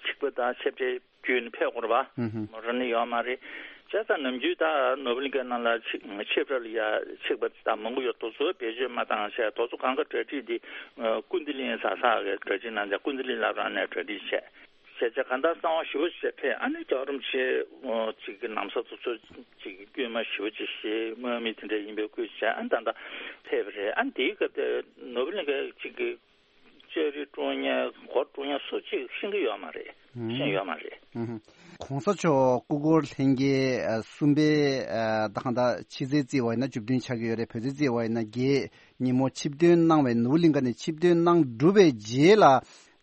ཆིག་པ་དང་ཆེ་བྲེ་བརྒྱུད་ནས་ཕེབས་དགོས་རེད་པ། ཨང་། མོ་ར་ནི་ཡོད་མ་རེད། བྱས་ཙང་ནམ་རྒྱུན་ད་ནོར་བུ་གླིང་གའི་ནང་ལ་ཆིག་ཆིག་པ་ལ་ཡ་ཆིག་པ་ད་མང་པོ་ཡོད། དེ་ཚོ་བེད་སྤྱོད་མ་བཏང་བྱས་དེ་ཚོ་གང་ག་གྲ་སྒྲིག་འདི་ཀུན་བདེ་གླིང་ས་ས་གི་གྲ་སྒྲིག་གནང་བྱས་ཀུན་བདེ་གླིང་བླ་བྲང་ནས་གྲ་སྒྲིག་བྱས། སྐད་ཆ་གང་ལྟར་གསང་བ་ཞེ་པོ་ཅིག་ཕེབས། ཨ་ནི་རྒྱལ་བ་རིན་པོ་ཆེ་ཅིག་གི་ན་བཟའ་དེ་ཚོ་ཅིག་གི་སྐུལ་མ་ཞེ་པོ་ཅིག་བཞེས། དམག་མི་དེ་འདྲ་ཡིན་པའི་སྐུལ་བྱས། ཨ་ནི་ད་ལྟ་ཕེབས་པ་རེད། ཨ་ནི་དེའི་སྐབས་དེ་ནོར་བུ་གླིང་ག་ཅིག་གི་ལྕགས་རི་དཀྲོལ་མཁན་སྒོ་དཀྲོལ་མཁན་སུ་གཅིག་ཤེས་ཀྱི་ཡོད་མ་རེད། ཤེས་ཡོད་མ་རེད། ཨུ་ཧུ། གོང་ས་མཆོག་སྐུ་འཁོར་ལྷན་རྒྱས་ཨ་གསུམ་པའི་ཨ་ད་གང་ལྟར་ཕྱི་གསལ་བརྩིས་པ་ཡིན་ན་བཅུ་བདུན་ཆགས་ཀྱི་ཡོད་རེད། བོད་ཚེས་བརྩིས་པ་ཡིན་ན་བརྒྱད། ཉིན་མོ་ཆིབས་ཐོན་གནང་བའི་ནོར་བུ་གླིང་ག་ནས་ཆིབས་ཐོན་གནང་གྲུབ་པའི་རྗེས་ལ་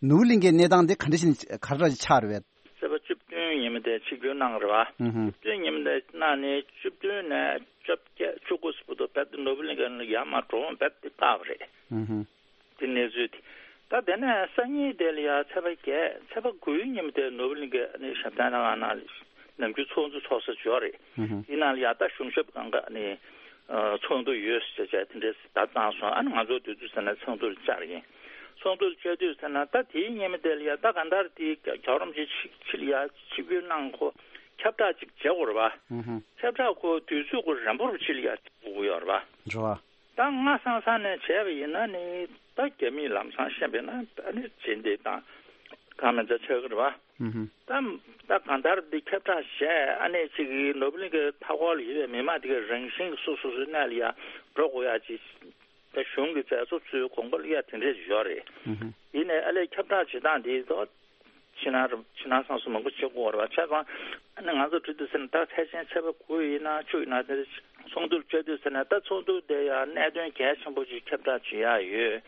ནོར་བུ་གླིང་གའི་གནས་སྟངས་དེ་ག་འདྲ་ཞིག་ག་འདྲ་ཆགས་རེད་པས། ཚེས་པ་བཅུ་བདུན་ཉིན་མོ་དེ་ཆིབས་བསྒྱུར་གནང་རེད་པ། ཨུ་ཧུ། བཅུ་བདུན་ཉིན་མོ་དེ་གནང་ནས་བཅུ་བདུན་ནས་བཅོ་བརྒྱད་བཅུ་དགུ་ཚོ་བར་དུ་རྦད་དེ་ནོར་བུ་གླིང་ག་ནས་ཡར་མར་འགྲོ་འོང་རྦད་དེ་བཀག་པ་རེད། ཨུ་ཧུ། དེ་གནས་ཚུལ་དེ། ད་དེ་ནས་སང་ཉིན་དེ་ལ་ཡ་ཚེས་པ་བརྒྱད་ཚེས་པ་དགུའི་ཉིན་མོ་དེ་ནོར་བུ་གླིང་གའི་ནི་ཞབས་བརྟན་ལྷ་ཁང་ནང་ནམ་རྒྱུན་ཚོགས་འདུ་ཚོགས་ས་ཅིག་ཡོད་རེད། ཨུ་ཧུ། དེ་ནང་ལ་ཡ་ད་གཞུང་ཞབས་སྒང་ག་ནས་ཨ་ཚོགས་འདུ་ཡོད་ཟེར་བྱས་དེ་འདྲས་བརྡ་བཏང་སོང་། ཨ་ནི་ང་ཚོ་དུས་ཚོད་ཟིན་ན་ཚོགས་འདུ་ལ་བཅར་ཡིན། ཚོགས་འདུ་ལ་བཅར་དུས་ཟེར་ན་ད་དེའི་ཉིན་མོ་དེ་ལ་ཡ་ད་གང་ལྟར་དེའི་རྒྱལ་བ་རིན་པོ་ཆེ་ཕྱི་ཕྱི་ལ་ཡ་ཆིབས་བསྒྱུར་གནང་ཁོ་ཁྱབ་བསྒྲགས་ཅིག་བྱེད་དགོས་རེད་པ། ཨུ་ཧུ། ཁྱབ་བསྒྲགས་ཁོ་དུས་ཚོད་ཁོ་རན་པོ་རུ་ཕྱི་ལ་ཡ་དགོས་ཀྱི་ཡོད་རེད་པ། རེད་པ། ད་སྔ་སང་སང་ནས་བྱས་པ་ཡིན་ན་ནི་ད་རྒྱ་མིས་ལམ་སང་བཤད་པ་ཡིན་ན་ཨ་ནི་རྗེས་འདེད་དང་གང་མིན་ཆ་ཆགས་ཀྱི་རེད་པ། ཨུ་ཧུ། ད་ད་གང་ལྟར་འདི་ཁྱབ་བསྒྲགས་བྱས། ཨ་ནི་ཅིག་གི་ནོར་བུ་གླིང་གའི་མཐའ་འཁོར་ལ་ཡོད་པའི་མི་མང་དེ་གའི་རང་བཞིན་གྱི་སོ་སོ་སོའི་གནས་ལ་ཡ་འགྲོ་དགོས་ཡ་ཅིག་ད་གཞུང་གི་མཛད་གཙོ་ཚོའི་དགོངས་པ་ལ་ཡ་དེ་འདྲས་ཡོད་རེད། ཨུ་ཧུ། ཡིན་ནའི་ཨ་ལས་ཁྱབ་བསྒྲགས་བྱེད་སྟངས་འདི་ད་ཕྱི་ནང་རུ་ཕྱི་ནང་སོ་སོ་མང་པོ་བྱེད་དགོས་རེད་པ། བྱས་ཙང་ཨ་ནི་ང་ཚོ་བྲིས་དུས་ཟེར་ན་ད་ཚེས་ཆེན་ཚེས་པ་དགུ་ཡིན་ན་བཅུ་ཡིན་ན་དེ་ཚོགས་འདུར་བཅར་དུས་ཟེར་ན་ད་ཚོགས་འདུ་དེ་ཡང་གནད་དོན་གལ་ཆེན་པོ་ཅིག་ཁྱབ་བསྒྲགས་བྱེད་ཡག་ཡོད།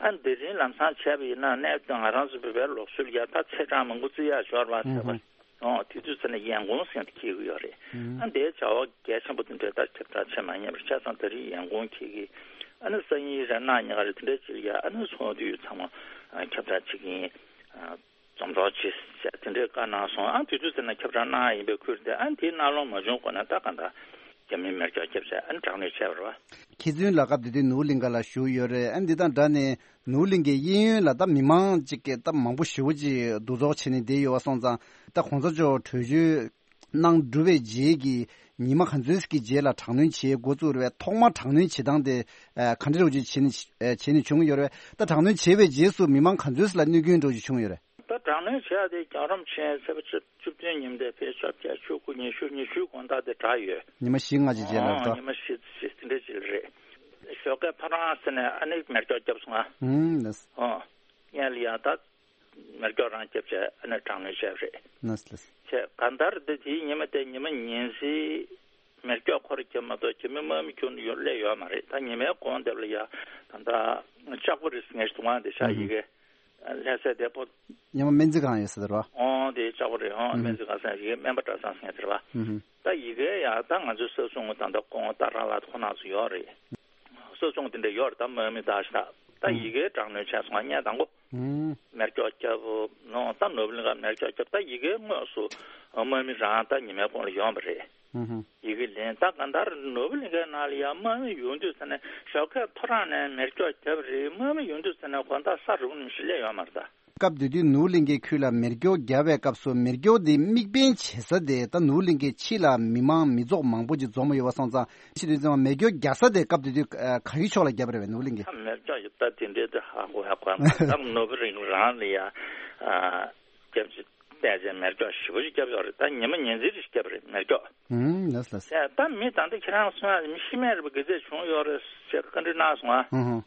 ཨ་ནི་དེ་རིང་ལམ་སང་བྱས་པ་ཡིན་ན་གནད་དོན་ང་རང་ཚོ་བོད་པའི་ལུགས་སྲོལ་ཡ་ད་ཚེས་གྲངས་མང་པོ་བརྩི་ཡག་ཡོད་རེད་པ། ཚེས་པ། ཨུ་ཧུ། ཨོ་དེ་དུས་ཚོད་ནས་ཡན་གོང་ཟེར་དེ་འཁེལ་གི་ཡོད་རེད། ཨུ། ཨ་འདིའི་བྱ་བ་གལ་ཆེན་པོ་དེ་འདྲའི་ད་ཁྱབ་བསྒྲགས་བྱེད་མ་ཉན་པར་ཆ་ཚང་ད་རེས་ཡན་གོང་འཁེལ་གི། ཨ་ནི་སང་ཉིན་རེ་གནངས་ཉིན་ག་རེ་དེ་འདྲའི་ཅིག་ལ་ཡ་ཨ་ནི་ཚོགས་འདུ་ཚང་མ་ཨ་ཁྱབ་བསྒྲགས་བྱེད་ཀྱི་ཡིན། ཨ་འཛོམས་རོགས་བྱེད་ཟེར་དེ་འདྲའི་བཀའ་གནང་སོང་། ཨ་དེ་དུས་ཚོད་ནས་ཁྱབ་བསྒྲགས་གནང་ཡ་ཡིན་པའི་ཁུལ་དེ། ཨ་དེའི་གནང་ལུགས་མ་བྱུང་གོང་ནས་ད་ག་འདྲ་རྒྱ་མིའི་མེ་སྒྱོགས་བརྒྱབ་བྱས་ཨ་ནི་དྲག་གནོན་བྱས་པ་རེད་པ། མཁས་བཙུན་ལགས་སྐབས་དེ་དུས་ནོར་བུ་གླིང་ག་ལ་བཞུགས་ཡོད་རེད། ཨ་འདི་དང་སྦྲགས་ནས་ནོར་བུ་གླིང་གའི་གཡས་གཡོན་ལ་ད་མི་མང་ཅིག་གིས་ད་མང་པོ་ཞེ་པོ་ཅིག་འདུ་ཚོགས་བྱས་ནས་བསྡད་ཡོད་པ་སོང་ཙང་། ད་གོང་ས་མཆོག་བྲོས་བྱོལ་གནང་གྲུབ་པའི་རྗེས་ཀྱི་ཉི་མ་ག་ཚོད་ཀྱི་རྗེས་ལ་དྲག་གནོན་བྱེད་འགོ་བཙུགས་རེད་པས། ཐོག་མར་དྲག་གནོན་བྱེད་སྟངས་དེ་ཨ་ག་འདྲ་རུ་ཅིག་བྱས་ནས་ཨ་བྱས་ནས་བྱུང་ཡོད་རེད་པས། ད་དྲག་གནོན་བྱས་པའི་རྗེས་སུ་མི་མང་ག་ཚོད་ལ་གནོད་སྐྱོན་འདྲ་ཅིག་བྱུང་ཡོད་རེད། ད་དྲག་གནོན་བྱས་ཏེ་རྒྱལ་བ་རིན་པོ་ཆེ་ཚེས་པ་བཅུ་བཅུ་བདུན་ཉིན་དེ་ཕེབས་བཅོ་བརྒྱད་བཅུ་དགུ་ཉི་ཤུ་ཉི་ཤུའི་དགོང་དག་དེ་དྲག་ཡོད། ཉི་མ་བཞི་ལྔ་ཅིག་རྗེས་ལ་ཨོ་རེད་ད། ཉི་མ་བཞི་ཙམ་དེ་འདྲ་ཅིག་རེད། ཞོགས་ཀས་ཐོ་རངས་ཟེར་ནས་ཨ་ནི་མེ་སྒྱོགས་བརྒྱབ་སོང་ང་། ཨུམ་ལགས། ཨོ། སྔོན་ལ་ཡང་ད་མེ་སྒྱོགས་རང་བརྒྱབ་བྱས་ཨ་ནི་དྲག་གནོན་བྱས་པ་རེད། ལགས་ལགས། བྱས་གང་ལྟར་དེ་དེའི་ཉི་མ་དེ་ཉི་མ་ཉིན་གཅིག་མེ་སྒྱོགས་ཁོ་རང་བརྒྱབ་མ་གཏོགས་རྒྱ་མི་དམག་མི་ཁྱོན་ནས་ཡོང་སླེབས་ཡོད་མ་རེད། ད་ཉི་མའི་གོང་དེ་ལ་ཡ་ད་ལྟ་ལྕགས་པོ་རེད་ཟེར་མཁན་ཞིག་འདུག་ཨང་། དེ་ཤག་ཨུམ། ཡི་གེ་ལྷ་སའི་བདེ་པོ། ཉི་མ་སྨན་རྩིས་ཁང་ཡོད་ས་དེ་རེད་པ། ཨོ་དེ་ལྕགས་པོ་རེད། ཨོ་ཨུམ། སྨན་རྩིས་ཁང་ཟེར་ཡི་གེ་སྨན་པ་གྲྭ་ཚང་ཟེར་མཁན་དེ་རེད་པ། ཨུམ། ད་ཡི་གེ་ཡ་ད་ང་ཚོའི་ས་སྲུང་ད་ལྟ་ཁོང་ད་རང་ལ་ཁོ་ན་ཚོ་ཡོད་རེད། ས་སྲུང་དེ་འདྲ་ཡོད་རེད། ད་དམག་མི་དག་ཤག་ད་ཨུམ། ཡི་གེ་དྲག་གནོན་བྱས་སོང་ང་། ངས་དང་པོ་ཨུམ། མེ་སྒྱོགས་བརྒྱབ་ནོ། ད་ནོར་བུ་གླིང་ག་མེ་སྒྱོགས་བརྒྱབ། ད་ཡི་གེ་དངོས་སུ་དམག་མི་རང་ད་ཉི་མའི་གོང་ལ་ཡོང་བ་རེད། ཨུམ། ཡི་གེ་ལེན། ད་གང་ལྟར་ནོར་བུ་གླིང་གའི་ནང་ལ་ཡང་དམག་མི་ཡོང་དུས་ཙ་ནས་ཞོགས་ཀས་ཐོ་རངས་ནས་མེ་སྒྱོགས་བརྒྱབ་རེད། དམག་མི་ཡོང་དུས་ཙ་ནས་དགོང་དག་ས་རུབ་ནས་ཞིག་སླེབས་ཡོད་མ་རེད་ད། སྐབས་དེ་དུས་ནོར་བུ་གླིང་གའི་ཁུལ་ལ་མེ་སྒྱོགས་བརྒྱབ་པའི་སྐབས་སུ་མེ་སྒྱོགས་དེ་དམིགས་འབེན་བྱེད་ས་དེ་ད་ནོར་བུ་གླིང་གའི་ཕྱི་ལ་མི་མང་མི་ཚོགས་མང་པོ་ཅིག་འཛོམས་ཡོད་པ་སོང་ཙང་། ཕྱི་དུས་ཙམ་མེ་སྒྱོགས་རྒྱག་ས་དེ་སྐབས་དེ་དུས་ཨ་ག་གི་ཕྱོགས་ལ་བརྒྱབ་པ་རེད་པས་ནོར་བུ་གླིང་གིས། ད་མེ་སྒྱོགས་ད་དེ་འདྲའི་དེ་ཧ་གོ་ཧ་གོ་ཡ་མ་རེད། ད་ནོར་བུ་གླིང་རང་ལ་ཡ་ཨ་རྒྱབ་ཅིག་བལྟས་ཚེ་མེ་སྒྱོགས་ཞེ་པོ་ཅིག་བརྒྱབ་ཡོད་རེད། ད་ཉི་མ་ཉིན་མཚན་རེ་ཞིག་བརྒྱབ་པ་རེད་མེ་སྒྱོགས། ཨུམ། ལགས་ལགས། ཡ་ད་མི་ད་ལྟ་ཁྱེད་རང་གསུང་ཡ་མི་ཤི་རྨས་རེད་པ། ག་ཚད་བྱུང་ཡོད་རེད་ཅེས་བཀའ་འདྲི་གནང་སོང་ང་། ཨུ་ཧུ།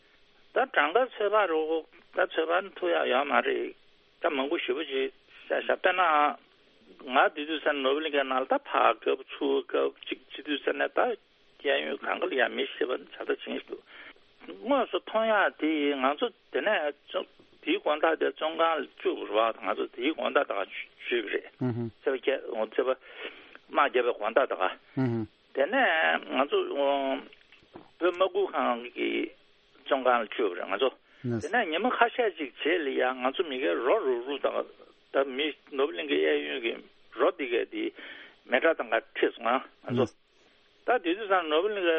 ད་གྲངས་ཀ་ཚོད་དཔག་རོགས་ད་ཚོད་དཔག་ཐུབ་ཡག་ཡོད་མ་རེད། ད་མང་པོ་ཞེ་པོ་ཅིག་བཤད་ཤག་དཔེར་ན་ང་དེ་དུས་ཚོད་ནོར་བུ་གླིང་གའི་ནང་ལ་ད་ཕར་རྒྱབ་ཚུར་རྒྱབ་ཅིག་བྱེད་དུས་ཚོད་ནས་ད་གཡས་གཡོན་གང་ག་ལ་ཡ་མི་ཤི་བ་ནི་ཇག་ད་ཅིག་འདུག་དངོས་སུ་མཐོང་ཡག་དེ་ང་ཚོ་དེ་ནས་བཙོན་དེའི་དགོང་དག་དེ་བཙོན་ཁང་ལ་བཅུག་པ་རེད་པ། ང་ཚོ་དེའི་དགོང་དག་དག་བཅུག་པ་རེད། ཨུ་ཧུ། ཚེས་པ་བརྒྱད་ཚེས་པ་དམག་བརྒྱབ་པའི་དགོང་དག་དག་ཨུ་ཧུ། དེ་ནས་ང་ཚོ་བོད་དམག་ཁུལ་ཁང་གི་བཙོན་ཁང་ལ་བཅུག་པ་རེད་ང་ཚོ། ནས། དེ་ནས་ཉི་མ་ཁ་ཤས་ཅིག་རྗེས་ལ་ཡང་ང་ཚོ་མི་སྒེར་རོ་རུག་རུག་དང་ད་མི་ནོར་བུ་གླིང་གའི་གཡས་གཡོན་གྱི་རོ་འདི་གས་འདི་མེ་སྲེག་དང་ག་ཁྲིད་སོང་ང་ང་ཚོ། ནས། ད་དེ་དུས་ཙང་ནོར་བུ་གླིང་གའི་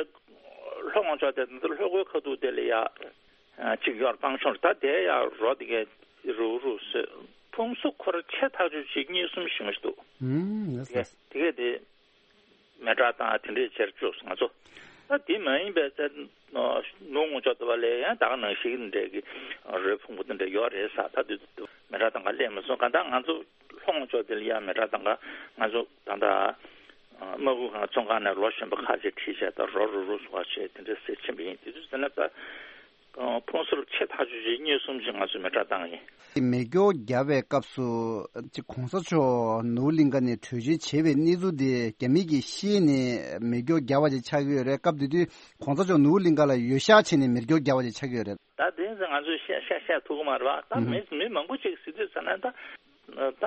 ལྷོ་ངོས་ཕྱོགས་དེ་ད་ལྷོ་སྒོའི་ཁ་ཐུག་དེ་ལ་ཡ་ཅིག་ཡོད་རེད་སྤང་ཆུ་རེད། ད་དེ་ཡ་རོ་འདི་གས་རུག་རུག་བཟོས། ཕུང་གསུམ་ཁོ་ར་ཆེ་ཐག་ཆོད་ཅིག་གཉིས་གསུམ་ཞིག་མ་ཞིག་འདུག་ཨུམ། ཡེས་དེ་ཡེས། དེ་གས་དེ། མེ་སྲེག་བཏང་དེ་འདྲའི་བྱས་བཅུག་སོང་ང་ཚོ། ད་དེ་མ་ཡིན་པའི་ཚེ་ནུབ་ངོས་ཕྱོགས་དེ་བ་ལས་ཡང་ད་ག་ནང་བཞིན་འདྲ་གི་རོལ་ཕུང་པོ་དེ་འདྲ་ཡོད་རེད་ས། ད་དུས་མི་རབས་དང་ག་སླེབས་མ་སོང་། ག་ད་ང་ཚོ་ལྷོ་ངོས་ཕྱོགས་དེ་ལ་ཡང་མི་རབས་དང་ག་ང་ཚོ་ད་ད་དམག་ཁུལ་ཁང་ཚོང་ཁང་ནས་ལོ་གཞོན་པ་ཁ་ཤས་ཁྲིད་བྱས་ད་རོ་རུ་རུ་སོ་བ་བྱས་དེ་འདྲ་ཟེར་ཕྱིན་པ་ཡིན། དེ་དུས་ཟེར་ན་ད། ཕུང་གསོབ་ཆེ་ཐག་ཆོད་ཅིག་གཉིས་གསུམ་ཅིག་ང་ཚོས་མེ་སྲེག་བཏང་ཡིན། མེ་སྒྱོགས་བརྒྱབ་པའི་སྐབས་སུ་ཅིག་གོང་ས་མཆོག་ནོར་བུ་གླིང་ཁ་ནས་བྲོས་བྱོལ་བྱས་པའི་གནས་ཚུལ་དེ་རྒྱ་མི་གིས་ཤེས་ནས་མེ་སྒྱོགས་བརྒྱབ་པ་ཅིག་ཆགས་ཀྱི་ཡོད་རེད། སྐབས་དེ་དུས་གོང་ས་མཆོག་ནོར་བུ་གླིང་ཁ་ལ་འོས་ཤག་བྱས་ནས་མེ་སྒྱོགས་བརྒྱབ་པ་ཅིག་ཆགས་ཀྱི་ཡོད་རེད། ད་དེ་ཚོ་ང་ཚོས་བཤད་བཤད་བཤད་ཐུབ་ཀྱི་མ་རེད་པ། ད་ཨུ་ཧུ། མི་མི་མང་པོ་ཅིག་ཟེར་དུས་ཟེར་ན་ད་ད་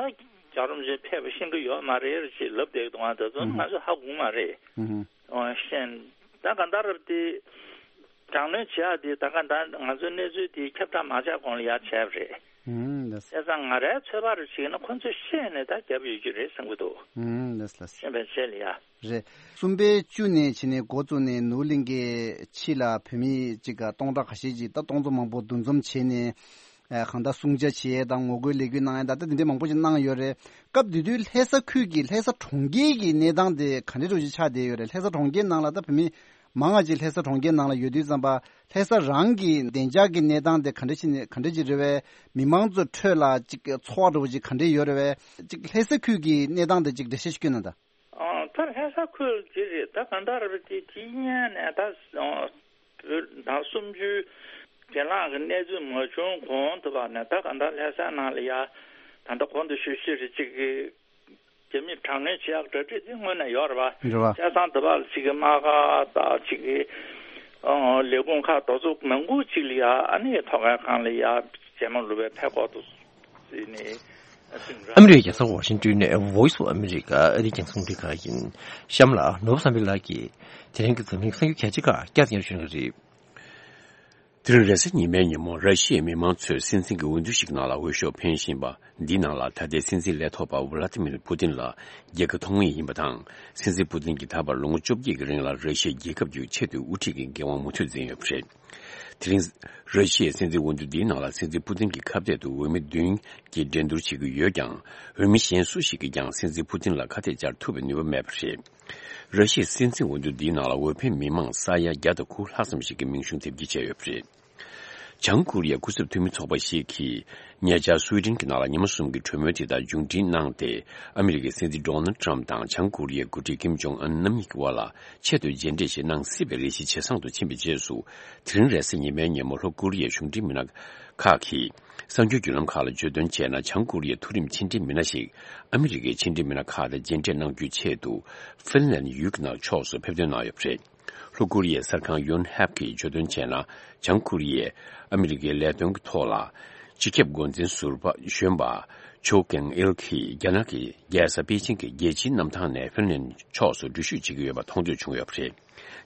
རྒྱལ་རོམ་ཅིག་ཕེབས་པ་ཤེས་ཀྱི་ཡོད་མ་རེད་ཅེས་ལབ་བསྡད་འདུག་ཨ་ད་ཚོ་ཨུ་ཧུ། ང་ཚོས་ཧ་གོ་གི་མ་རེད། ཨུ་ཧུ། ཨོ་ཤེས། ད་ག་འདྲ་རེད་དེ། དྲག་གནོན་བྱེད་ཡག་དེ་ད་ག་འདྲ་ང་ཚོའི་གནས་ཚུལ་དེ་ཁྱབ་བསྒྲགས་མ་བྱས་གོང་ལ་ཡར་བྱས་པ་རེད། ཨུམ། ལགས། བྱས་ཙང་ང་རའི་ཚོད་དཔག་རེ་བྱས་ན་ཁོ་ཚོས་ཤེས་ནས་ད་བརྒྱབ་ཡོད་ཀྱི་རེད་བསམ་གྱི་འདུག་ཨུམ། ལགས་ལགས། ཤེས་པའི་ཆེད་ལ་ཡ། རེད། གསུམ་པའི་བཅུ་ནས་བྱས་ནས་འགོ་བཙུགས་ནས་ནོར་གླིང་གི་ཕྱི་ལ་བོད་མི་གཅིག་ག་སྟོང་ཕྲག་ཁ་ཤས་ཅིག་ད་སྟོང་ཚོ་མང་པོ་འདུ་འཛོམས་བྱས་ནས། ཨ་གང་ལྟར་སྲུང་བརྩི་བྱེད་ཡས་དང་ངོ་རྒོལ་ལས་འགུལ་གནང་ཡས་ད་ལྟ་དེ་འདྲ་མང་པོ་ཞིག་གནང་ཡོད་རེད། སྐབས་དེ་དུས་ལྷ་ས་ཁུལ་གྱི་ལྷ་ས་གྲོང་ཁྱེར་གྱི་གནས་སྟངས་དེ་ག་འདྲ་འདྲ་ཞིག་ཆགས་བསྡད་ཡོད་རེད། ལྷ་ས་གྲོང་ཁྱེར་ནང་ལ་ད་བོད་མི་མང་ང་ཅིག་ལྷ་ས་གྲོང་ཁྱེར་ནང་ལ་ཡོད་དུས་ཙམ་པ་ལྷ་ས་རང་གི་བདེ་འཇགས་ཀྱི་གནས་སྟངས་དེ་ག་འདྲ་ཞིག་ནས་ག་འདྲ་ཞིག་རེད་བས། མི་མང་ཚོའི་ཁྲོད་ལ་ཅིག་ཚོར་བ་འདྲ་བོ་ཅིག་ག་འདྲ་ཡོད་རེད་བས། ཅིག་ལྷ་ས་ཁུལ་གྱི་གནས་སྟངས་དེ་ཅིག་འགྲེལ་བཤད་ཞིག་སྐྱོན་ན་ད། ཨ། ད་ལྷ་ས་ཁུལ་འདི་རེད། ད་གང་ལྟར་རེད་དེ་དེ་སྔོན་ནས་ད་བོད་ཟླ་སུམ་ཅུའི་རྗེས་ལངས་ཀྱི་གནས་ཚུལ་མ་བྱུང་གོང་དུ་བ་ནས་ད་གང་ལྟར་ལྷ་ས་ནང་ལ་ཡ་ད་ལྟ་གོང་དུ་ཞུས་ཞུས་རེད་ཅིག་གི་རྒྱ་མིས་དྲག་གནོན་བྱེད་ཡག་གྲ་སྒྲིག་དེ་སྔོན་ནས་ཡོད་རེད་བ། རེད་བ། བྱས་ཙང་དུ་བ་ལ་ཅིག་གི་དམག་སྒར་དང་ཅིག་གི་ཨ་ལས་ཁུངས་ཁག་དེ་ཚོ་མང་པོ་ཅིག་ལ་ཡ་ཨ་ནི་ཐོག་ཁའི་སྒང་ལ་ཡ་རྗེས་མ་ལུས་པའི་ཕེབས་སྐོར་དུ་བརྩིས་ནས། ཨ་མི་རི་ཀའི་རྒྱལ་ས་ཝ་ཤིང་ཏོན་ནས་Voice of America ཨ་རིའི་རྒྱང་སྲིང་རླུང་འཕྲིན་ཁང་ཡིན། གཤམ་ལ་ནོར་བུ་བསམ་འཕེལ་ལགས་ཀྱིས་དེ་རིང་གི་འཛམ་གླིང་གསར་འགྱུར་གལ་ཆེ་ཁག་བསྐྱར་དུ་སྙན་སྒྲོན་ཞུ་གནང་གི་རེད། དེ་རིང་རེས་གཟའ་ཉི་མའི་ཉིན་མོ་ར་ཤི་ཡའི་མི་མང་ཚོས་སྲིད་འཛིན་གྱི་འོས་བསྡུ་ཞིག་ནང་ལ་འོས་ཤོག་འཕེན་བཞིན་པ་འདིའི་ནང་ལ་ད་ལྟའི་སྲིད་འཛིན་ལས་ཐོག་པ་ཝ་ལ་ཏི་མིར་པུ་ཏིན་ལ་རྒྱལ་ཁ་ཐོབ་ངེས་ཡིན་པ་དང་། སྲིད་འཛིན་པུ་ཏིན་གྱིས་ད་བར་ལོ་ངོ་བཅོ་བརྒྱད་ཀྱི་རིང་ལ་ར་ཤི་ཡའི་རྒྱལ་ཁབ་ཀྱི་ཆེས་མཐོའི་དབུ་ཁྲིད་ཀྱི་འགན་དབང་མུ་མཐུད་འཛིན་ཡོད་པ་རེད། དེ་རིང་། ར་ཤི་ཡའི་སྲིད་འཛིན་འོས་བསྡུ་འདིའི་ནང་ལ་སྲིད་འཛིན་པུ་ཏིན་གྱི་ཁ་གཏད་དུ་འོས་མི་བདུན་གྱིས་འགྲན་བསྡུར་བྱེད་ཀྱི་ཡོད་ཀྱང་། འོས་མི་གཞན་སུ་ཞིག་གིས་ཀྱང་སྲིད་འཛིན་པུ་ཏིན་ལ་ཁ་གཏད་བཅར་ཐུབ་པའི་ནུས་པ་མེད་པ་རེད། ར་ཤི་ཡའི་སྲིད་འཛིན་འོས་བསྡུ་འདིའི་ནང་ལ་འོས་འཕེན་མི་མང་ས་ཡ་བརྒྱ་དང་དགུ་ལྷག་ཙམ་ཞིག་གིས་མིང་གཞུང་དེབ་སྐྱེལ་བྱས་ཡོད་པ་རེད། བྱང་ཀོ་རི་ཡའི་སྐུ་ཚབ་འཐུས་མི་ཚོགས་པ་ཞིག་གིས་ཉེ་ཆར་སུའེ་ཏེན་གྱི་ནང་ལ་ཉི་མ་གསུམ་གྱི་གྲོས་མོལ་དེ་དག་མཇུག་སྒྲིལ་གནང་སྟེ། ཨ་མི་རི་ཀའི་སྲིད་འཛིན་ཌོ་ནལ་ཏྲམ་དང་བྱང་ཀོ་རི་ཡའི་འགོ་ཁྲིད་ཀིམ་ཇོང་ཨན་རྣམ་གཉིས་ཀྱི་དབར་ལ་ཆེད་དུ་མཇལ་འཕྲད་ཞིག་གནང་སྲིད་པའི་རེ་ཞིག་ཇེ་བཟང་དུ་ཕྱིན་པའི་རྗེས་སུ། དེ་རིང་རེས་གཟའ་ཉི་མའི་ཉིན་མོ་ལྷོ་ཀོ་རི་ཡའི་གཞུང་འབྲེལ་མི་སྣ་ཁག་གིས་གསར་འགྱུར་བརྒྱུད་ལམ་ཁག་ལ་བརྗོད་དོན་བྱས་ན། བྱང་ཀོ་རི་ཡའི་མཐོ་རིམ་ཕྱི་འབྲེལ་མི་སྣ་ཞིག་ཨ་མི་རི་ཀའི་ཕྱི་འབྲེལ་མི་སྣ་ཁག་དང་མཇལ་འཕྲད་གནང་རྒྱུའི་ཆེད་དུ་ཧྥིན་ལན་ཡུལ་གྱི་ནང་ཕྱོགས་སུ་ཕེབས་ཐོན་གནང་ཡོད་པ་རེད། ལྷོ་ཀོ་རི་ཡའི་གསར་ཁང་ཡོན་ཧེབ་ཀྱིས་བརྗོད་དོན་བྱས་ན། བྱང་ཀོ་རི་ཡས་ཨ་མི་རི་ཀའི་ལས་དོན་གྱི་ཐོག་ལ་སྤྱི་ཁྱབ་འགོ་འཛིན་ཟུར་པ་གཞོན་པ་ཆོ་ཀེང་ཨིལ་གྱིས་རྒྱ་ནག་གི་རྒྱལ་ས་པེ་ཅིང་གི་རྒྱལ་སྤྱིའི་གནམ་ཐང་ནས་ཧྥིན་ལན་ཕྱོགས་སུ་འགྲུལ་བཞུད་བྱེད་ཀྱི་ཡོད་པ་མཐོང་ཐོས་བྱུང་ཡོད་པ་རེད།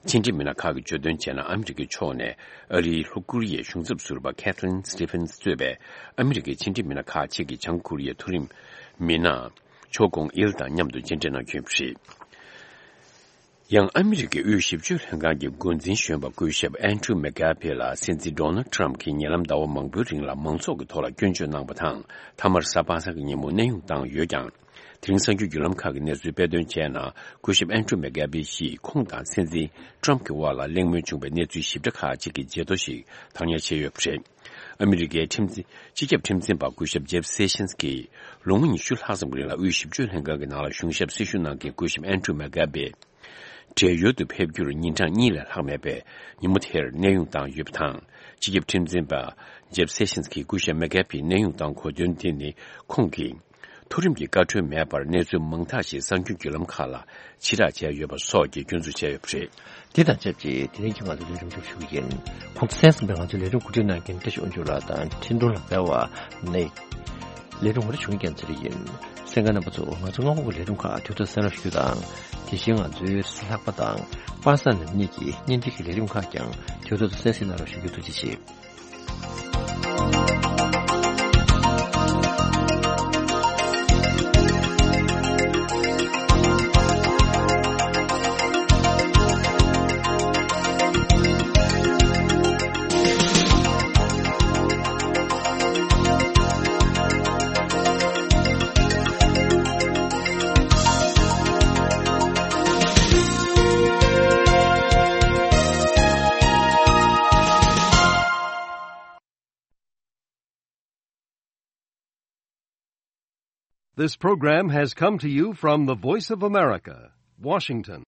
ཕྱི་འབྲེལ་མི་སྣ་ཁག་གིས་བརྗོད་དོན་བྱས་ན། ཨ་མི་རི་ཀའི་ཕྱོགས་ནས་ཨ་རིའི་ལྷོ་ཀོ་རི་ཡའི་གཞུང་ཚབ་ཟུར་པ་ཁེ་ཐི་རིན་སི་ཏི་ཕིན་སི་གཙོས་པའི་ཨ་མི་རི་ཀའི་ཕྱི་འབྲེལ་མི་སྣ་ཁག་ཅིག་གིས་བྱང་ཀོ་རི་ཡའི་མཐོ་རིམ་མི་སྣ་ཆོ་ཀོང་ཨིལ་དང་མཉམ་དུ་མཇལ་འཕྲད་གནང་རྒྱུ་ཡིན་པ་རེད། ཡང་ཨ་མི་རི་ཀའི་དབུས་ཞིབ་དཔྱོད་ལྷན་ཁང་གི་འགོ་འཛིན་གཞོན་པ་སྐུ་ཞབས་ཨན་ཌྲུ་མེག་གྷ་བྷེ་ལ་སྲིད་འཛིན་ཌོ་ནལ་ཏྲམ་གྱིས་ཉེ་ལམ་ཟླ་བ་མང་པོའི་རིང་ལ་མང་ཚོགས་ཀྱི་ཐོག་ལ་སྐྱོན་བརྗོད་གནང་བ་དང་། མཐའ་མར་གཟའ་པ་སངས་ཀྱི་ཉིན་མོ་གནས་དབྱུང་བཏང་ཡོད་ཀྱང་། དེ་རིང་གསར་འགྱུར་བརྒྱུད་ལམ་ཁག་གིས་གནས་ཚུལ་སྤེལ་དོན་བྱས་ན། སྐུ་ཞབས་ཨན་ཌྲུ་མེག་གྷ་བྷེ་ཡིས་ཁོང་དང་སྲིད་འཛིན་ཏྲམ་གྱི་དབར་ལ་གླེང་མོལ་བྱུང་བའི་གནས་ཚུལ་ཞིབ་ཕྲ་ཁག་ཅིག་གི་བརྗེད་ཐོ་ཞིག་བཏང་ཉར་བྱས་ཡོད་པ་རེད། ཨ་མི་རི་ཀའི་ཁྲིམས་འཛིན་སྤྱི་ཁྱབ་ཁྲིམས་འཛིན་པ་སྐུ་ཞབས་ཇེབ་སེ་ཤིན་སི་ཀྱིས་ལོ་ངོ་ཉི་ཤུ་ལྷག་ཙམ་གྱི་རིང་ལ་དབུས་ཞིབ་དཔྱོད་ལྷན་ཁང་གི་ནང་ལ་གཞུང་ཞབས་སྲི་ཞུ་གནང་མཁན་སྐུ་ཞབས་ཨན་ཌྲུ་མེག་གྷ་བྷེ་བགྲེས་ཡོལ་དུ་ཕེབས་རྒྱུར་ཉིན་གྲངས་གཉིས་ལས་ལྷག་མེད་པས་ཉིན་མོ་དེར་གནས་དབྱུང་བཏང་ཡོད་པ་དང་། སྤྱི་ཁྱབ་ཁྲིམས་འཛིན་པ་ཇེབ་སེ་ཤིན་སི་ཀྱིས་སྐུ་ཞབས་མེག་གྷ་བྷེ་གནས་དབྱུང་བཏང་དགོས་དོན་དེ་ནི། ཁོང་གིས་མཐོ་རིམ་གྱི་བཀའ་འཁྲོལ་མེད་པར་གནས་ཚུལ་མང་དག་ཞིག་གསར་འགྱུར་བརྒྱུད་ལམ་ཁག་ལ་ཕྱིར་བསྒྲགས་བྱས་ཡོད་པ་སོགས་ཀྱི་སྐྱོན་འཛུགས་བྱས་ཡོད་པ་རེད། དེ་དང་ཆབས་ཅིག་དེ་རིང་གི་ང་ཚོའི་ལས་རིམ་མཇུག་ཞུ་གི་ཡིན། ཁོང་ཚོ་གསན་གཟིགས་པའི་ང་ཚོའི་ལས་རིམ་གོ་སྒྲིག་གནང་མཁན་བཀྲ་ཤིས་དབང་ཕྱུག་ལགས་དང་འཕྲིན་གཏོང་ལ་འབད་བ་ནི། ལས་རིམ་ངོ་སྤྲོད་བྱུང་རྒྱལ་མཚན་རེ་ཡིན། གསན་མཁན་རྣམ་པ་ཚོ་ང་ཚོ་སྔ་དགོང་གི་ལས་རིམ་ཁག་དུས་ཐོག་གསན་རོགས་ཞུ་དང་། དེ་བཞིན་ང་ཚོའི་ལྷག་པ་དང་པར་སང་ནམ་གཉིས་ཀྱི་བརྙན་འཕྲིན་གྱི་ལས་རིམ་ཁག་ཀྱང་དུས་ཐོག་ཏུ་གསན་གཟིགས་གནང་རོགས་ཞུ་རྒྱུ་ཐུགས་རྗེ་ཆེ། This program has come to you from the Voice of America, Washington.